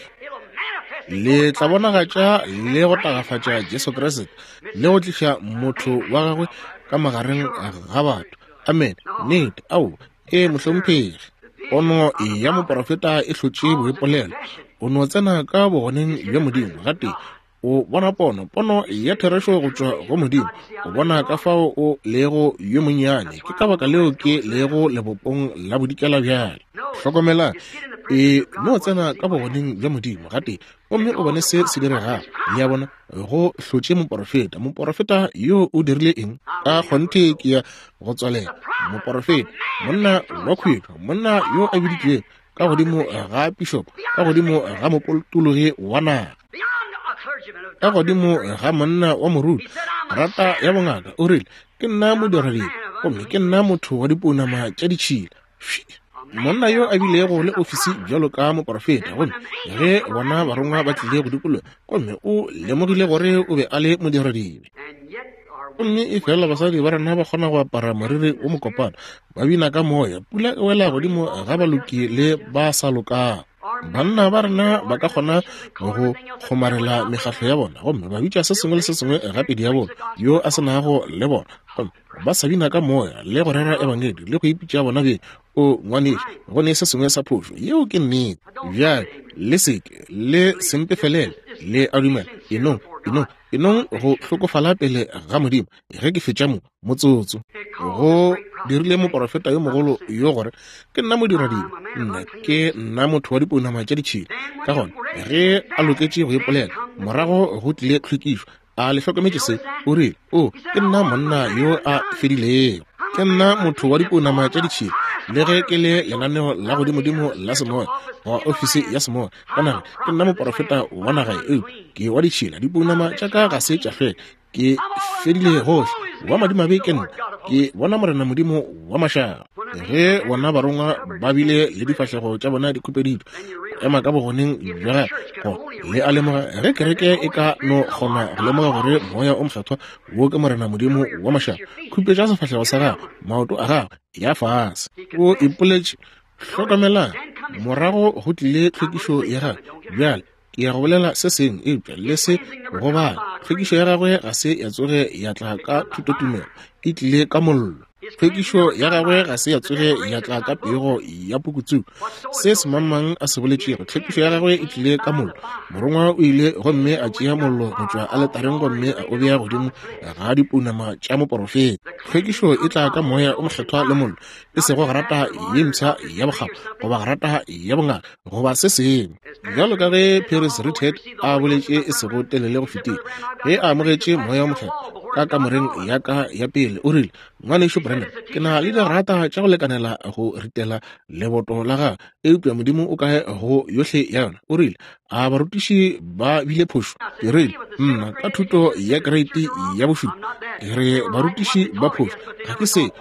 Le tla bonagatša le go tagafatša Jesu Kriste le go tliša motho wa gagwe ka magareng ga batho. Amen. Nnete. Ao, ee, mohlomphegi. Pono ya moporofeta e hlotše boipolelo. O no tsena ka bogoneng bja Modimo gatee. O bona pono, pono ya therešo go tšwa go Modimo. O bona ka fao o lego yo monnyane. Ke ka baka leo ke lego lebopong la bodikela bjale. Hlokomela, e no tsena ka bogoneng bja Modimo gatee gomme o bone se se diregago. Le a bona, go hlotše moporofeta. Moporofeta yo o dirile eng? Ka kgonthe ke ya go tswalela. Moporofeta, monna wa khuetšo, monna yo a biditšwego ka godimo ga pišopo, ka godimo ga mopotologi wa naga, ka godimo ga monna wa moruti, rata ya bongaka, o rile, Ke nna modiradibe, gomme ke nna motho wa dipounama tša ditšhila. Monna yo a bilego le ofisi bjalo ka moporofeta, gomme ge bona barongwa ba tlile go dikologa, gomme o lemogile gore o be a le modiradibe. Gomme e fela basadi ba rena ba kgona go apara moriri wo mokopana, ba bina ka moya, pula e wela godimo ga baloki le ba sa lokago. Banna ba rena ba ka kgona go kgomarela mekgahlo ya bona gomme ba bitša se sengwe le se sengwe gape diabolo yo a se nago le bona, gomme ba sa bina ka moya le go rera ebangedi le go ipitša bona beng. O ngwanešu, go ne se sengwe sa phošo. Yeo ke nnete. Bjale le seke le sempefelele, le a dumela. Enong, enong, enong go hlokofala pele ga Modimo ge ke fetša mo motsotso. Go dirile moporofeta yo mogolo yo gore ke nna modiradibe, nna ke nna motho wa dipounama tša ditšhila. Ka gona ge a loketše go ipolela, morago go tlile tlhwekišo. A le hlokometše se? O rile, O, ke nna monna yo a fedilego. Ke nna motho wa dipounama tša ditšhila, le ge ke le lenaneo la godimodimo la semoya, goba ofisi ya semoya ka nageng. Ke nna moporofeta wa naga ye, eupša ke wa ditšhila. Dipounama tša ka ga se tša hlweka. Ke fedile gohle. Wa madimabe ke nna. Ke bona Morena Modimo wa mašaba. Ge bona barongwa ba bile le difahlego tša bona di khupeditšwe, go ema ka bogoneng bja gagwe, go le a lemoga ge kereke e ka no kgona go lemoga gore Moya o Mokgethwa wo ke Morena Modimo wa mašaba, khupetša sefahlego sa gagwe, maoto a gagwe, ya fase. O ipoletše. Hlokamelang, morago go tlile tlhwekišo ya gagwe. Bjale, Ke ya go bolela se sengwe, eupša le se go bala. Tlhwekišo ya gagwe ga se ya tsoge ya tla ka thutotumelo, e tlile ka mollo. Tlhwekišo ya gagwe ga se ya tsoge ya tla ka pego ya pukutsuku, se semangmang a se boletšego. Tlhwekišo ya gagwe e tlile ka mollo. Morongwa o ile gomme a tšea mollo go tšwa aletareng gomme a o bea godimo ga dipounama tša moporofeta. Tlhwekišo e tla ka Moya o Mokgethwa le mollo, e sego grata ye mpsha ya bokgabo goba grata ya bongaka goba se sengwe. Bjalo ka ge Paris Richard a boletše e sego telele go fetile, ge a amogetše Moya wo Mokgethwa ka kamoreng ya ka ya pele, o rile, Ngwanešu Branham, ke na le digrata tša go lekanela go ritela leboto la gago, eupša Modimo o kae go yohle ya yona? O rile, A barutiši ba bile phošo? Ke rile, Nna, ka thuto ya kereiti ya bošupa, ke re barutiši ba phošo. Ga ke se.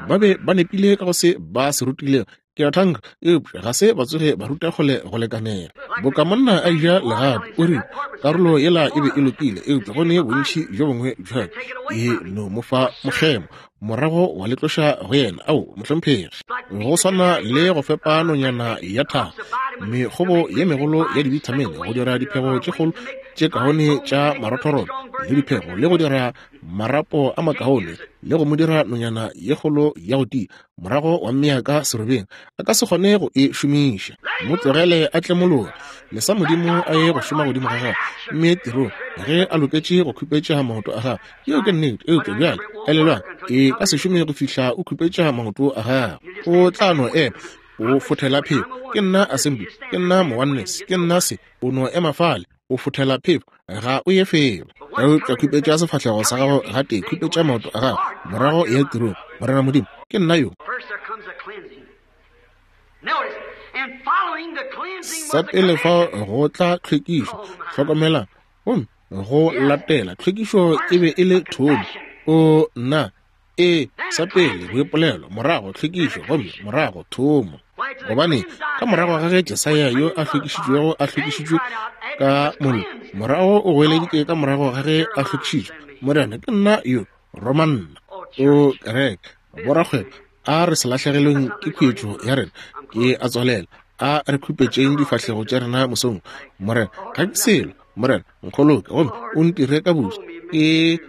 Ba be ba nepile ka go se ba se rutilego. Ke a thanka, eupša ga se ba tsoge ba ruta kgole go lekanela. Boka monna a eja legapu, o rile, Karolo yela e be e lokile, eupša go ne bontši bjo bongwe bja e no mo fa mokgemo, morago wa le tloša go yena. Ao, mohlomphegi. Go swana le go fepa nonyana ya thago mekgobo ye megolo ya dibithamine go dira diphego tše kgolo tše kaone tša marothorotho le diphego le go dira marapo a makaone le go mo dira nonyana ye kgolo ya go tia, morago wa mmea ka serobeng, a ka se kgone go e šomiša. Mo tlogele a tlemologe, lesa Modimo a ye go šoma godimo ga gagwe, mme tirong ge a loketše go khupetša maoto a gagwe. Yeo ke nnete. Eupša bjale elelwang, e ka se šome go fihla o khupetša maoto a gagwe. O tla no ema o fothela phefo. Ke nna Assembly, ke nna Mooneness, ke nna se. O no ema fale o fothela phefo, ga o ye felo. Eupša khupetša sefahlego sa gago gatee, khupetša maoto a gago, morago ya tirong. Morena Modimo, ke nna yo. Sa pele fa go tla tlhwekišo, hlokomelang, gomme go latela tlhwekišo e be e le thomo. O nna e sa pele boipolelo, morago tlhwekišo, gomme morago thomo. Gobane ka morago ga ge Jesaya yo a hlwekišitšwego a hlwekišitšwe ka mollo, morago o goeleditše ka morago ga ge a hlwekišitšwe, Morena, ke nna yo, roma nna. O kereke, borakgwebo, a re se lahlegelweng ke khuetšo ya rena. Ke a tswalela. A re khupetšeng difahlego tša rena mosong. Morena, ga ke selo. Morena, nkgoloke gomme o ntire ka buša. Ke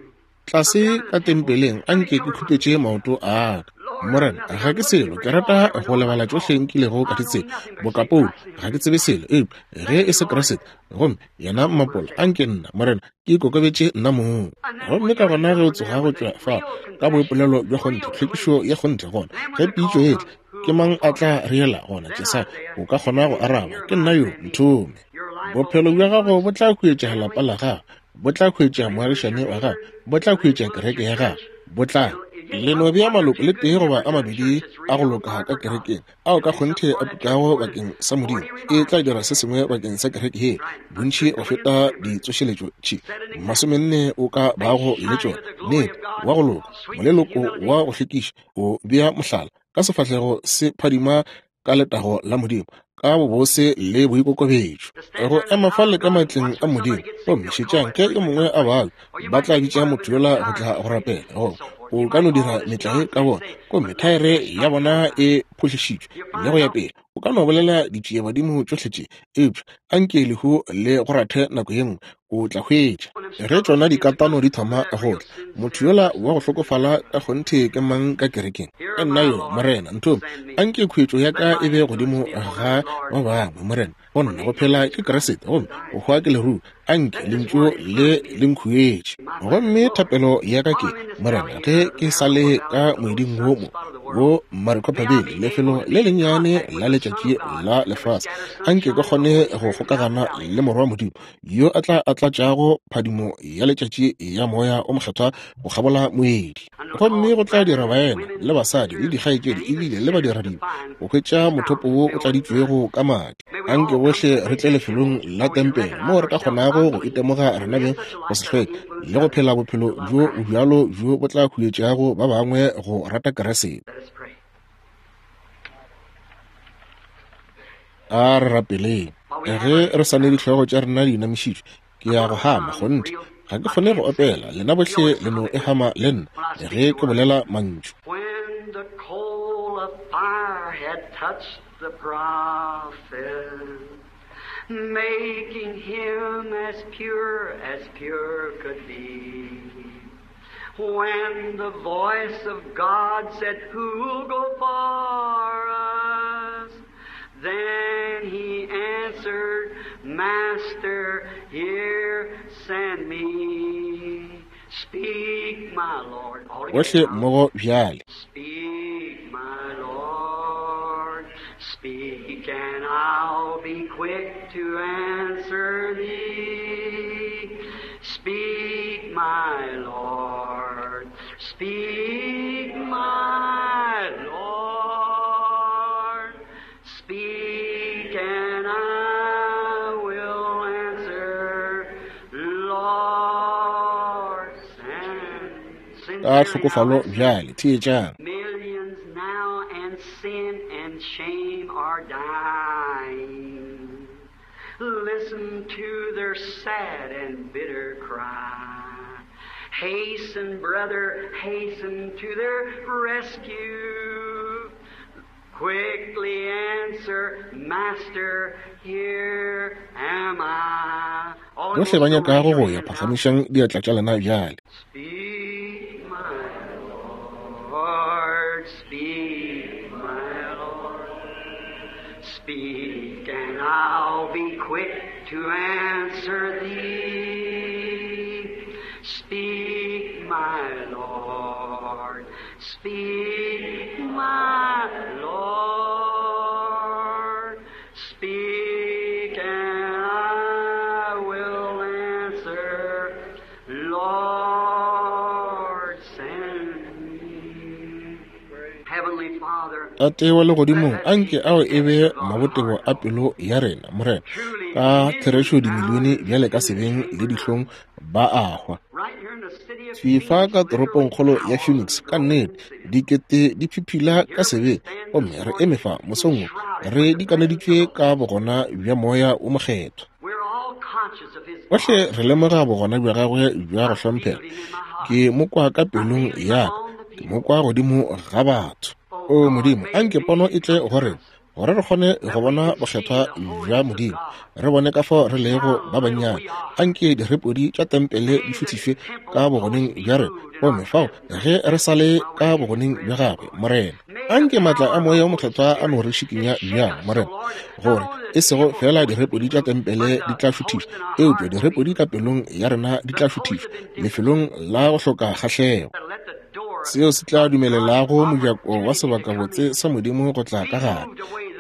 tlase ka tempeleng, a nke ke khupetše maoto a ka. Morena, ga ke selo. Ke rata go lebala tšohle nkilego ka di tseba. Boka Paulo, ga ke tsebe selo eupša ge e se Kriste, gomme yena mmapola. A nke nna, Morena, ke ikokobetše nna mong. Gomme ka gona ge o tsoga go tšwa fao ka boipolelo bja kgonthe, tlhwekišo ya kgonthe, gona ge pitšo e tla, ke mang a tla reela gona? Jesaya, o ka kgona go araba, ke nna yo, nthome. Bophelo bja gago bo tla huetša lapa la gago, bo tla huetša moagišane wa gago, bo tla huetša kereke ya gago, bo tla le no bea maloko le tee goba a mabedi a go loka ka kerekeng ao ka kgonthe a tukago bakeng sa Modimo, e tla dira se sengwe bakeng sa kereke ye bontši go feta ditsošeletšo tše 40 o ka bago le tšona. Nnete, wa go loka, moleloko wa go hlwekiša, o bea mohlala ka sefahlego se phadima ka letago la Modimo, ka bobose le boikokobetšo, go ema fale ka matleng a Modimo. Gomme šetšang, ge yo mongwe a babja, ba tla bitša motho yola go tla go rapela, goba o ka no dira metlae ka bona, gomme thaere ya bona e phohlišitšwe le go ya pele. O ka no bolela ditšiebadimo tšohle tše, eupša a nke lehu le go rathe nako ye nngwe, o tla hwetša. Ge tšona dikatano di thoma go tla, motho yola wa go hlokofala ka kgonthe ke mang ka kerekeng? Ke nna yo, Morena, nthome. A nke khuetšo ya ka e be godimo ga ba bangwe, Morena. Go nna go phela ke Kriste, gomme go hwa ke leruo. A nke lentšu le le nkhuetše. Gomme thapelo ya ka ke, Morena, ge ke sa le ka moeding wo mo, wo Maricopa Valley, lefelo le lennyane la letšatši la lefase, a nke ke kgone go kgokagana le Morwa wa Modimo, yo a tla a tlatšago phadimo ya letšatši ya Moya o Mokgethwa go kgabola moedi. Gomme go tla dira baena le basadi le dikgaetšedi ebile le badiradibe go hwetša mothopo wo o tladitšwego ka madi. Anke bohle re tle lefelong la tempele moo re ka kgonago go itemoga rena beng go se hlweke le go phela bophelo bjo bjalo bjo bo tla huetšago ba bangwe go rata Keresete. A re rapeleng. Ge re sa ne dihlogo tša rena di inamišitšwe, ke ya go hama kgonthe. Ga ke kgone go opela, lena bohle le no e hama le nna ge ke bolela mantšu. When the coal of fire had touched the prophet, making him as pure as pure could be. When the voice of God said, Who'll go for us? Then he answered, Master, here send me. Speak, my Lord. All Bohle together now. mmogo bjale. Speak, my Lord. Speak, and I'll be quick to answer thee. Speak, my Lord. Speak, my Lord. Speak, and I will answer. Lord, send. Ka Sincerely now, tlhokofalo listen. bjale, theetšang. Millions now and sin and shame. Listen to their sad and bitter cry. Hasten, brother, hasten to their rescue. Quickly answer, Master, here am I. All Bohle ba nyakago go ya, phagamišang diatla tša lena bjale. Speak, my Lord, speak, my Lord. Speak, and I'll be quick to answer thee. Speak, my Lord, speak, my Lord. Speak, and I will answer. Lord, send me. Heavenly Father, Tate wa legodimong, anke ao e be mabotebo a pelo ya rena, Morena. Ka therešo dimilione bjale ka sebeng le dihlong ba a hwa. right here in the city of Fifa ka Phoenix, toropongkgolo ya Phoenix, ka nnete dikete di phiphila ka sebeng, gomme re eme fa mosong wo re dikaneditšwe ka bogona bja Moya wo Mokgethwa. we're all conscious of His Bohle re lemoga bogona bja gagwe bja go hlomphega. Ke mo kwa ka pelong ya ka, ke mo kwa godimo ga batho. O Modimo, anke pono e tle go rena, gore re kgone go bona bokgethwa bja Modimo, re bone ka fao re lego ba bannyane. Anke direpodi tša tempele di šuthišwe ka bogoneng bja rena, gomme fao ge re sa le ka bogoneng bja gagwe, Morena. Anke maatla a Moya wo Mokgethwa a no re šikinya bjang, Morena, gore e sego fela direpodi tša tempele di tla šuthišwa, eupša direpodi ka pelong ya rena di tla šuthišwa lefelong la go hloka kgahlego. Let the door Seo se tla dumelelago mojako wa sebakabotse sa Modimo go tla ka gare.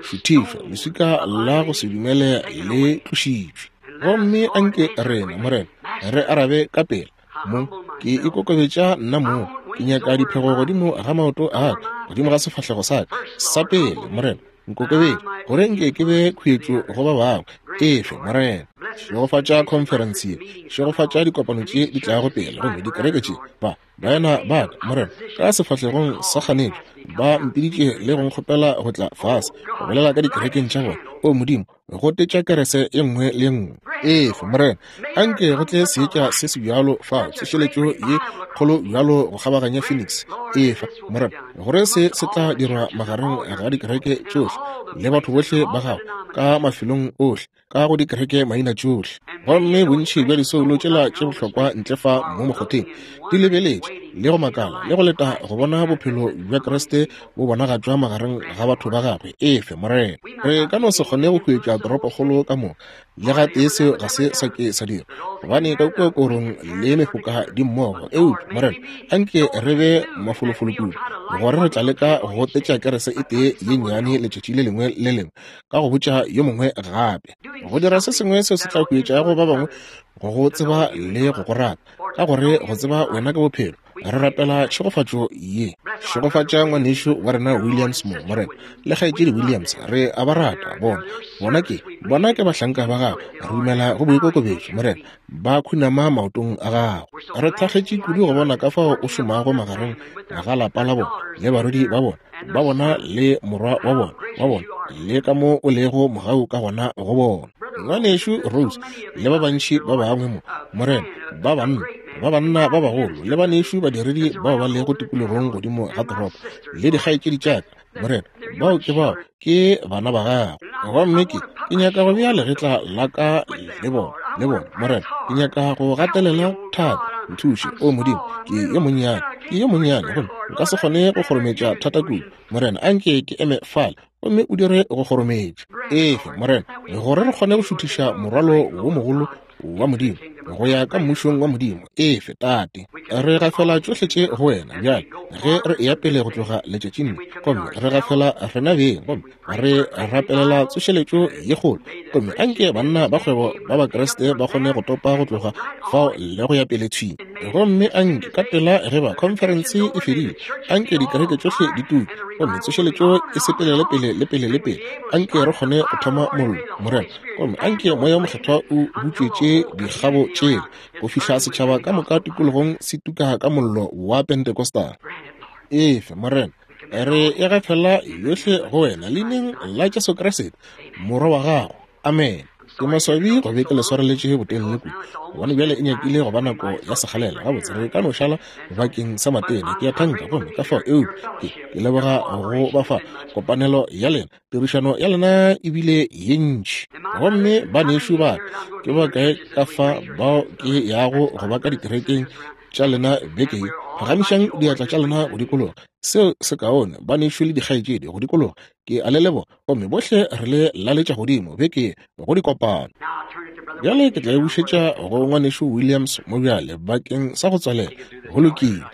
Šuthišwa, leswika la go se dumele le tlošitšwe. Gomme anke rena, Morena, re arabe ka pela. Mo ke ikokobetša nna mong, ke nyaka diphego godimo ga maoto a ka, godimo ga sefahlego sa ka sa pele, Morena, nkokobetše, gore nke ke be khuetšo go ba bangwe. Efe, Morena. Šegofatša khonferense ye, šegofatša dikopano tše di tlago pele, gomme dikereke tše ba baena ba ka, Morena, ka sefahlegong sa kganetšo ba mpiditše le go nkgopela go tla fase go bolela ka dikerekeng tša bona. O Modimo, gotetša kerese e nngwe le e nngwe. Efe, Morena, anke go tle seetša se se bjalo fao, tsošeletšo ye kgolo bjalo go kgabaganya Phoenix. Efa, Morena, gore se se tla dirwa magareng ga dikereke tšohle le batho bohle ba gago ka mafelong ohle, ka go dikereke maina tšohle. Gomme bontši bja disoulo tšela tše bohlokwa ntle fa mo mokgotheng di lebeletše le go makala le go leta go bona bophelo bja Kriste bo bonagatšwa magareng ga batho ba gagwe. Efe, Morena. Re ka no se kgone go hwetša toropokgolo ka moka, le gatee seo ga se sa ke sa dira, gobane ka kua korong le mefoka di mmogo. Eupša, Morena, anke re be mafolofolo kudu gore re tla leka go gotetša kerese e tee ye nnyane letšatši le lengwe le lengwe, ka go botša yo mongwe gape, go dira se sengwe seo se tla huetšago ba bangwe go go tseba le go go rata, ka gore go tseba wena ke bophelo. Re rapela tšhegofatšo ye. Šegofatša ngwanešu wa rena Williams mo, Morena, le kgaetšedi Williams. Re a ba rata bona. Bona ke bahlanka ba gago. Re dumela go boikokobetšo, Morena, ba khunama maotong a gago. Re thakgetše kudu go bona ka fao o šomago magareng ga lapa la bona le barwedi ba bona, ba bona le morwa wa bona, wa bona, le ka mo o lego mogau ka gona go bona. Ngwanešu Rose le ba bantši ba bangwe mo, Morena, ba banna, ba banna ba bagolo le banešu badiredi bao ba lego tikologong godimo ga toropo, le dikgaetšedi tša ka, Morena, bao ke bana ba gago. Gomme ke nyaka go bea legetla la ka le bona, le bona, Morena. Ke nyaka go gatelela thata. Nthuše, o Modimo, ke yo monnyane, ke yo monnyane, gomme nka se kgone go kgorometša thata kudu. Morena, anke ke eme fale gomme o dire go kgorometša. Efe, Morena, gore re kgone go šuthiša morwalo wo mogolo wa Modimo go ya ka mmušong wa Modimo. Efe, Tate, re gafela tšohle tše go wena bjale ge re eya pele go tloga letšatšing le, gomme re gafela rena beng, gomme re rapelela tsošeletšo ye kgolo, gomme anke banna ba kgwebo ba Bakriste ba kgone go topa go tloga fao le go ya pele thwi. Gomme anke ka pela ge ba khonferense e fedile, anke dikereke tšohle di tuke, gomme tsošeletšo e sepelele pele le pele le pele. Anke re kgone go thoma mollo, Morena, gomme anke Moya wo Mokgethwa o butšwetše dikgabo tšela go fihla setšhaba ka moka tikologong se tuka ka mollo wa Pentecostal. Efe, Morena, re e gafela yohle go wena leineng la Jesu Kriste, Morwa wa gago. Amen. Ke maswabi go be ke le swareletše botelele kudu, gobane bjale e nyakile go ba nako ya sekgalela. Gabotse, re ka no šala bakeng sa matena, ke a thanka. Gomme ka fao, eupša ke, ke leboga go ba fa kopanelo ya lena. Tirišano ya lena e bile ye ntši. Gomme banešu ba ka, ke ba kae ka fa bao ke yago go ba ka dikerekeng tša lena beke ye? Phagamišang diatla tša lena go dikologa. Seo se kaone, banešu le dikgaetšedi, go dikologa. Ke a le leboga, gomme bohle re le laletša godimo beke ye go dikopano. Bjale ke tla e bušetša go Ngwanešu Williams mo bjale bakeng sa go tswalela. Go lokile.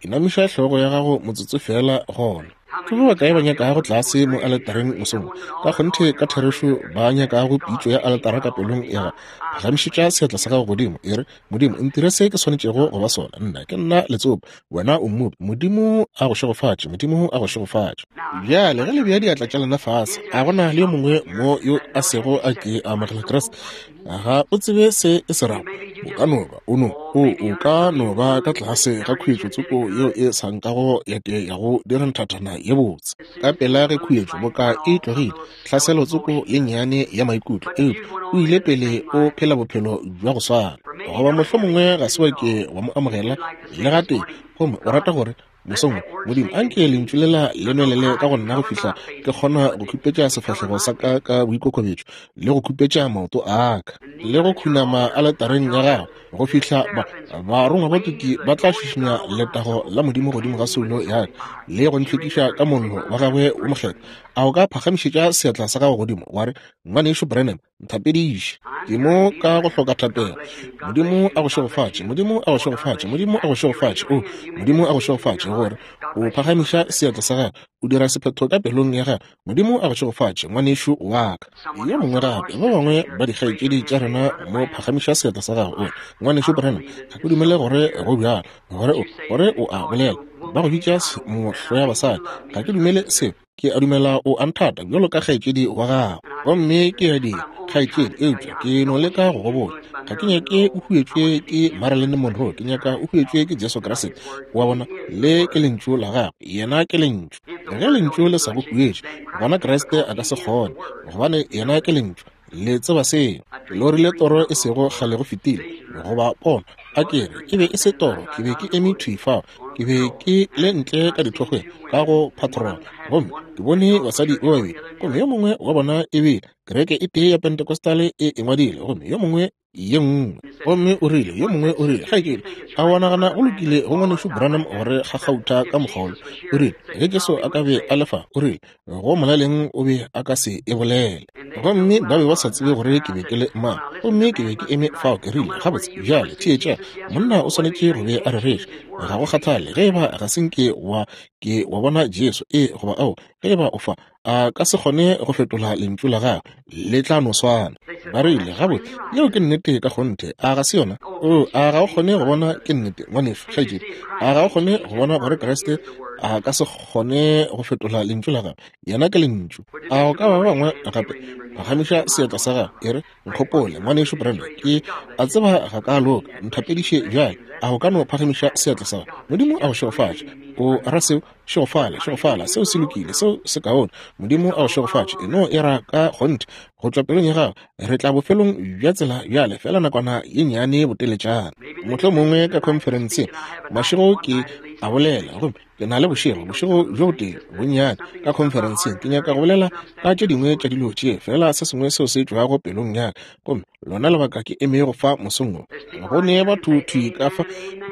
Inamiša hlogo ya gago motsotso feela gona. Ke ba bakae ba nyakago tlase mo aletareng mosong wo? Ka kgonthe, ka therešo ba nyakago pitšo ya aletara ka pelong ya gago. Phagamišetša seatla sa gago godimo, e re, Modimo, ntire se ke swanetšego go ba sona. Nna ke nna letsopa, wena o mmopi. Modimo a go šegofatše. Modimo a go šegofatše. Bjale ge le bea diatla tša lena fase, a go na le yo mongwe mo yo a sego a ke a amogela Kriste? Ga o tsebe se e se rago. O ka no ba o no o o ka no ba ka tlase ga khuetšo tsoko yeo e sa nkago ya ke ya go dira nthathana ye botse. Ka pela ge khuetšo boka e tlogile, tlhaselo tsoko ye nnyane ya maikutlo, eupša o ile pele o phela bophelo bja go swana. Goba mohlomongwe ga se wa ke wa mo amogela le gatee, gomme o rata gore, Mosong wo, Modimo, anke Lentšu lela le nwelele ka go nna go fihla ke kgona go khupetša sefahlego sa ka ka boikokobetšo, le go khupetša maoto a ka, le go khunama aletareng ya Gago, go fihla ba barongwa ba tuki ba tla šišinya letago la Modimo godimo ga soulo ya ka, le go ntlhwekiša ka mollo wa Gagwe wo mokgethwa. A o ka phagamišetša seatla sa gago godimo, wa re, Ngwanešu Branham, nthapediše. Ke mo ka go hloka thapelo. Modimo a go šegofatše. Modimo a go šegofatše. Modimo a go šegofatše. O, Modimo a go šegofatše, gore o phagamiša seatla sa gago, o dira sephetho ka pelong ya gago. Modimo a go šegofatše, ngwanešu wa ka. Yo mongwe gape, ba bangwe ba dikgaetšedi tša rena mo, phagamiša seatla sa gago, o re, Ngwanešu Branham, ga ke dumele gore go bjalo, gore o, gore o a bolela. Ba go bitša mohloyabasadi. Ga ke dumele seo. Ke a dumela o a nthata bjalo ka kgaetšedi wa gago. Gomme ke a dira, kgaetšedi, eupša ke no leka go go botša. Ga ke nyake o huetšwe ke Marilyn Monroe, ke nyaka o huetšwe ke Jesu Kriste. Wa bona, le ke Lentšu la Gagwe, Yena ke Lentšu. Ge Lentšu le sa go huetše, gona Kriste a ka se kgone, gobane Yena ke Lentšu. Le tseba seo. Ke lorile toro e sego kgale go fetile, goba pono. A ke re, e be e se toro, ke be ke eme thwi fao. Ke be ke le ntle ka dithokgweng, ka go patrol, gomme ke bone basadi ba babedi, gomme yo mongwe wa bona e bile kereke e tee ya Pentecostal e e ngwadile, gomme yo mongwe ye nngwe. Gomme o rile, yo mongwe o rile, Kgaetšedi, a wa nagana go lokile go Ngwanešu Branham gore gakgautha ka mokgwa wola? O rile, Ge Jesu a ka be a le fa, o rile, go molaleng o be a ka se e bolele. Gomme ba be ba sa tsebe gore ke be ke le mang. Gomme ke be ke eme fao, ke rile, Gabotse, bjale, theetša, monna o swanetše go be a rereša. Ga go kgathale ge eba ga se nke wa ke wa bona Jesu, ee goba ao, ge eba o fa, a ka se kgone go fetola lentšu la gagwe, le tla no swana. Ba rile, Gabotse, yeo ke nnete ka kgonthe, a ga se yona? Oo, a ga o kgone go bona ke nnete, ngwanešu, kgaetšedi? A ga o kgone go bona gore Kriste a ka se kgone go fetola lentšu la gagwe? Yena ke Lentšu. A go ka ba ba bangwe gape? Phagamiša seatla sa gago, e re, Nkgopole, Ngwanešu Branham, ke a tseba ga ka loka. Nthapediše bjale. A o ka no phagamiša seatla sa gago? Modimo a go šegofatše. O ra seo? Šegofala, šegofala. Seo se lokile. Seo se kaone. Modimo a go šegofatše. E no e ra ka kgonthe, go tšwa pelong ya gago. Re tla bofelong bja tsela bjale, feela nakwana ye nnyane boteletšana. Mohlomongwe ka khonferenseng, mašego ke a bolela, gomme Ke na le bošego, bošego bjo botee bonnyane ka khonferenseng. Ke nyaka go bolela ka tše dingwe tša dilo tše, feela se sengwe seo se tšwago pelong ya ka. Gomme lona lebaka ke emego fa mosong wo, go ne batho thwi ka fa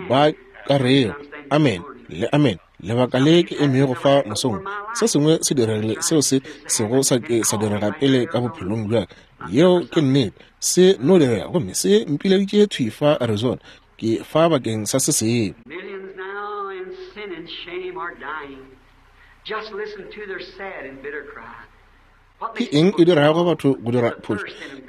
ba ka rego amen le amen. Lebaka le ke emego fa mosong wo, se sengwe se diregile seo se sego sa ke sa direga pele ka bophelong bja ka. Yeo ke nnete. Se no direga, gomme se mpileditše thwi fa Arizona. Ke fa bakeng sa se sengwe. Ke eng e dirago batho go dira phošo?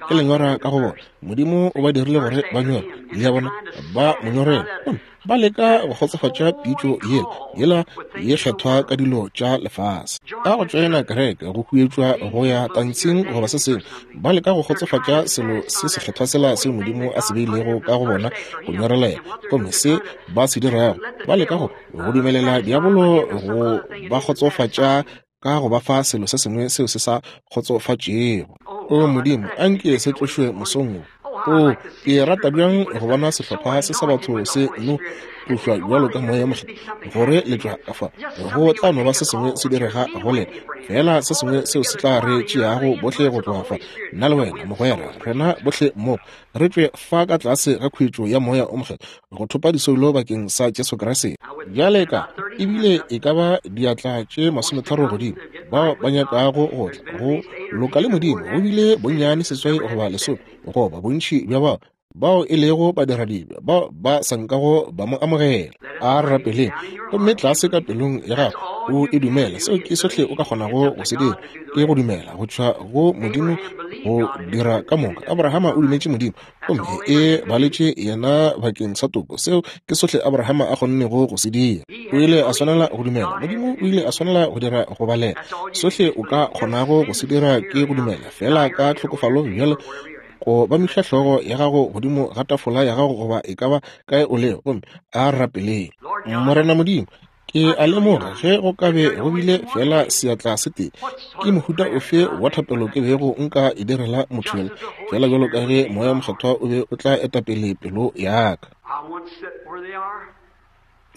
Ke lenyora ka go bona. Modimo o ba dirile gore ba nyore. Le a bona? Ba mo nyorela. Gomme ba leka go kgotsofatša pitšo yela, yela ye kgethwa ka dilo tša lefase. Ka go tšoena kereke, go huetšwa go ya tantshing goba se sengwe, Ba leka go kgotsofatša selo se sekgethwa sela seo Modimo a se beilego ka go bona go nyorelela. Gomme se ba se dirago, ba leka go, go dumelela diabolo go ba kgotsofatša ka go ba fa selo se sengwe seo se sa kgotsofatšego. O Modimo, a nke se tlošwe mosong wo. O, ke rata bjang go bona sehlopha se sa batho se no tlošwa bjalo ka Moya Mokgethwa, gore le tšwa ka fa. Go tla no ba se sengwe se direga go lena, feela se sengwe seo se tla re tšeago bohle go tloga fa, nna le wena, mogwera, rena bohle mmogo, re tšwe fa ka tlase ga khuetšo ya Moya o Mokgethwa, go thopa disoulo bakeng sa Jesu Kriste. Bjale ka, ebile e ka ba diatla tše 30 godimo, bao ba nyakago go tla go loka le Modimo, go bile bonnyane 8 goba 10, goba bontši bja bao bao e lego badiradibe bao ba sa nkago ba mo amogela. A re rapeleng. Gomme tlase ka pelong ya gago o e dumele. Seo ke sohle o ka kgonago go se dira, ke go dumela go tšwa go Modimo go dira ka moka. Abrahama o dumetše Modimo, gomme e baletše yena bakeng sa toko. Seo ke sohle Abrahama a kgonnego go se dira. O ile a swanela go dumela Modimo, o ile a swanela go dira go balela. Sohle o ka kgonago go se dira ke go dumela feela ka tlhokofalo bjalo go bamiša hlogo ya gago godimo ga tafola ya gago goba e ka ba kae o lego, gomme a rapeleng. Morena Modimo, ke a lemoga ge go ka be go bile feela seatla se tee, ke mohuta ofe wa thapelo ke bego nka e direla motho yola, feela bjalo ka ge Moya Mokgethwa o be o tla etapele pelo ya ka.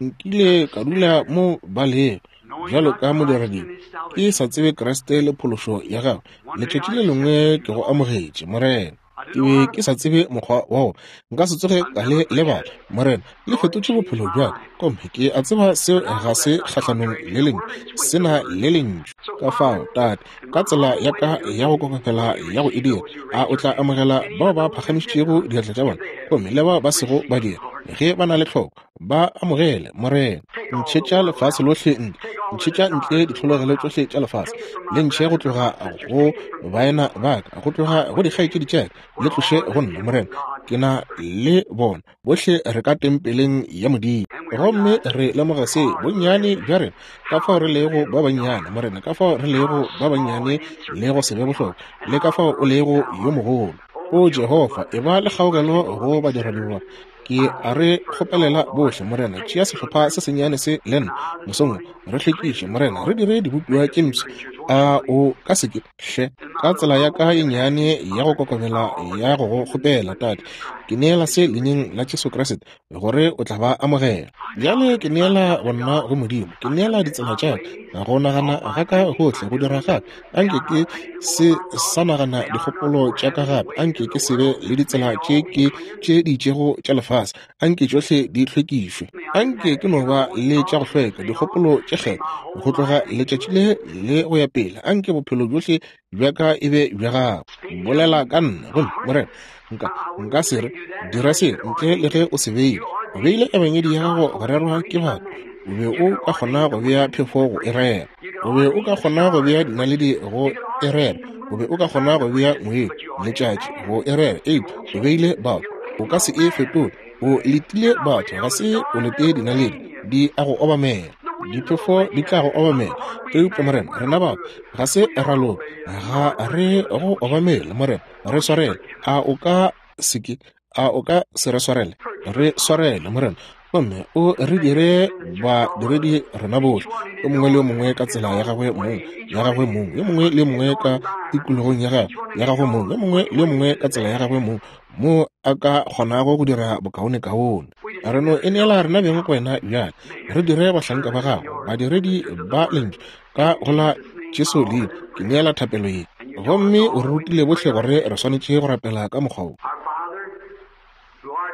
Nkile ka dula mo ba lego bjalo ka modiradibe, ke sa tsebe Kriste le phološo ya gagwe. Letšatši le lengwe ke go amogetše, Morena. Ke be ke sa tsebe mokgwa wa go nka se tsoge ka le lebala. Morena, le fetotše bophelo bja ka, gomme ke a tseba seo ga se kgahlanong le lentšu, se na le lentšu. Ka fao, Tate, ka tsela ya ka ya go kokobela ya go e dira, a o tla amogela bao ba phagamišitšego diatla tša bona, gomme le bao ba sego ba dira, ge ba na le tlhoko, ba amogele, Morena. Ntšhetša lefase lohle ntle, ntšhetša ntle ditlhologelo tšohle tša lefase, le ntšhe go tloga go baena ba ka, go tloga go dikgaetšedi tša ka, le tloše go nna, Morena. Ke na le bona bohle, re ka tempeleng ya Modimo, gomme re lemoga se bonnyane bja rena, ka fao re lego ba bannyane, Morena, ka fao re lego ba bannyane le go se be bohlokwa, le ka fao o lego yo mogolo. O Jehofa, e ba le kgaogelo go badiradiba. Ke a re kgopelela bohle, Morena, tšea sehlopha se sennyane se le nna mosong wo, re hlwekiše, Morena, re dire dibopiwa tše mpsha. A o ka se ke, hle, ka tsela ya ka ye nnyane ya go kokobela ya go go kgopela, Tate, ke neela se leineng la Jesu Kriste, gore o tla ba amogela. Bjale ke neela bonna go Modimo, ke neela ditsela tša ka, go nagana ga ka gohle, go dira ga ka. Anke ke se sa nagana dikgopolo tša ka gape, anke ke se be le ditsela tše ke tše di itšego tša lefase, anke tšohle di hlwekišwe. Anke ke no ba le tša go hlweka, dikgopolo tše kgethwa, go tloga letšatši le le go ya pele. Anke bophelo bjohle bja ka e be bja gago. Bolela ka nna, gomme Morena, nka nka se re dira se ntle le ge o se beile. O beile ebangedi ya gago go rerwa ke batho. O be o ka kgona go bea phefo go e rera. O be o ka kgona go bea dinaledi go e rera. O be o ka kgona go bea ngwedi, letšatši go e rera. Eupša o beile batho. O ka se e fetole. O letile batho, ga se o lete dinaledi. Di a go obamela. Diphefo di tla go obamela. Eupša Morena, rena batho ga se ra loka. Ga re go obamele, Morena. Re swarele. A o ka se ke, a o ka se re swarele? Re swarele, Morena, gomme o re dire badiredi rena bohle, yo mongwe le yo mongwe ka tsela ya gagwe mong, ya gagwe mong, yo mongwe le yo mongwe ka tikologong ya gagwe, ya gagwe mong, yo mongwe le yo mongwe ka tsela ya gagwe mong, mo a ka kgonago go dira bokaonekaone. Re no e neela rena beng go wena bjale. Re dire bahlanka ba gago, badiredi ba lentšu, ka go la Jesu leina ke neela thapelo ye. Gomme o re rutile bohle gore re swanetše go rapela ka mokgwa wo.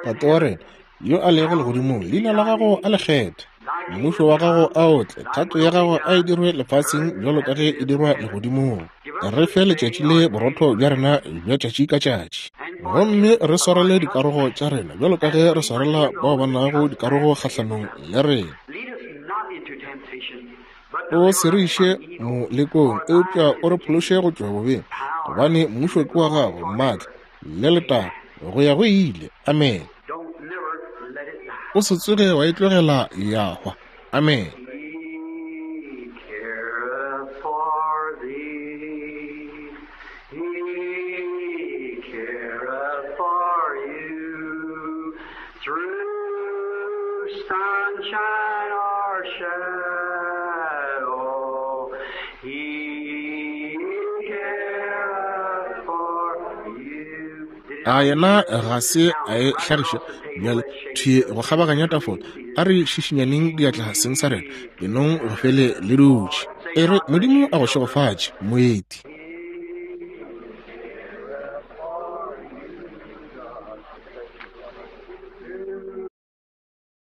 Tate wa rena yo a lego legodimong, leina la gago a le kgethe, mmušo wa gago a o tle, thato ya gago a e dirwe lefaseng bjalo ka ge e dirwa legodimong. Re fe letšatši le borotho bja rena bja tšatši ka tšatši, gomme re swarele dikarogo tša rena bjalo ka ge re swarela bao ba nago dikarogo kgahlanong le rena. O se re iše molekong, eupša o re phološe go tšwa bobeng, gobane mmušo ke wa gago, maatla le letago go ya go ile. Amen. O se tsoge wa e tlogela ya hwa. Amen. He careth for thee. He careth for you. Through sunshine or shadow, He careth for. A yena ga se a e hlagiša bjale thwi go kgabaganya tafola? A re šišinyaneng diatla seng sa rena, enong go fele le dutše. E re, Modimo a go šegofatše, moeti.